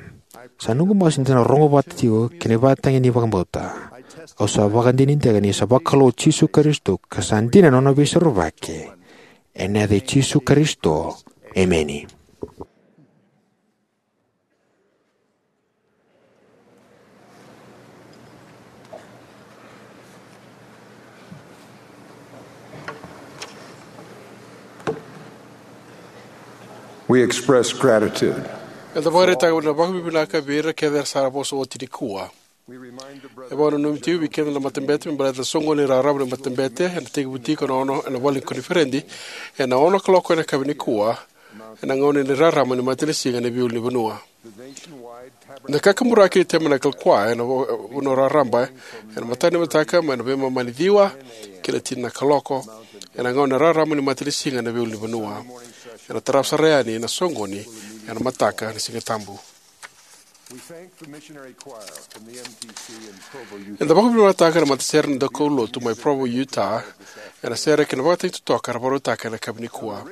sa noqu masu ni da na rogo vata tiko ki na ivakatagi ni vakabauta. Au sa vakadinadinataka ni sa vakalou o Jisu Karisito ka sa dina na nona veisorovaki. Ena yaca i Jisu Karisito, emeni. We express gratitude. Eda vakaraitaka na vakavinavinaka vei ira kece era sa vosa oti nikua. E vakananumi tiko vei keda na matabete me baleta na soqoni raraba ni matabete ena tekivu tiko ena ono ena vale ni koniferedi ena ono kaloko ena yakavi nikua, ena gauna ni rarama ni matanisiga ena veiulunivanua. Na kakaburaki e Tabernacle Choir ena vo-, vanua raraba ena mataka ni mataka mai na veimama ni ciwa ki na tini na kaloko, ena gauna ni rarama ni matanisiga ena veiulunivanua. Ena tarava sara yani na soqoni ena mataka ni Siga Tabu. Eda vakavinavinakataka na matasere ni daukaulotu mai Provo, Utah, ena sere kei na ivakatagi totoka era vakarautaka ena yakavi nikua.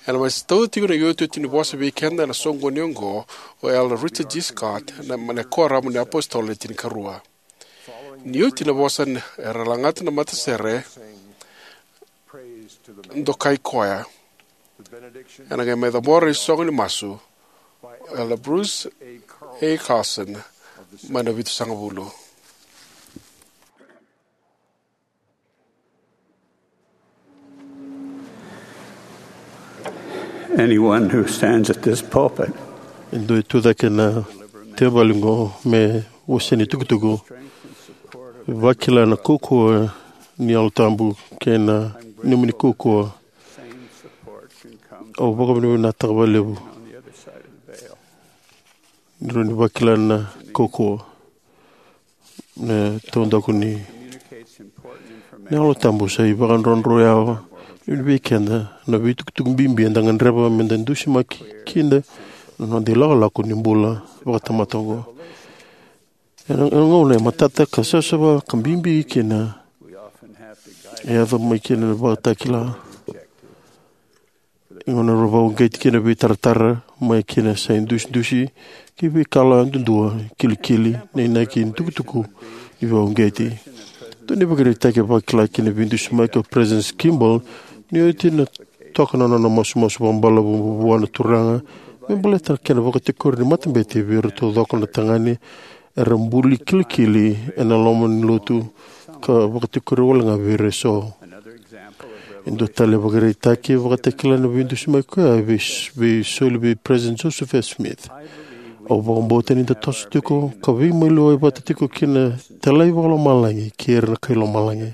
Ena mai tauca tiko na iotioti ni vosa vei keda ena soqoni oqo o Elder Richard G. Scott, na, na Kuoramu ni iApositolo Le Tinikarua. Ni oti na vosa, era lagata na matasere, Dokai Koya. Ena qai mai cabora na isogo ni masu o Elder Bruce A. Carlson mai na Vitusagavulu. Anyone who stands at this pulpit E dua e tu cake na tevali oqo me wasea na itukutuku, vakila na kaukauwa ni Yalo Tabu kei na nomuni kaukauwa. Au vakavinavinakataka vakalevu ni rawa ni vakila na kaukauwa. Na taudaku ni Yalo Tabu sa ivakadrodro yawa vei keda na veitukutuku bibi eda gadreva me da dusimaki kina na noda ilakolako ni bula vakatamata oqo. Ena, ena gauna e matata ka savasava ka bibi kina, e yaco mai kina na ivakatakila. Gauna rau vakauqeti kina veitaratara mai kina sa idusidusi ki veikalawa duadua, kilikili, na inaki ni tukutuku ni vakauqeti. Dua na ivakaraitaki e vakila kina veidusimaki o President Kimball ni oti na toka na nona masumasu vakabalavu vua na Turaga me baleta na kena vakatikori ni matabete vei ira taucoko na tagane era buli kilikili ena loma ni lotu ka vakatikori wale ga vei ira eso. E dua tale na ivakaraitaki e vakatakila na veidusimaki koya vei, vei soli vei President Joseph F. Smith. Au vakabauta ni da toso tiko ka veimaliwai vata tiko kina talai vakalomalagi kei ira na kai lomalagi.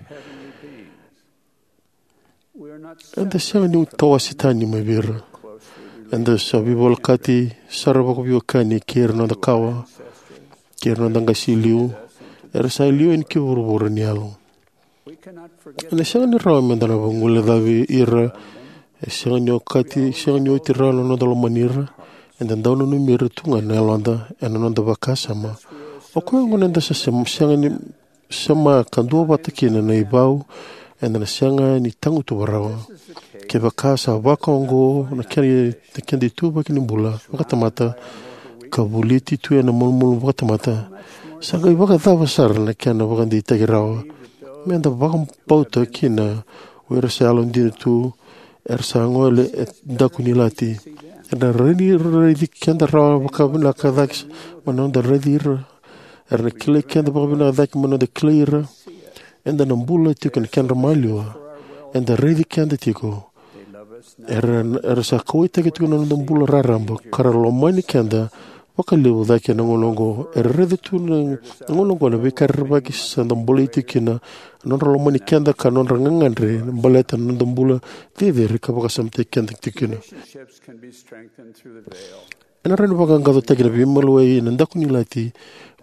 Eda sega ni tawase tani mai vei ira. Eda sa veivolekati sara vakaveiwekani kei ira na noda kawa, kei ira na noda qase liu, era sa liu yani ki vuravura ni yalo. Ena sega ni rawa meda na vaguilecavi ira. E sega ni okati, sega ni oti rawa na noda lomani ira. Eda dau nanumi ira tu ga na yaloda ena noda vakasama. O koya gona eda sa sem- sega ni sema ka duavata kina na ivau, eda na sega ni tagutuva rawa. Kevaka sa vaka oqo na keda, na keda ituvaki ni bula vakatamata, ka voliti tu ena malumalumu vakatamata, sa qai vakacava sara na kena vakadeitaki rawa meda vakabauta kina o ira sa yalodina tu, era sa gole e daku ni ilati. Era na raici, raici keda rawa vakavinaka cake mai na noda raici ira. Era na kilai keda vakavinaka cake mai na noda kilai ira. Eda na bula tiko ena kedra maliwa. Eda raici keda tiko. Era, era sa kauwaitaki tiko na noda bula raraba ka ra lomani keda vakalevu cake na gauna oqo. Era raica tu na gauna oqo na veika rerevaki sa da bolei tiko kina, na nodra lomani keda ka nodra gagadre baleta na noda bula cecere ka vakasamataki keda tiko kina. Ena rawa ni vaqaqacotaki na veimaliwai ena daku ni ilati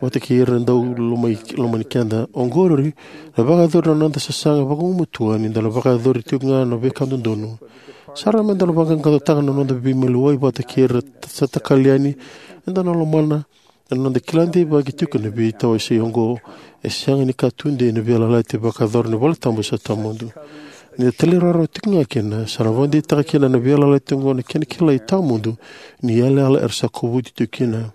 vata kei ira na dau lomai, lomani keda. Oqori na vakayacori na noda sasaga vakagumatua ni da na vakayacori tiko ga na veika dodonu. Sa rawa meda na vaqaqacotaka na noda veimaliwai vata kei ira sa takali yani, eda na lomana ena noda kila deivaki tiko na veitawasei oqo. E sega ni ka tudei na veiyalayalati vakayacora na valetabu sa tawamudu. Ni da talairawarawa tiko ga kina, sa na vakadeitaka kina na veiyalayalati oqo na kena kilai tawamudu ni yalayala era sa kovuti tiko kina.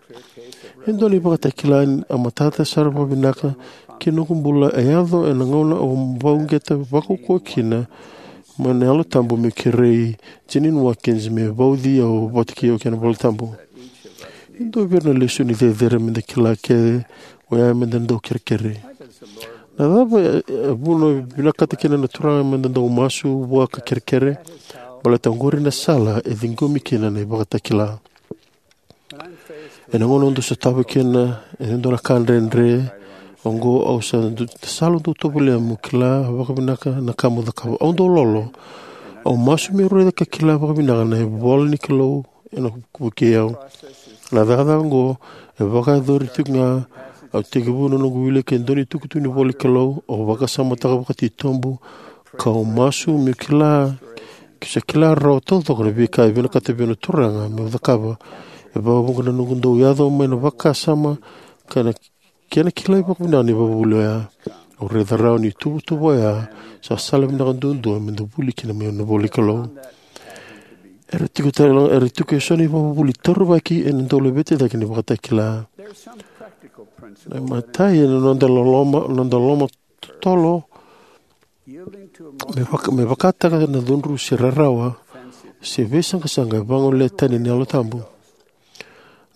E dua na ivakatakila a matata sara vakavinaka ki noqu bula e yaco ena gauna au vakauqeta vakaukauwa kina mai na Yalo Tabu meu kerei Jeanene Watkins me vauci au vata kei au kina valetabu. E dua vei ira na lesoni cecere meda kila kece oya meda dau kerekere. Na cava e, e vuna e vinakata kina na Turaga meda dau masu vua ka kerekere? Baleta oqori na sala e ciqomi kina na ivakatakila. Ena gauna au dau sotava kina e dua na ka dredre oqo, au sa du- sa dau tovolea meu kila vakavinaka na ka meu cakava. Au dau lolo. Au masu meu raica ka kila vakavinaka na ivola ni Kalou ena vukei au. Na cakacaka oqo e vakayacori tiko ga. Au tekivu na noqu wilika e dua na itukutuku ni ivola ni Kalou. Au vakasamataka vakatitobu kau masu meu kila, keu sa kila rawa taucoko na veika e vinakata vei au na Turaga meu cakava. E vakavuqa na noqu dau yaco mai na vakasama ka na kena kilai vakavinaka na ivakavuvuli oya. Au raica rawa ni ituvatuva oya sa sala vinaka duadua meda vuli kina mai na ivola ni Kalou. Era tiko tale, era tiko eso na ivakavuvuli taurivaki ena dau laveti cake na ivakatakila. Na imatai ena noda loloma, noda loloma totolo me, vaka, me vakataka na cudru se rarawa se veisaqasaqa e vagolea tani na Yalo Tabu.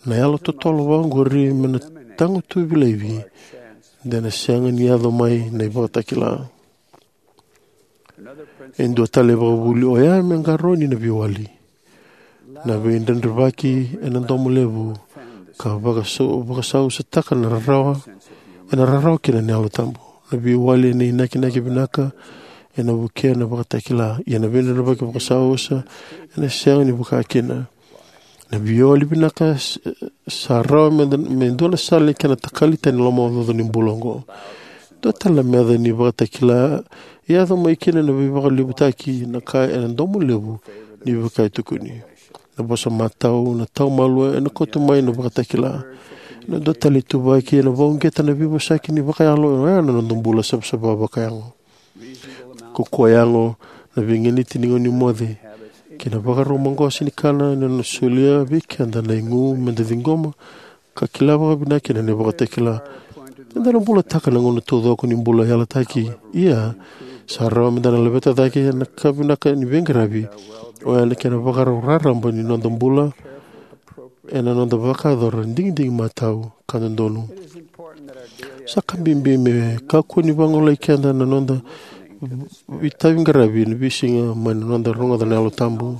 Na yalo totolo vaqori me na tagutuvi laivi de na sega ni yaco mai na ivakatakila. E dua tale e vakavuli oya me qarauni na veiwali. Na veidredrevaki ena domo levu ka vakasau, vakasausataka na rarawa, ena rarawa kina na Yalo Tabu. Na veiwali ena inakinaki vinaka ena vukea na ivakatakila. Ia na veidredrevaki vakasausa ena sega ni vaka kina. Na veiwali vinaka s- sa rawa me, me dua na sala ni kena takali tani na lomaocaoca ni bula oqo. Dua tale na meca ni ivakatakila e yaco mai kina na veivakalevutaki na ka ena domo levu ni veika e tukuni. Na vosa matau, na taumalua ena kauta mai na ivakatakila. Na dua tale ituvaki ena vakauqeta na veivosaki ni vakayalo oya na noda bula savasava vakayago. Kaukaua yago, na veiganiti ni gauna ni moce, kei na vakarau maqosa ni kana ena nona solia vei keda na igu meda ciqoma ka kila vakavinaka kina na ivakatakila. Eda na bulataka na gauna taucoko ni bula yalataki. Ia, sa rawa meda na laveta cake na ka vinaka ni veiqaravi, oya na kena vakarau raraba ni noda bula ena noda vakayacora digidigi matau ka dodonu. Sa ka bibi me kakua ni vagolei keda na noda itaviqaravi ena veisiga mai na noda rogoca na Yalo Tabu.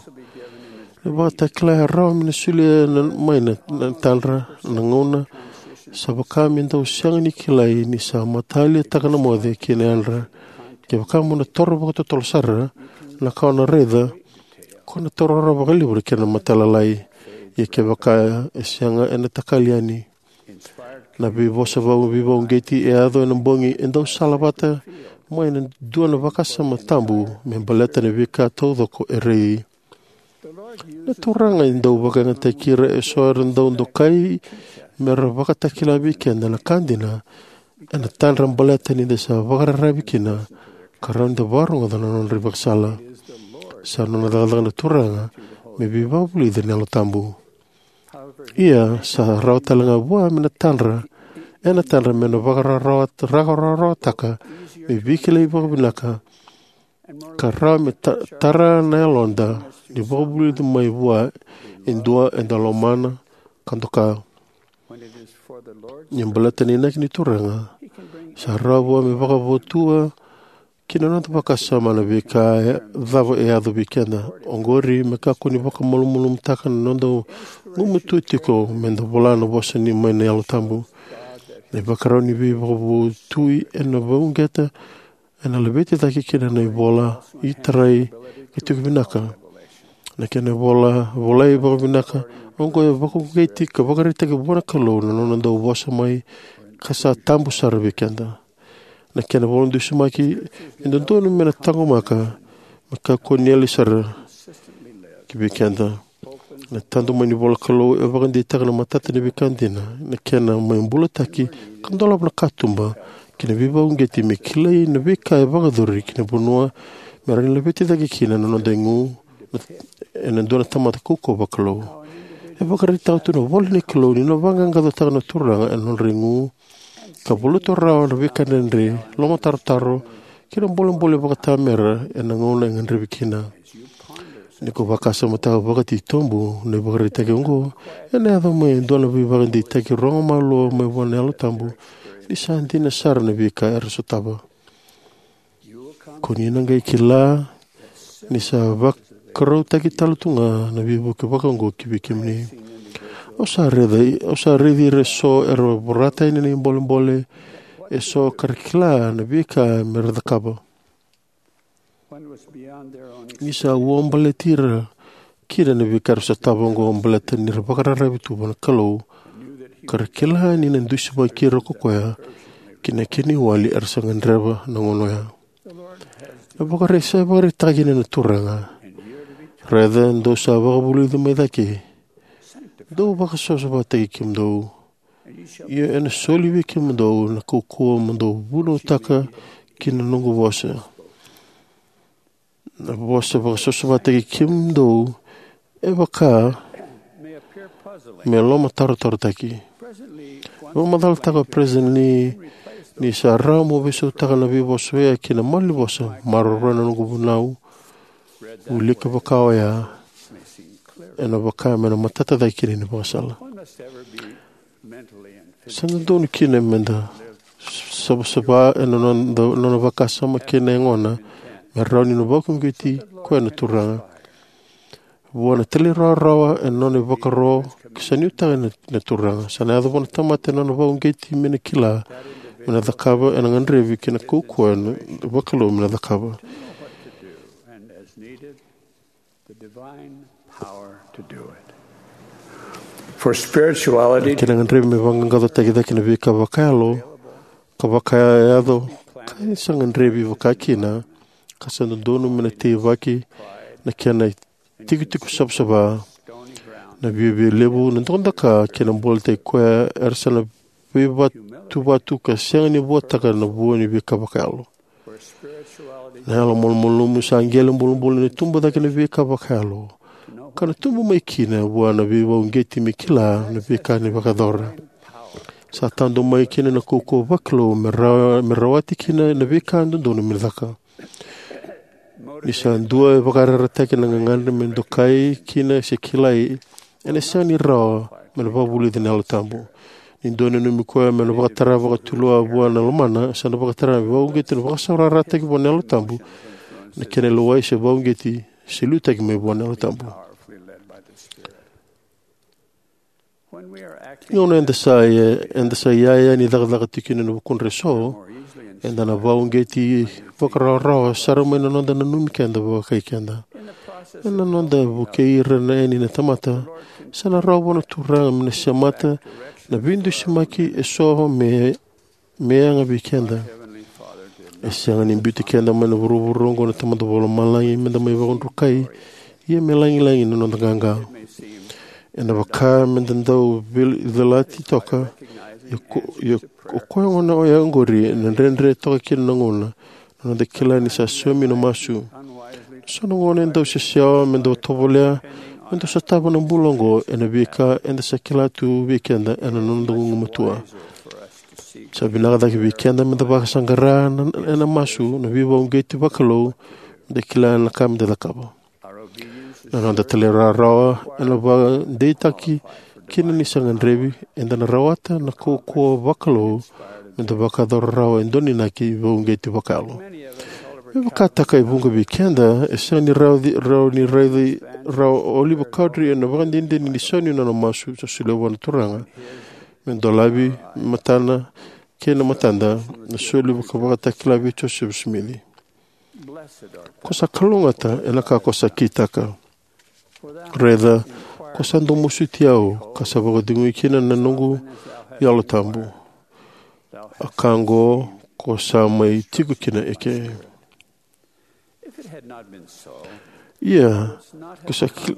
Na ivakatakila e rawa me na solia mai na, na tadra na gauna sa vaka me dau sega ni kilai ni sa mataliataka na moce kei na yadra. Kevaka mo na toro vakatotolo sara, na ka o na raica, ko na taura rawa vakalevu na kena matailalai. Ia kevaka e sega, ena takali yani. Na veivosa vau veivauqeti e yaco ena bogi e dau salavata mai na dua na vakasama tabu me baleta na veika taucoko e rei. Na Turaga e dau vakayagataki ira eso era dau dokai me ra vakatakila vei keda na ka dina ena tadra baleta ni da sa vakararavi kina ka rawa ni da vakarogoca na nodra ivakasala. Sa nona cakacaka na Turaga me veivakavulici ena Yalo Tabu. Ia, sa rawa tale ga vua me na tadra, ena tadra me na vakararawataka me veikilai vakavinaka ka rawa me ta, tara na yaloda ni vakavulici mai vua e dua eda lomana ka doka. Ni baleta na inaki ni Turaga, sa rawa vua me vakavotua ki na noda vakasama na veika e cava e yaco vei keda. Oqori me kakua ni vakamalumalumutaka na noda gumatua tiko meda vola na vosa ni mai na Yalo Tabu. Na ivakarau ni veivakavotui ena vauqeta, ena laveti cake kina na ivola, itarai, ka tiko vinaka. Na kena vola, volai vakavinaka, oqo e vakauqeti ka vakaraitaki vua na Kalou na nona dau vosa mai ka sa tabu sara vei keda. Na kena vola dusimaki e dodonu me na taqomaka me kakua ni yali sara ki vei keda. Na tadu mai ni vola Kalou e vakadeitaka na matata ni veika dina, na kena mai bulataki ka dolava na katuba ki na veivakauqeti me kilai na veika e vakayacori ki na vanua me rawa ni laveti cake kina na noda igu ena dua na tamata kaukauwa vakalou. E vakaraitaka tu na ivola ni Kalou ni na vaqaqacotaka na Turaga ena nodra igu ka valuta rawa na veika dredre, lomatarotaro, kei na bolebole vakaitamera ena gauna e gadrevi kina. Ni ko vakasamataka vakatitobu na ivakaraitaki oqo, ena yaco mai e dua na veivakadeitaki rogo malua mai vua na Yalo Tabu ni sa dina sara na veika era sotava. Ko ni na qai kila ni sa vakarautaki tale tu ga na veivuke vakaoqo ki vei kemuni. Au sa raici, au sa raici ira eso era vorata yani na ibolebole eso ka ra kila na veika me ra cakava. Ni sa ua baleti ira kina na veika era sotava oqo baleta ni ra vakararavi tu vua na Kalou ka ra kila ni na dusimaki ira ko koya ki na kena iwali era sa gadreva na gauna oya. E vakaraitaka kina na Turaga: Raica, dou sa vakavulici mai cake. Dou vakasavasavataki kemudou, io ena soli vei kemudou na kaukauwa mo dou vunautaka kina na noqu vosa. Na vosa vakasavasavataki kemudou e vaka me lomatarotarotaki. Vakamacalataka o Peresitedi Lee ni sa rawa mo veisautaka na veivosa oya ki na malanivosa: Maroroya na noqu vunau. Wilika vaka oya ena vaka me na matata cake kina na ivakasala. Sa dodonu kina meda savasava ena noda, nona vakasama kei na yagona me rawa ni na vakauqeti koya na Turaga. Vua na talairawarawa ena nona ivakaro, sa nuitaka na, na Turaga. Sa na yaco vua na tamata ena nona vakauqeti me na kila me na cakava, ena gadrevi kei na kaukauwa ena vakalou me na cakava. The divine power to do it. For spirituality, kei na gadrevi me vaqaqacotaki cake na veika vakayalo ka vakayaco ka sa gadrevi vakakina, ka sa dodonu me na teivaki na kena tikotiko savasava. Na viavialevu, na dokadoka kei na bolebole koya era sa na veivatuvatu ka sega ni vuataka na vua ni veika vakayalo. Na yalo malumalumu sa qele bulabula ni tubu cake na veika vakayalo, ka na tubu mai kina vua na veivauqeti me kila na veika ni vakayacora. Sa tadu mai kina na kaukauwa vakalou me ra-, me rawati kina na veika dodonu me caka. Ni sa dua e vakayarayarataki na gagadre me dokai kina se kilai, ena sega ni rawa me na vakavulici na Yalo Tabu. Ni dua e nanumi koya me na vakatara vakatulewa vua na lomana, sa na vakatara me vauqeti na vakasaurarataki vua na Yalo Tabu, na kena lewai se vauqeti se liutaki mai vua na Yalo Tabu. Gauna eda sa, eda sa iyaya ni cakacaka tiko kina ena vukudra eso, eda na vauqeti vakarawarawa sara mai na noda nanumi keda vakai keda. Ena noda vukei ira na yani na tamata, sa na rawa vua na Turaga me na semata na veidusimaki eso me, me yaga vei keda. E sega ni biuti keda mai na vuravura oqo na Tamada Vakalomalagi me da mai vakadrukai, ia me lagilagi na noda qaqa. Ena vaka me da dau vil-, vilati toka, ia ko-, ia o koya gona oya oqori ena dredre toka kina na gauna, na noda kila ni sa saumi na masu. So na gauna e dau sesewa me dau tovolea, me dau sotava na bula oqo ena veika eda sa kila tu vei keda ena noda gugumatua. Sa vinaka cake vei keda me da vakasaqara na, ena masu na veivauqeti vakalou, me da kila na ka me da cakava. Na noda talairawarawa ena vakadeitaki kina ni sa gadrevi, eda na rawata na kaukauwa vakalou me da vakayacora rawa e dua na inaki vauqeti vakayalo. Me vakataka e vuqa vei keda, e sega ni rawa, rawa ni raici rawa o Oliver Cowdery ena ivakadinadina ni sau ni nona masu sa solia vua na Turaga me dolavi matana kei na matada, na soli vaka-, vakatakila vei Josefa Simici. Ko sa kalougata ena ka ko sa kitaka. Raica, ko sa dau masuti au, ka sa vakacegui kina na noqu Yalo Tabu. A ka oqo ko sa mai tiko kina eke. Ia, ko sa ki-,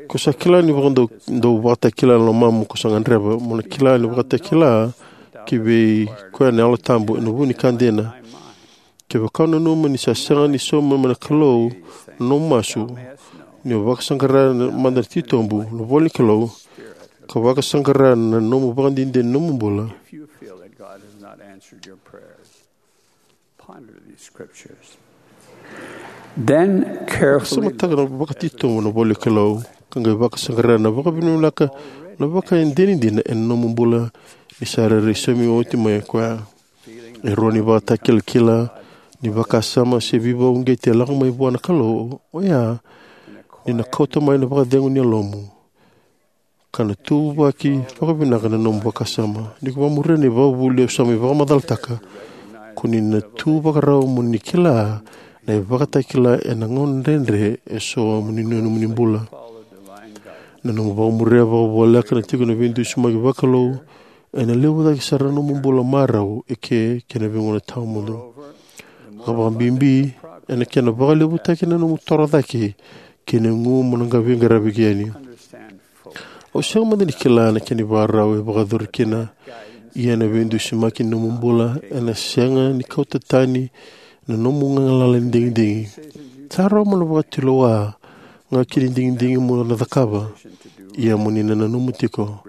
ko sa kila ni vakadau, dau vakatakila na lomamu, ko sa gadreva mo na kila ni vakatakila ki vei koya na Yalo Tabu ena vu ni ka dina. Kevaka o nanuma ni sa sega ni sauma mai na Kalou na nomu masu, ni o vakasaqara mada na titobu, na ivola ni Kalou, ka vakasaqara na nomu ivakadinadina ni nomu bula. Ponder these scriptures. Then carefully. Vakasamataka vakatitobu na ivola ni Kalou, ka qai vakasaqara na vakavinavinaka, na ivakadinadina ena nomu bula ni sa rairai saumi oti mai o koya. E rawa ni vakatakilakila ni vakasama se veivauqeti e lako mai vua na Kalou, oya ni na kauta mai na vakacegu ni yalomu, ka na tuvaki vakavinaka na nomu vakasama. Ni ko vakamuria na ivakavuvuli au sa mai vakamacalataka, ko ni na tu vakarau mo ni kila na ivakatakila ena gauna dredre eso ni nomuni bula. Na nomu vakamuria vakavoleka na tiko na veidusimaki vakalou, ena levu cake sara na nomu bula marau eke kei na veigauna tawamudu. Vakabibi, ena kena vakalevutaki na nomu toro cake kei na igu mo na qai veiqaravi yani. Au sega mada ni kila na kena ivakarau e vakayacori kina, ia na veidusimaki ni nomu bula ena sega ni kauta tani na nomu galala ni digidigi. Sa rawa mo na vakatulewa ga ki na digidigi mo na cakava, ia mo ni na nanuma tiko.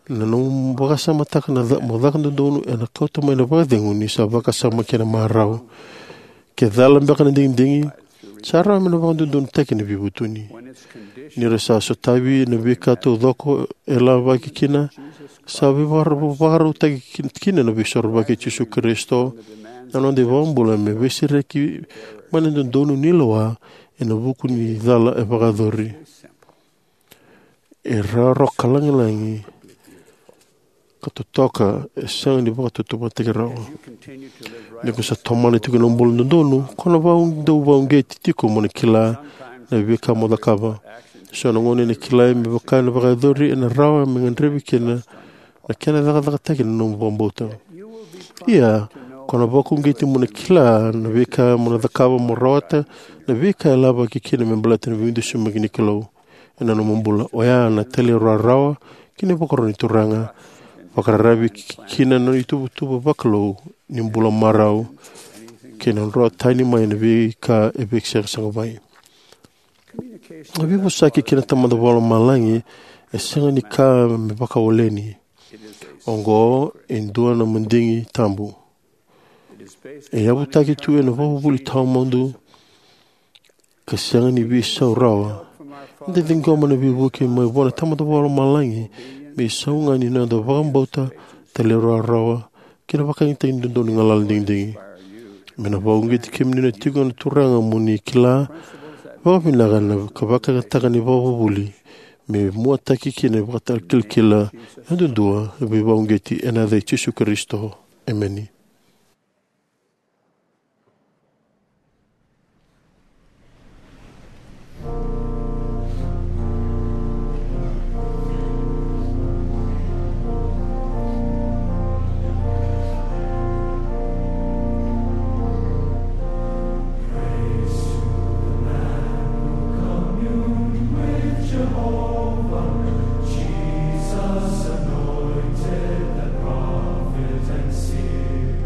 Na nomu vakasamataka na ca-, mo caka dodonu ena kauta mai na vakacegu ni sa vakasama kei na marau. Ke cala beka na digidigi, sa rawa me na vakadodonutaki na veivutuni. Ni ra sa sotavi na veika taucoko e lavaki kina, sa veivakara-, vakarautaki ki-, kina na veisorovaki i Jisu Karisito, na noda iVakabula, me veisereki mai na dodonu ni lewa ena vuku ni cala e vakayacori. E rawarawa ka lagilagi ka totoka, e sega ni vakatautauvatataki rawa. Ni ko sa tomana tiko na bula dodonu, ko na vau-, dau vauqeti tiko mo na kila na veika mo cakava. So na gauna ena kilai me vaka ena vakayacori, ena rawa me gadrevi kina na kena cakacakataki na nomu vakabauta. Ia, ko na vakauqeti mo na kila na veika mo na cakava mo rawata na veika e lavaki kina me baleta na veidusimaki ni Kalou. Ena nomu bula, oya na talairawarawa ki na ivakaro ni Turaga, vakararavi ki-, kina na ituvatuva vakalou ni bula marau. kei na nodra tani mai na veika e veisaqasaqa mai. Na veivosaki kei na Tamada Vakalomalagi e sega ni ka me vakawaleni. Oqo e dua na madigi tabu. E yavutaki tu ena vakavuvuli tawamudu ka sega ni veisau rawa. Eda ciqoma na veivuke mai vua na Tamada Vakalomalagi me isau ga ni noda vakabauta, talairawarawa kei na vakayagataki dodonu ni galala digidigi. Me na vakauqeti kemuni na tiko na Turaga mo ni kila vakavinaka na ka vakayagataka ni vakavuvuli me muataki kina na ivakatakilakila yadudua. Veivakauqeti ena yaca i Jisu Karisito. Emeni. Praise to the Lamb who communed with Jehovah, Jesus anointed the prophet and seer.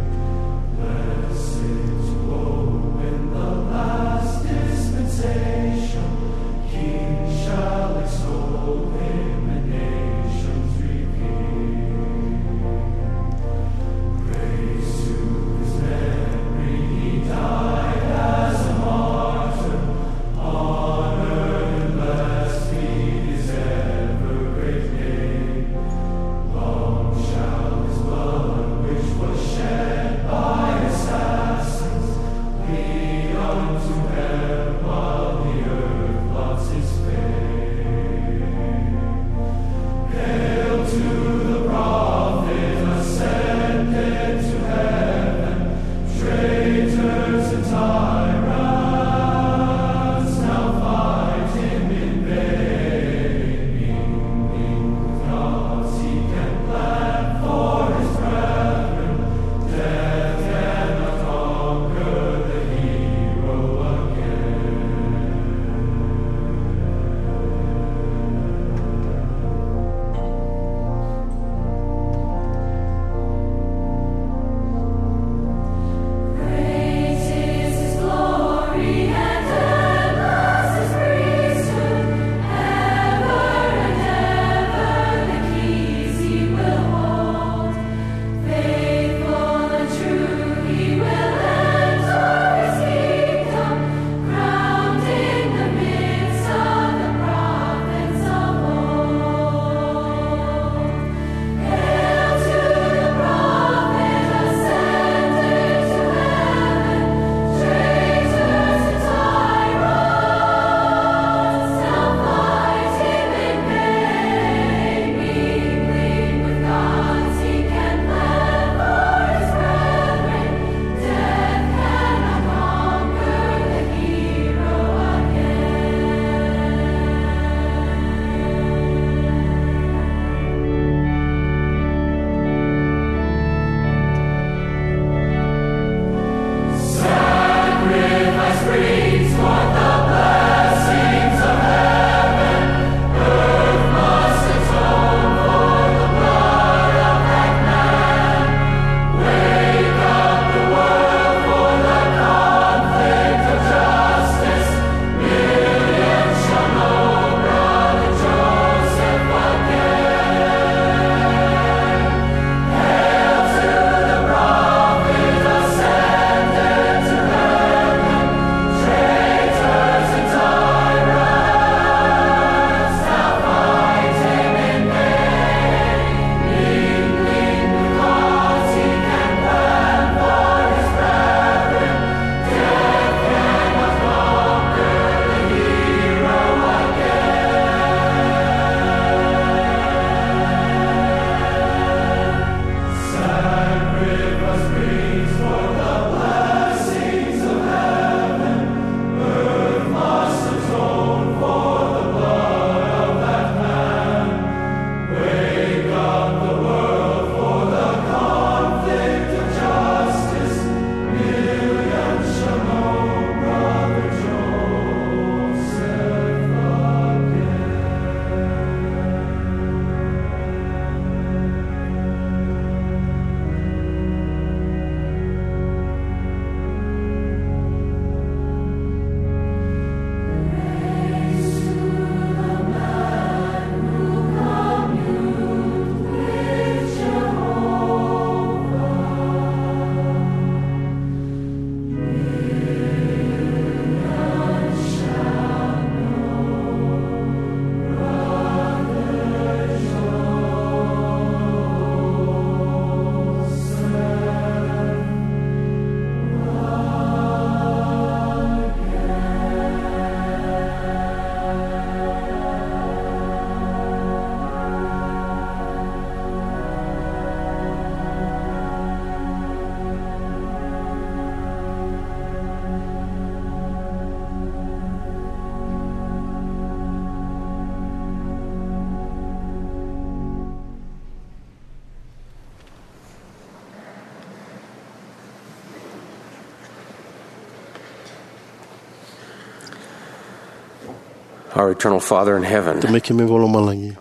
Our eternal Father in heaven, Tamai keimami vakalomalagi,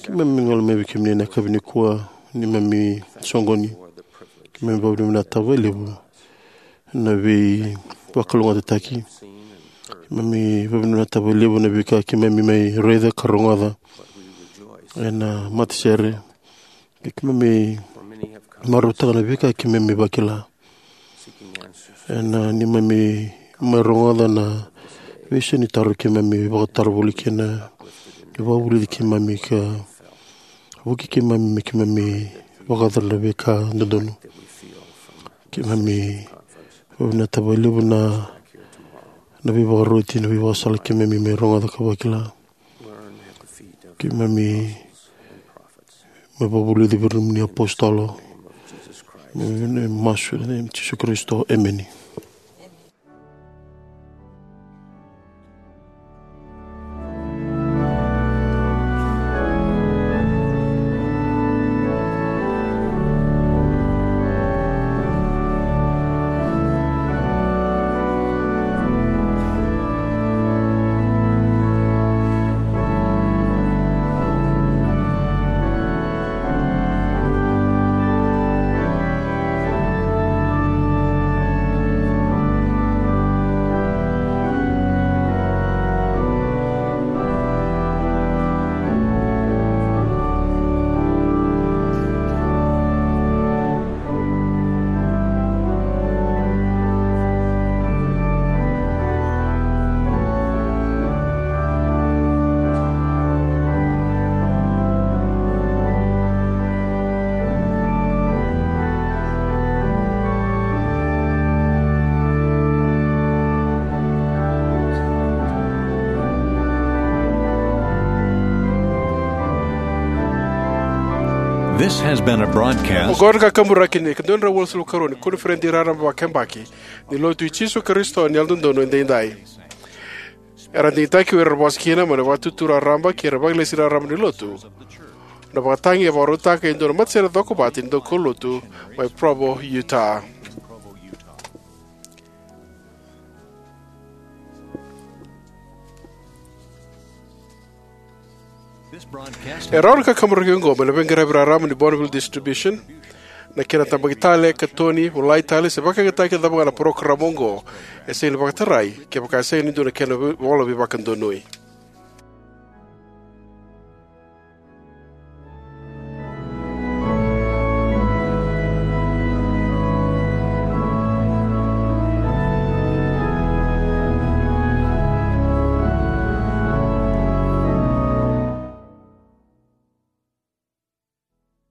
keimami gole mai vei kemuni ena yakavi nikua, neimami soqoni. Keimami vakavinavinaka vakalevu na veivakalougatataki. Keimami vakavinavinaka vakalevu na veika keimami mai raica ka rogoca ena matasere. Keimami marautaka na veika keimami vakila ena neimami mai rogoca na veisau ni taro keimami vakataro voli kina. Vakavulici keimami ka vuki keimami me keimami vakayacora na veika dodonu. Keimami vakavinavinaka vakalevu na, na veivakaroti, na veivakasala keimami mai rogoca ka vakila. Keimami mai vakavulici vei ira na nomuni apositolo. Me, me masu ena yaca i Jisu Karisito. Emeni. This has been a broadcast. Oqo na kakaburaki ni ka dua na drau walusagavulu ka rua ni koniferedi raraba vakayabaki ni Lotu i Jisu Karisito ni Yalododonu Edaidai. Era digitaki o ira era vosa kina mai na Vakaitutu Raraba kei ira na Vakalesi Raraba ni Lotu. Na vakatagi e vakarautaka e dua na matasere cokovata ni daukaulotu mai Provo, Utah. E rawa na kakaburaki oqo mai na veiqaravi raraba ni Bonneville Distribution. Na kena tabaki tale, katoni, volai tale se vakayagataki e cava ga na parokaramu oqo, e sega ni vakatarai kevaka e sega ni dua na kena vola veivakadonui.